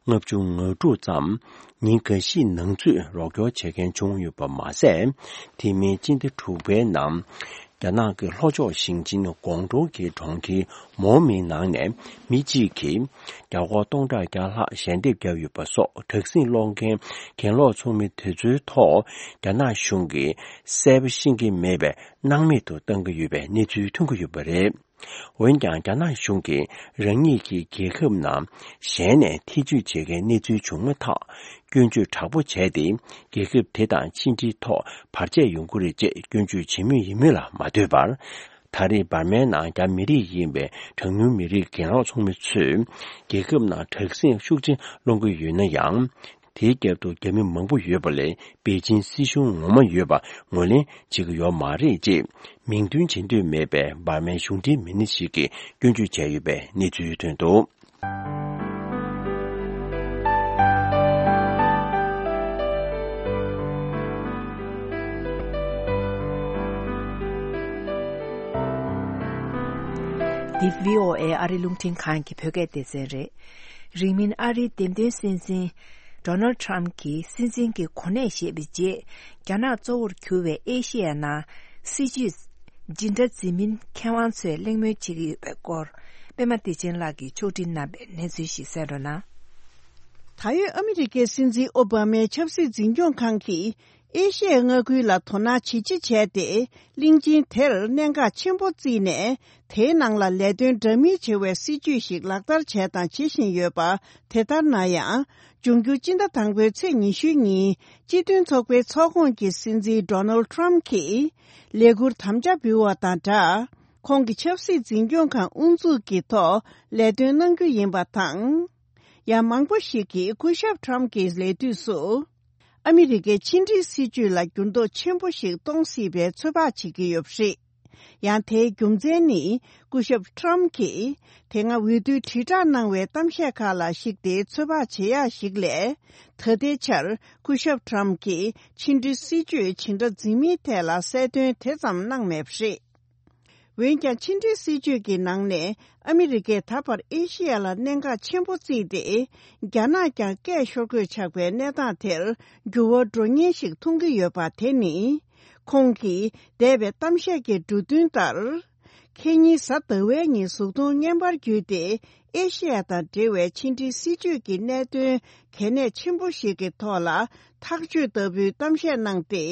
ལྔ་བཅུ་ང་དྲུག་ཙམ་ཉིན་འགའ་ཞིག་ནང་ཚུད་རོགས་སྐྱོར་བྱེད་མཁན་བྱུང་ཡོད་པ་མ་ཟད། དེ་མིན་སྤྱི་ཟླ་དྲུག་པའི་ནང་རྒྱ་ནག་གི་ལྷོ་ཕྱོགས་ཞིང་ཆེན་ཀོང་ཀྲོའུ་གི་གྲོང་ཁྱེར་མོ་མིང་ནང་ནས་མི་གཅིག་གིས་རྒྱ་སྒོར་སྟོང་ཕྲག་བརྒྱ་ལྷག་ཞལ་འདེབས་བརྒྱབ་ཡོད་པ་སོགས། དྲག་ཟིང་སློང་མཁན་གྱེན་ལོག་ཚོགས་མི་དེ་ཚོའི་ཐོག་རྒྱ་ནག་གཞུང་གིས་གསལ་པོ་ཤེས་ཀྱི་མེད་པའི་སྣང་མེད་དུ་བཏང་གི་ཡོད་པའི་གནས་ཚུལ་ཐོན་གྱི་ཡོད་པ་རེད། འོན་ཀྱང་། རྒྱ་ནག་གཞུང་གིས་རང་ཉིད་ཀྱི་རྒྱལ་ཁབ་ནང་གཞན་ནས་ཐེ་ཇུས་བྱེད་མཁན་གནས་ཚུལ་བྱུང་མ་ཐག་སྐྱོན་བརྗོད་དྲག་པོ་བྱས་ཏེ། རྒྱལ་ཁབ་དེ་དང་ཕྱི་འབྲེལ་ཐོག་བར་ཆད་ཡོང་གི་རེད་ཅེས་སྐྱོན་བརྗོད་བྱེད་མུས་ཡིན་མིན་ལ་མ་ལྟོས་པར། ད་རེས་འབར་མའི་ནང་རྒྱ་མི་རིགས་ཡིན་པའི་གྲངས་ཉུང་མི་རིགས་གྱེན་ལོག་ཚོགས་མི་ཚོས་རྒྱལ་ཁབ་ནང་དྲག་ཟིང་ཤུགས་ཆེན་སློང་གི་ཡོད་ན་ཡང་། དེའི་རྒྱབ་ཏུ་རྒྱ་མི་མང་པོ་ཡོད་པ་ལས། པེ་ཅིན་སྲིད་གཞུང་ངོ་མ་ཡོད་པ་ངོས་ལེན་བྱེད་ཀྱི་ཡོད་མ་རེད་ཅེས། མིང་འདོན་བྱེད་འདོད་མེད་པའི་འབར་མའི་གཞུང་འབྲེལ་མི་སྣ་ཞིག་གིས་སྐྱོན་བརྗོད་བྱས་ཡོད་པའི་གནས་ཚུལ་ཐོན་འདུག། འདི་བྷི་ཨོ་ཨེ་ཨ་རི་རླུང་འཕྲིན་ཁང་གི་བོད་སྐད་སྡེ་ཚན་རེད། རིང་མིན་ཨ་རིའི་འདེམས་ཐོན་སྲིད་འཛིན་Donald Trump གྱིས་སྲིད་འཛིན་གྱི་གོ་གནས་བཞེས་པའི་རྗེས། རྒྱ་ནག་གཙོ་བོར་གྱུར་བའི་ཨེ་ཤེ་ཡ་ནང་སྲིད་བྱུས་འཛིན་གྲྭ་འཛིན་མིན་མཁས་དབང་ཚོས་གླེང་མོལ་བྱེད་ཀྱི་ཡོད་པའི་སྐོར། པད་མ་བདེ་ཆེན་ལགས་ཀྱིས་ཕྱོགས་སྒྲིག་གནང་བའི་གནས་ཚུལ་ཞིག་གསན་རོགས་གནང་། ད་ཡོད་ཨ་མི་རི་ཀའི་སྲིད་འཛིན་ཨོ་བྷ་མའི་ཆབ་སྲིད་འཛིན་སྐྱོང་ཁང་གིས། ཨེ་ཤི་ཡའི་མངའ་ཁུལ་ལ་དོ་སྣང་ཇེ་ཆེ་བྱས་ཏེ། གླིང་ཆེན་དེར་གནད་འགག་ཆེན་པོ་བརྩིས་ནས། དེའི་ནང་ལ་ལས་དོན་འདྲ་མིན་བྱེད་པའི་སྲིད་ཇུས་ཤིག་ལག་བསྟར་བྱས་དང་བྱེད་བཞིན་ཡོད་པ། དེ་ལྟར་ན་ཡང་། འབྱུང་འགྱུར་སྤྱི་ཟླ་དང་པོའི་ཚེས་ཉི་ཤུའི་ཉིན། སྤྱི་མཐུན་ཚོགས་པའི་ཚོགས་ཁོངས་ཀྱི་སྲིད་འཛིན་Donald Trump གྱིས། ལས་འཁུར་དམ་བཅའ་འབུལ་བ་དང་སྦྲགས། ཁོང་གི་ཆབ་སྲིད་འཛིན་སྐྱོང་ཁང་དབུ་འཛུགས་ཀྱི་ཐོག་ལས་དོན་གནང་རྒྱུ་ཡིན་པ་དང་། ཡང་མང་པོ་ཞིག་གིས་སྐུ་ཞབས་Trump གྱི་ལས་དུས་སུ། ཨ་མི་རི་ཀའི་ཕྱི་འབྲེལ་སྲིད་ཇུས་ལ་འགྱུར་ལྡོག་ཆེན་པོ་ཞིག་གཏོང་སྲིད་པའི་ཚོད་དཔག་བྱེད་ཀྱི་ཡོད་པ་རེད། ཡང་དེའི་རྒྱུ་མཚན་ནི། སྐུ་ཞབས་Trump གྱིས་དེ་སྔ་འོས་བསྡུའི་དྲིལ་བསྒྲགས་གནང་བའི་གཏམ་བཤད་ཁག་ལ་གཞིགས་ཏེ་ཚོད་དཔག་བྱེད་ཡག་ཞིག་ལས། ད་ལྟའི་ཆར་སྐུ་ཞབས་Trump གྱིས་ཕྱི་འབྲེལ་སྲིད་ཇུས་འཛིན་གྲྭ་འཛིན་མིན་ཐད་ལ་གསལ་སྟོན་དེ་ཙམ་གནང་མེད་པ་རེད། འོན་ཀྱང་ཕྱི་འབྲེལ་སྲིད་ཇུས་ཀྱི་ནང་ནས་ཨ་མི་རི་ཀས་ད་བར་ཨེ་ཤི་ཡ་ལ་གནད་འགག་ཆེན་པོ་བརྩིས་ཏེ། རྒྱ་ནག་ཀྱང་སྐད་ཤོར་དགོས་ཆགས་པའི་གནས་སྟངས་དེར་འགྱུར་བ་འགྲོ་ཉེན་ཞིག་མཐོང་གི་ཡོད་པ་དེ་ནི། ཁོང་གིས་འདས་པའི་གཏམ་བཤད་ཀྱི་འབྲུ་དོན་ལྟར། ཁེ་ཉིན་གཟའ་ཟླ་བའི་ཉིན་གཟུགས་མཐོང་བརྙན་པར་བརྒྱུད་དེ། ཨེ་ཤི་ཡ་དང་འབྲེལ་བའི་ཕྱི་འབྲེལ་སྲིད་ཇུས་ཀྱི་གནད་དོན་གལ་གནད་ཆེན་པོ་ཞིག་གི་ཐོག་ལ་ཐག་གཅོད་ལྟ་བུའི་གཏམ་བཤད་གནང་སྟེ།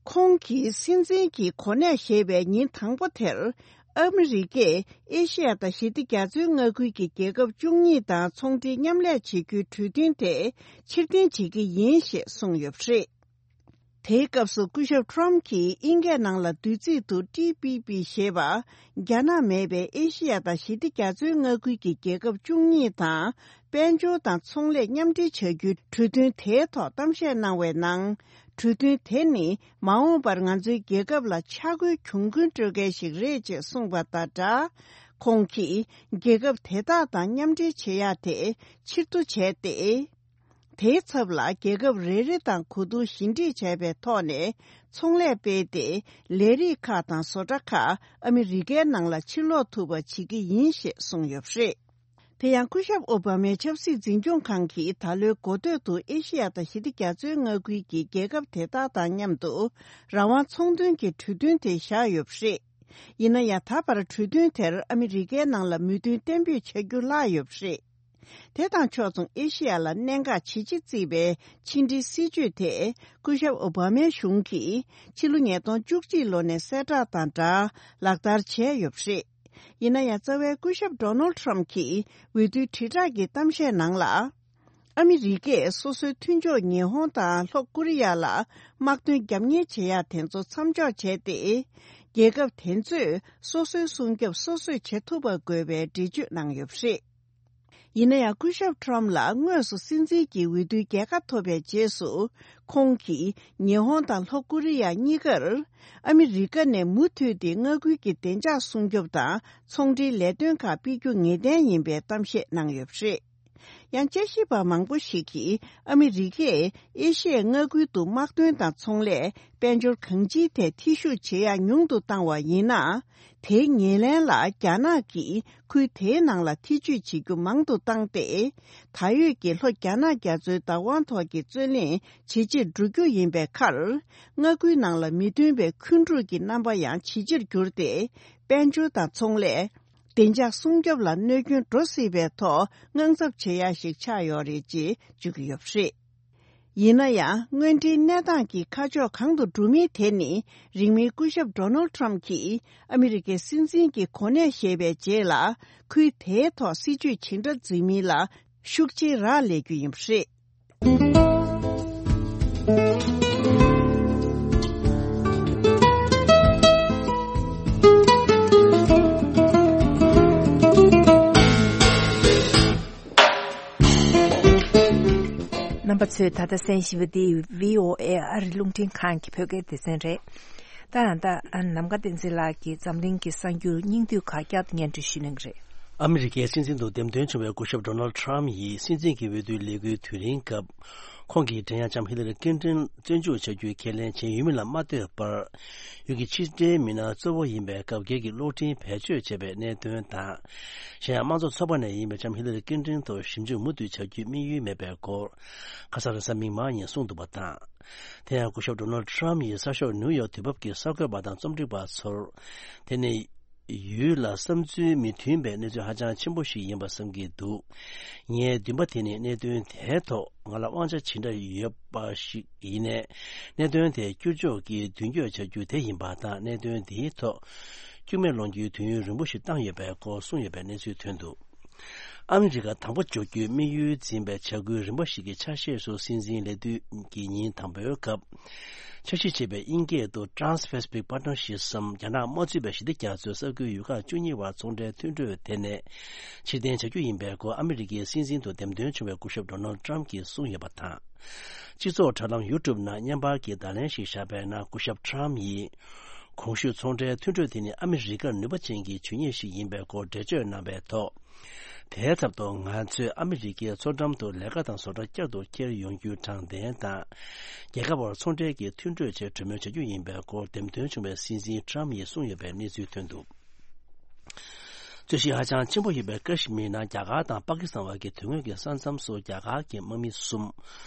ཁོང་གིས་སྲིད་འཛིན་གྱི་གོ་གནས་བཞེས་པའི་ཉིན་དང་པོ་དེར། ཨ་མི་རི་ཀས་ཨེ་ཤེ་ཡ་དང་ཞི་བདེ་རྒྱ་མཚོའི་མངའ་ཁུལ་གྱི་རྒྱལ་ཁབ་བཅུ་གཉིས་དང་ཚོང་འབྲེལ་མཉམ་ལས་བྱེད་རྒྱུའི་གྲོས་མཐུན་དེ་ཕྱིར་འཐེན་བྱེད་ཀྱི་ཡིན་ཞེས་གསུངས་ཡོད་པ་རེད། དེའི་སྐབས་སུ་སྐུ་ཞབས་Trump གྱིས་དབྱིན་སྐད་ནང་ལ་བསྡུས་ཚིག་ཏུ་ཏི་པི་པི་ཞེས་པ། རྒྱ་ནག་མེད་པའི་ཨེ་ཤེ་ཡ་དང་ཞི་བདེ་རྒྱ་མཚོའི་མངའ་ཁུལ་གྱི་རྒྱལ་ཁབ་བཅུ་གཉིས་དང་། དཔལ་འབྱོར་དང་ཚོང་ལས་མཉམ་འབྲེལ་བྱ་རྒྱུའི་གྲོས་མཐུན་དེའི་ཐོག་གཏམ་བཤད་གནང་བའི་ནང་། གྲོས་མཐུན་དེ་ནི་མ་འོངས་པར་ང་ཚོའི་རྒྱལ་ཁབ་ལ་ཆག་སྒོའི་གྱོང་གུན་སྤྲོད་མཁན་ཞིག་རེད་ཅེས་གསུངས་པ་དང་སྦྲགས། ཁོང་གིས་རྒྱལ་ཁབ་དེ་དག་དང་མཉམ་འབྲེལ་བྱེད་ཡག་དེ་ཕྱིར་བསྡུ་བྱས་ཏེ། དེའི་ཚབ་ལ་རྒྱལ་ཁབ་རེ་རེ་དང་གོ་བསྡུར་ཞི་འགྲིག་བྱས་པའི་ཐོག་ནས་ཚོང་ལས་སྤེལ་ཏེ། ལས་རིགས་ཁག་དང་བཟོ་གྲྭ་ཁག་ཨ་མི་རི་ཀའི་ནང་ལ་ཕྱིར་ལོག་ཐུབ་པ་བྱེད་ཀྱི་ཡིན་ཞེས་གསུངས་ཡོད་པ་རེད། དེ་ཡང་སྐུ་ཞབས་ཨོ་བྷ་མའི་ཆབ་སྲིད་འཛིན་སྐྱོང་ཁང་གིས་ད་ལོའི་འགོ་སྟོད་དུ་ཨེ་ཤེ་ཡ་དང་ཞི་བདེ་རྒྱ་མཚོའི་མངའ་ཁུལ་གྱི་རྒྱལ་ཁབ་དེ་དག་དང་མཉམ་དུ་རང་དབང་ཚོང་དོན་གྱི་གྲོས་མཐུན་དེ་བཞག་ཡོད་པ་རེད། ཡིན་ན་ཡང་ད་བར་གྲོས་མཐུན་དེར་ཨ་མི་རི་ཀའི་ནང་ལ་མོས་མཐུན་གཏན་འབེབས་བྱ་རྒྱུ་ལྷག་ཡོད་པ་རེད། དེ་དང་ཕྱོགས་མཚུངས་ཨེ་ཤེ་ཡ་ལ་གནད་འགག་ཇི་ཆེ་བརྩིས་པའི་ཕྱི་འབྲེལ་སྲིད་ཇུས་དེ་སྐུ་ཞབས་ཨོ་བྷ་མའི་གཞུང་གིས་ཕྱི་ལོ་ཉིས་སྟོང་བཅུ་གཅིག་ལོ་ནས་གསལ་བསྒྲགས་དང་སྦྲགས་ལག་བསྟར་བྱས་ཡོད་པ་རེད། ཡིན་ན་ཡང་རྩ་བའི་སྐུ་ཞབས་ཌོ་ནལ་ཊམ་གྱིས་འོས་བསྡུའི་དྲིལ་བསྒྲགས་ཀྱི་གཏམ་བཤད་ནང་ལ། ཨ་མི་རི་ཀས་སོ་སོའི་མཐུན་ཕྱོགས་ཉི་ཧོང་དང་ལྷོ་ཀོ་རི་ཡ་ལ་དམག་དོན་རྒྱབ་གཉེར་བྱེད་ཡག་དེ་ཚོ་མཚམས་འཇོག་བྱས་ཏེ། རྒྱལ་ཁབ་དེ་ཚོས་སོ་སོའི་སྲུང་སྐྱོབ་སོ་སོས་བྱེད་ཐུབ་པ་དགོས་པའི་འགྲེལ་བརྗོད་གནང་ཡོད་པ་རེད། ཡིན་ན་ཡང་སྐུ་ཞབས་ཊམ་ལ་དངོས་སུ་སྲིད་འཛིན་གྱི་འོས་བསྡུའི་རྒྱལ་ཁ་ཐོབ་པའི་རྗེས་སུ། ཁོང་གིས་ཉི་ཧོང་དང་ལྷོ་ཀོ་རི་ཡ་གཉིས་ཀར་ཨ་མི་རི་ཀ་ནས་མུ་མཐུད་དེ་མངའ་ཁུལ་གྱི་བདེ་འཇགས་སྲུང་སྐྱོབ་དང་ཚོང་འབྲེལ་ལས་དོན་ཁག་སྤེལ་རྒྱུ་ངེས་གཏན་ཡིན་པའི་གཏམ་བཤད་གནང་ཡོད་པ་རེད། ཡང་དཔྱད་ཞིབ་པ་མང་པོ་ཞིག་གིས་ཨ་མི་རི་ཀས་ཨེ་ཤི་ཡའི་མངའ་ཁུལ་དུ་དམག་དོན་དང་ཚོང་ལས། དཔལ་འབྱོར་གང་ཅིའི་ཐད་ཐེ་ཞུགས་བྱེད་ཡག་ཉུང་དུ་བཏང་བ་ཡིན་ན། དེའི་ཉེར་ལེན་ལ་རྒྱ་ནག་གིས་ཁུལ་དེའི་ནང་ལ་ཐེ་ཇུས་བྱེད་རྒྱུ་མང་དུ་བཏང་སྟེ། ད་ཡོད་ཀྱི་ལྷོ་རྒྱ་ནག་རྒྱ་མཚོའི་བདག་དབང་ཐོག་གི་རྩོད་གླེང་ཇེ་ཆེར་འགྲོ་རྒྱུ་ཡིན་པའི་ཁར། མངའ་ཁུལ་ནང་ལ་མི་མཐུན་པའི་འཁོན་འཁྲུག་གི་རྣམ་པ་ཡང་ཇེ་ཆེར་གྱུར་ཏེ། དཔལ་འབྱོར་དང་ཚོང་ལས། བདེ་འཇགས་སྲུང་སྐྱོབ་ལ་གནོད་སྐྱོན་འགྲོ་སྲིད་པའི་ཐོག་དངངས་འཚབ་བྱེད་ཡ་ཞིག་ཆགས་ཡོད་རེད་ཅེས་བརྗོད་ཀྱི་ཡོད་པ་རེད། ཡིན་ན་ཡང་། དངོས་འབྲེལ་གནས་སྟངས་ཀྱི་ཁ་ཕྱོགས་གང་དུ་འགྲོ་མིན་དེ་ནི། རིང་མིན་སྐུ་ཞབས་ཌོ་ནལ་ཊམ་གྱིས་ཨ་མི་རི་ཀའི་སྲིད་འཛིན་གྱི་གོ་གནས་བཞེས་པའི་རྗེས་ལ། ཁུལ་དེའི་ཐོག་སྲིད་ཇུས་ཇི་འདྲ་འཛིན་མིན་ལ་ཤུགས་ཆེའི་རག་ལས་རྒྱུ་ཡིན་པ་རེད། རྣམ་པ་ཚོས་ད་ལྟ་གསན་བཞིན་པ་འདི་བྷི་ཨོ་ཨེ་ཨ་རི་རླུང་འཕྲིན་ཁང་གི་བོད་སྐད་སྡེ་ཚན་རེད། ད་ད་ནམ་མཁའ་བསྟན་འཛིན་ལགས་ཀྱིས་འཛམ་གླིང་གི་གསར་འགྱུར་སྙིང་བསྡུས་ཁག་བསྐྱར་དུ་སྙན་སྒྲོན་ཞུ་གནང་གི་རེད། ཨ་མི་རི་ཀའི་སྲིད་འཛིན་དུ་འདེམས་ཐོན་བྱུང་བའི་སྐུ་ཞབས་ཌོ་ནལ་ཊམ་ཡིས་སྲིད་འཛིན་གྱི་འོས་བསྡུའི་ལས་འགུལ་དུས་རིང་སྐབས། ཁོང་གིས་འགྲན་ཡ་ལྕམ་ཧི་ལ་རི་ཀིན་ཏོན་བཙོན་འཇུག་བྱ་རྒྱུའི་ཁས་ལེན་བྱས་ཡོད་མིན་ལ་མ་ལྟོས་པར། ཡུལ་གྱི་ཕྱི་འབྲེལ་མི་སྣ་གཙོ་བོ་ཡིན་པའི་སྐབས་སྒེར་གྱི་གློག་འཕྲིན་བེད་སྤྱོད་བྱས་པའི་གནད་དོན་དང་། གཞན་ཡང་དམངས་གཙོ་ཚོགས་པ་ནས་ཡིན་པའི་ལྕམ་ཧི་ལ་རི་ཀིན་ཏོན་ཐོག་ཞིབ་འཇུག་མུ་མཐུད་བྱ་རྒྱུའི་དམིགས་ཡུལ་མེད་པའི་སྐོར། ཁ་སང་རེས་གཟའ་མིག་དམར་ཉིན་གསུངས་འདུག་པ་དང་། དེ་ཡང་སྐུ་ཞབས་ཌོ་ནལ་ཊམ་ཡིས་གསར་ཤོག་ནིའུ་ཡོག་དུས་བབ་ཀྱི་གསར་འགོད་པ་དང་རྩོམ་སྒྲིག་པ་ཚོར། དེ་ནི། ཡུལ་ལ་བསམ་ཚུལ་མི་མཐུན་པའི་གནས་ཚུལ་ཧ་ཅང་ཆེན་པོ་ཞིག་ཡིན་པ་བསམ་གྱི་འདུག་ངའི་འདུན་པ་དེ་ནི་གནད་དོན་དེའི་ཐོག་ང་ལ་དབང་ཆ་ཇི་འདྲ་ཡོད་པ་ཞིག་ཡིན་ནའི། གནད་དོན་དེ་བསྐྱུར་ཕྱོགས་ཀྱིས་མདུན་སྐྱོད་བྱ་རྒྱུ་དེ་ཡིན་པ་དང་། གནད་དོན་འདིའི་ཐོག་སྐྱུག་མེར་སློང་རྒྱུའི་དུས་ཡུན་རིང་པོ་ཞིག་བཏང་ཡོད་པའི་སྐོར་གསུངས་ཡོད་པའི་གནས་ཚུལ་ཐོན་འདུག་ཨ་མི་རི་ཀ་དང་པོ་འཇོག་རྒྱུའི་དམིགས་ཡུལ་འཛིན་པའི་བྱ་འགུལ་རིམ་པ་ཞིག་གི་ཆ་ཤས་སུ། སྲིད་འཛིན་ལས་དུས་ཀྱི་ཉིན་དང་པོའི་སྐབས། འཆར་གཞི་བྱས་པའི་དབྱིན་སྐད་དུ་Trans-Pacific Partnership སམ། རྒྱ་ནག་དམག་འཛུལ་བའི་ཞི་བདེ་རྒྱ་མཚོའི་ས་ཁུལ་ཡུལ་ཁག་བཅུ་གཉིས་བར་ཚོང་འབྲེལ་མཐུན་གྲོས་དེ་ནས་ཕྱིར་འཐེན་བྱ་རྒྱུ་ཡིན་པའི་སྐོར་ཨ་མི་རི་ཀའི་སྲིད་འཛིན་དུ་འདེམས་ཐོན་བྱུང་བའི་སྐུ་ཞབས་ཌོ་ནལ་ཊམ་གྱིས་གསུངས་ཡོད་པ་དང་། སྤྱི་ཚོགས་དྲ་ལམ་ཡུ་ཊུབ་ནང་བརྙན་པར་གྱི་བརྡ་ལན་ཞིག་བཞག་པའི་ནང་སྐུ་ཞབས་ཊམ་ཡིས། གོང་ཞུས་ཚོང་འབྲེལ་མཐུན་གྲོས་དེ་ནི་ཨ་མི་རི་ཀར་ནུས་པ་ཅན་གྱི་ཇུས་ཉེས་ཤིག་ཡིན་པའི་སྐོར་འགྲེལ་བརྗོད་གནང་བའི་ཐོག་དེའི་ཚབ་ཏུ་ང་ཚོས་ཨ་མི་རི་ཀའི་མཚོ་འགྲམ་དུ་ལས་ཀ་དང་བཟོ་གྲྭ་བསྐྱར་དུ་འཁྱེར་ཡོང་རྒྱུའི་དྲང་བདེན་དང་། རྒྱལ་ཁབ་བར་ཚོང་འབྲེལ་གྱི་མཐུན་གྲོས་ཆེད་གྲོས་མོལ་བྱ་རྒྱུ་ཡིན་པའི་སྐོར་འདེམས་ཐོན་བྱུང་བའི་སྲིད་འཛིན་ཊམ་ཡིས་གསུངས་ཡོད་པའི་གནས་ཚུལ་ཐོན་འདུག་རྩོད་གཞི་ཧ་ཅང་ཆེན་པོ་ཡིན་པའི་ཀ་ཤི་མིར་ནང་རྒྱ་གར་དང་པ་ཀི་སི་ཐན་བར་གྱི་དོན་དངོས་ཀྱི་ས་མཚམས་སུ་རྒྱ་གར་གྱི་དམག་མི་གསུམ་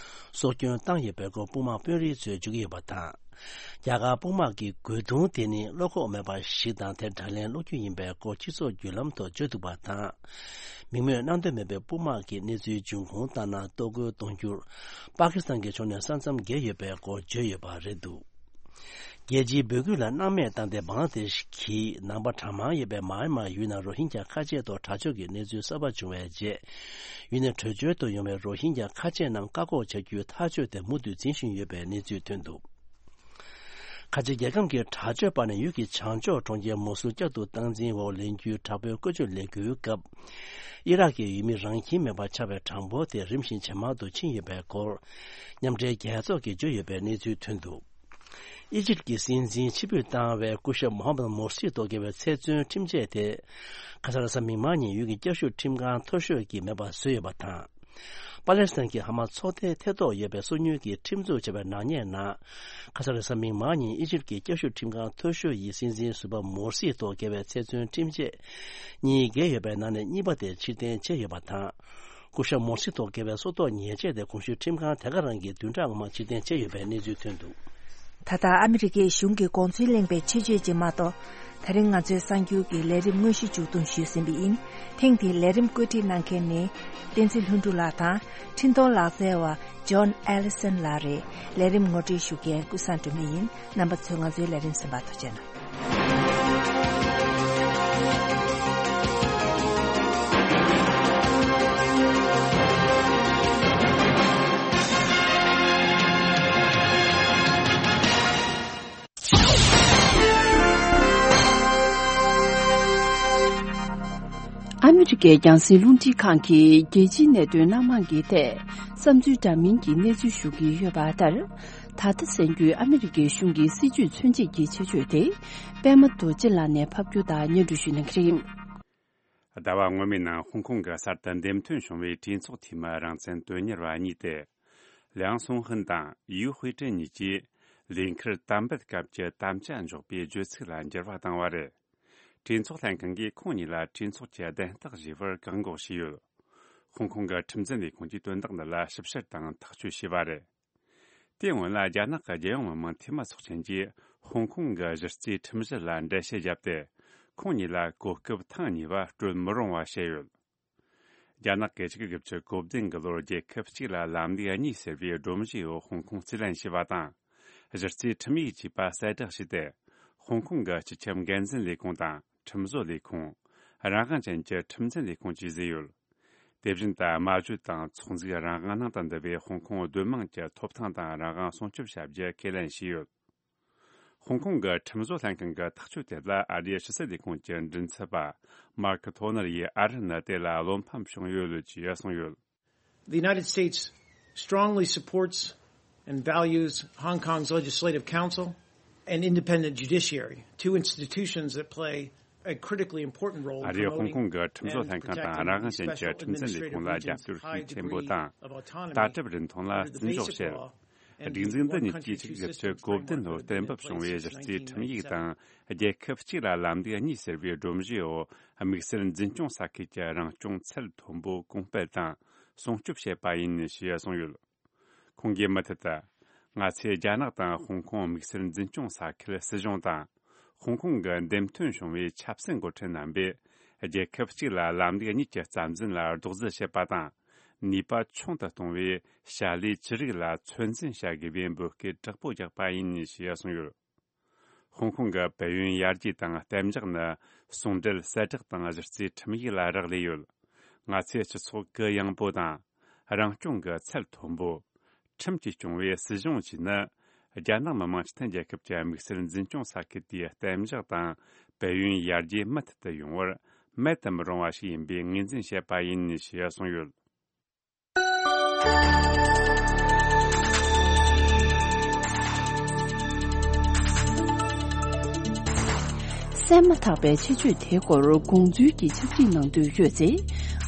སྲོག་སྐྱོན་བཏང་ཡོད་པའི་སྐོར་དཔུང་དམག་དཔོན་རིགས་ཚོས་བརྗོད་ཀྱི་ཡོད་པ་དང་། རྒྱ་གར་དཔུང་དམག་གི་རྒོལ་རྡུང་དེ་ནི་བློ་ཁོག་མེད་པ་ཞིག་དང་། དེ་དགྲ་ལན་སློག་རྒྱུ་ཡིན་པའི་སྐོར་སྤྱི་ཚོགས་བརྒྱུད་ལམ་ཐོག་བརྗོད་འདུག་པ་དང་། མིང་སྨོས་གནང་འདོད་མེད་པའི་དཔུང་དམག་གིས་གནས་ཚུལ་འབྱུང་ཁུངས་ལྟར་ན། གཏོར་རྒོལ་གཏོང་རྒྱུར་པ་ཀི་སི་ཐན་གྱི་ཕྱོགས་ནས་ས་མཚམས་བརྒལ་ཡོད་པའི་སྐོར་བརྗོད་ཡོད་པ་རེད་འདུག་རྒྱལ་སྤྱིའི་འབོད་སྐུལ་ལ་སྣང་མེད་བཏང་སྟེ། བང་ལ་དེ་ཤི་གི་ནང་པ་གྲངས་མང་ཡོད་པའི་མཱ་ཡན་མཱ་ཡུལ་ནང་རོ་ཧིན་ཇཱ་ཁ་ཆེ་ཐོག་དྲག་སྤྱོད་ཀྱི་གནས་ཚུལ་གསར་པ་བྱུང་བའི་རྗེས། ཡུལ་ནས་བྲོས་བྱོལ་དུ་ཡོང་བའི་རོ་ཧིན་ཇཱ་ཁ་ཆེ་རྣམས་བཀག་འགོག་བྱ་རྒྱུའི་ཐག་གཅོད་དེ་མུ་མཐུད་འཛིན་བཞིན་ཡོད་པའི་གནས་ཚུལ་ཐོན་འདུག་ཁ་ཆེ་རྒྱལ་ཁམས་ཀྱི་དྲག་སྤྱོད་པ་ནས་ཡུལ་གྱི་བྱང་ཕྱོགས་གྲོང་ཁྱེར་མོ་སུལ་བསྐྱར་དུ་སྟངས་འཛིན་འོག་ལེན་རྒྱུའི་དྲག་པོའི་བཀོལ་སྤྱོད་ལས་འགུལ་སྐབས། ཨི་རག་གི་ཡུལ་མི་རང་ཁྱིམ་མེད་པར་ཆགས་པའི་གྲངས་འབོར་དེ་རིམ་བཞིན་ཇེ་མང་དུ་ཕྱིན་ཡོད་པའི་སྐོར། མཉམ་འབྲེལ་རྒྱལ་ཚོགས་ཀྱིས་བརྗོད་ཡོད་པའི་གནས་ཚུལ་ཐོན་འདུག་ཨི་ཇིབ་ཀྱི་སྲིད་འཛིན་ཕྱིར་འབུད་བཏང་བའི་སྐུ་ཞབས་མོ་ཧམ་མད་མོར་སི་ཐོག་བཀལ་བའི་ཚེ་བཙོན་ཁྲིམས་ཆད་དེ། ཁ་སང་རེས་གཟའ་མིག་དམར་ཉིན་ཡུལ་གྱི་བསྐྱར་ཞིབ་ཁྲིམས་ཁང་མཐོ་ཤོས་ཀྱིས་མེད་པར་བཟོས་ཡོད་པ་དང་། པ་ལེ་སི་ཐན་གྱི་ཧ་མ་ཚོགས་སྡེའི་ཐེ་གཏོགས་ཡོད་པའི་སོ་ཉུལ་གྱིས་ཁྲིམས་རྩོད་བྱས་པའི་ནག་ཉེས་ནང་། ཁ་སང་རེས་གཟའ་མིག་དམར་ཉིན་ཨི་ཇིབ་ཀྱི་བསྐྱར་ཞིབ་ཁྲིམས་ཁང་མཐོ་ཤོས་ཡི་སྲིད་འཛིན་ཟུར་པ་མོར་སིའི་ཐོག་བཀལ་བའི་ཚེ་བཙོན་ཁྲིམས་ཆད་གཉིས་བཀལ་ཡོད་པའི་ནང་ནས་གཉིས་པ་དེ་ཕྱིར་འཐེན་བྱས་ཡོད་པ་དང་། སྐུ་ཞབས་མོར་སི་ཐོག་བཀལ་བའི་སྲོག་ཐོག་ཉེས་ཆད་དེ་གོང་ཞུས་ཁྲིམས་ཁང་དེ་ག་རང་གིས་བདུན་ཕྲག་སྔོན་མ་ཕྱིར་འཐེན་བྱས་ཡོད་པའི་གནས་ཚུལ་ཐོན་འདུག། ད་ལྟ་ཨ་མི་རི་ཀའི་གཞུང་གི་དགོངས་ཚུལ་གླེང་བའི་ཆེད་བརྗོད་ཅིག་མ་གཏོགས། ད་རིང་ང་ཚོའི་གསར་འགྱུར་གྱི་ལས་རིམ་དངོས་གཞི་མཇུག་བསྡོམས་ཞུས་ཟིན་པ་ཡིན། ཐེངས་འདིའི་ལས་རིམ་བཀོད་སྒྲིག་གནང་མཁན་ནི། བསྟན་འཛིན་ལྷུན་གྲུབ་ལགས་དང་། འཕྲིན་གཏོང་ལག་རྩལ་བ་ཇོན་ཨེ་ལི་སན་ལགས་རེད། ལས་རིམ་ངོ་སྤྲོད་ཞུ་མཁན་ཀུན་བཟང་སྒྲོལ་མ་ཡིན། རྣམ་པ་ཚོས་ང་ཚོའི་ལས་རིམ་གསན་པར་ཐུགས་རྗེ་གནང་། ཨ་མི་རི་ཀའི་རྒྱང་སྲིང་རླུང་འཕྲིན་ཁང་གིས་རྒྱལ་སྤྱིའི་གནད་དོན་སྣ་མང་གི་ཐད་བསམ་ཚུལ་འདྲ་མིན་གྱི་གནས་ཚུལ་ཞུ་གི་ཡོད་པ་ལྟར། ད་ལྟ་གསན་རྒྱུའི་ཨ་མི་རི་ཀའི་གཞུང་གི་སྲིད་བྱུས་མཚོན་བྱེད་ཀྱི་ཆེད་བརྗོད་དེ། པད་མ་རྡོ་རྗེ་ལགས་ནས་ཕབ་སྒྱུར་དང་སྙན་སྒྲོན་ཞུ་གནང་གི་རེད། ཟླ་བ་སྔོན་མའི་ནང་ཧོང་ཀོང་གི་གསར་དུ་འདེམས་ཐོན་བྱུང་བའི་གྲོས་ཚོགས་འཐུས་མི་རང་བཙན་དོན་གཉེར་བ་གཉིས་ཏེ། ལིའང་སུང་ཧུན་དང་ཡུའུ་ཧུའེ་ཀྲེན་གཉིས་ཀྱིས་ལས་འཁུར་དམ་འབུལ་སྐབས་ཀྱི་དམ་བཅའ་འཇོག་པའི་བརྗོད་ཚིག་ལ་འགྱུར་བ་བཏང་བ་རེད། གྲོས་ཚོགས་ལྷན་ཁང་གིས་ཁོང་གཉིས་ལ་གྲོས་ཚོགས་ཀྱི་གདན་རྟགས་བཞེས་པར་བཀག་འགོག་བྱས་ཡོད། ཧོང་ཀོང་གི་ཁྲིམས་འཛིན་ལས་ཁུངས་ཀྱིས་དོན་དག་འདི་ལ་ཞིབ་བཤེར་དང་ཐག་གཅོད་བྱས་པ་རེད། དེའི་སྔོན་ལ་རྒྱ་ནག་གི་རྒྱལ་ཡོངས་མི་དམངས་འཐུས་མི་ཚོགས་ཆེན་གྱིས་ཧོང་ཀོང་གི་གཞི་རྩའི་ཁྲིམས་གཞི་ལ་འགྲེལ་བཤད་བརྒྱབ་སྟེ། ཁོང་གཉིས་ལ་གོ་སྐབས་ཐེངས་གཉིས་པ་སྤྲོད་མི་རུང་བ་བཤད་ཡོད། རྒྱ་ནག་གིས་ཆིག་སྟོང་དགུ་བརྒྱ་གོ་བདུན་གྱི་ལོར་རྒྱལ་ཁབ་གཅིག་ལ་ལམ་ལུགས་གཉིས་ཟེར་བའི་སྒྲོམ་གཞིའི་འོག་ཧོང་ཀོང་རྩིས་ལེན་བྱས་པ་དང་། གཞི་རྩའི་ཁྲིམས་ཡིག་ཅེས་པ་གསལ་བསྒྲགས་བྱས་ཏེ། ཧོང་ཀོང་གི་སྤྱི་ཁྱབ་འགན་འཛིན་ལས་ཁུངས་དང་ཁྲིམས་བཟོ་ལས་ཁུངས། རང་དབང་ཅན་གྱི་ཁྲིམས་འཛིན་ལས་ཁུངས་བཅས་བཟོས་ཡོད། དེ་བཞིན་དུ་སྨྲ་བརྗོད་དང་ཚོགས་འཛུགས་རང་དབང་ནང་དུ་འདུ་བའི་ཧོང་ཀོང་སྡོད་དམངས་ཀྱི་ཐོབ་ཐང་དང་རང་དབང་སྲུང་སྐྱོབ་བྱ་རྒྱུ་ཁས་ལེན་བྱས་ཡོད། ཧོང་ཀོང་གི་ཁྲིམས་བཟོ་ལྷན་ཁང་གི་ཐག་གཅོད་དེ་ལ་ཨ་རིའི་ཕྱི་སྲིད་ལས་ཁུངས་ཀྱི་མགྲིན་ཚབ་པ་མར་ཁི་ཐོ་ནར་ཡིས་ཨ་རི་ནི་དེ་ལ་བློ་ཕམ་བྱུང་ཡོད་ཅེས་གསུངས་ཡོད། The United States strongly supports and values Hong Kong's Legislative Council and independent judiciary, two institutions that play a critically important role in ཨ་རིས་ཧོང་ཀོང་གི་ཁྲིམས་བཟོ་ལྷན་ཁང་དང་རང་དབང་ཅན་གྱི་ཁྲིམས་འཛིན་ལས་ཁུངས་ལ་རྒྱབ་སྐྱོར་ཤུགས་ཆེན་པོ་དང་། ལྟ་གྲུབ་རིན་ཐང་ལ་བརྩི་འཇོག་བྱེད། སྒྲིག་འཛུགས་འདི་ཉིད་ཀྱིས་ཆིག་སྟོང་དགུ་བརྒྱ་གོ་བདུན་ལོར་གཏན་འབེབས་བྱུང་བའི་གཞི་རྩའི་ཁྲིམས་ཡིག་དང་རྒྱལ་ཁབ་གཅིག་ལ་ལམ་ལུགས་གཉིས་ཟེར་བའི་སྒྲོམ་གཞིའི་འོག་དམིགས་བསལ་འཛིན་སྐྱོང་ས་ཁུལ་གྱི་རང་སྐྱོང་ཚད་མཐོན་པོ་གོང་སྤེལ་དང་སྲུང་སྐྱོབ་བྱེད་པ་ཡིན་ཞེས་གསུངས་ཡོད། ཁོང་གིས་མུ་མཐུད་དུ། ང་ཚོས་རྒྱ་ནག་དང་ཧོང་ཀོང་དམིགས་བསལ་འཛིན་སྐྱོང་ས་ཁུལ་སྲིད་གཞུང་དང་། ཧོང་ཀོང་གི་འདེམས་ཐོན་བྱུང་བའི་ཆབ་སྲིད་འགོ་ཁྲིད་རྣམ་པས། རྒྱལ་ཁབ་གཅིག་ལ་ལམ་ལུགས་གཉིས་ཀྱི་རྩ་འཛིན་ལ་རྡོག་རྫིས་བྱེད་པ་དང་། ནུས་པ་ཆུང་དུ་གཏོང་བའི་བྱ་ལས་ཅི་རིགས་ལ་ཚོད་འཛིན་བྱ་དགོས་པའི་འབོད་སྐུལ་དྲག་པོ་རྒྱག་པ་ཡིན་ཞེས་གསུངས་ཡོད། ཧོང་ཀོང་གི་བལ་ཡུལ་ཡར་རྒྱས་དང་གཏན་འཇགས་ནི་ཟུང་འབྲེལ་གསལ་བསྒྲགས་དང་གཞི་རྩའི་ཁྲིམས་ཡིག་ལ་རག་ལས་ཡོད། ང་ཚོའི་སྤྱི་ཚོགས་གུ་ཡངས་པོ་དང་། རང་སྐྱོང་གི་ཚད་མཐོན་པོ། ཁྲིམས་ཀྱིས་སྐྱོང་བའི་སྲིད་གཞུང་བཅས་ནི། རྒྱ་ནག་མི་དམངས་སྤྱི་མཐུན་རྒྱལ་ཁབ་ཀྱི་དམིགས་བསལ་འཛིན་སྐྱོང་ས་ཁུལ་དེའི་གཏན་འཇགས་དང་། བལ་ཡུལ་ཡར་རྒྱས་མུ་མཐུད་དུ་ཡོང་བར་མེད་དུ་མི་རུང་བ་ཞིག་ཡིན་པའི་ངོས་འཛིན་བྱས་པ་ཡིན་ཞེས་གསུངས་ཡོད། གསན་མ་ཐག་པའི་ཆེད་བརྗོད་དེའི་སྐོར་དགོངས་ཚུལ་གྱི་ཕྱག་བྲིས་གནང་འདོད་ཡོད་ཚེ།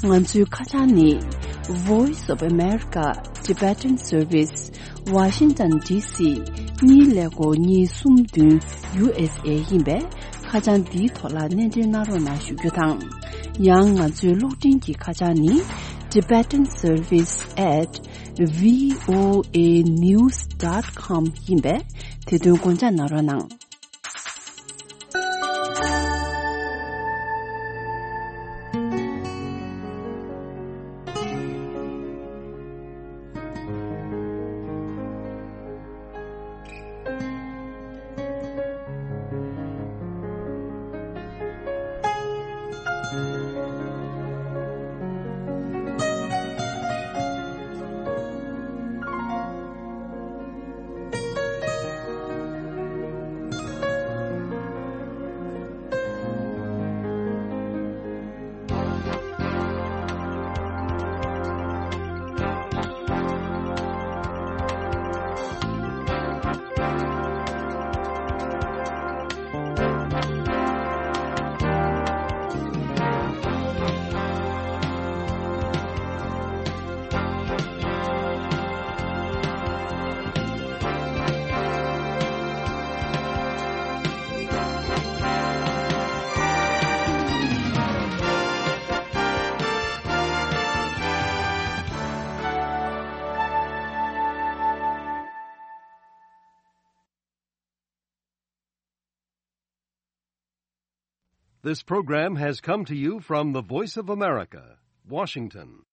ང་ཚོའི་ཁ་བྱང་ནི། Voice of America Tibetan Service Washington D C གཉིས་ཀླད་ཀོར་གཉིས་གསུམ་བདུན་U S A ཡིན་པས། ཁ་བྱང་འདིའི་ཐོག་ལ་སྣེ་འདྲེན་གནང་རོགས་གནང་ཞུ་རྒྱུ་དང་། ཡང་ང་ཚོའི་གློག་འཕྲིན་གྱི་ཁ་བྱང་ནི། Tibetan Service at V O A news dot com ཡིན་པས། དེ་དོན་དགོངས་འཇགས་གནང་རོགས་གནང་། This program has come to you from the Voice of America, Washington.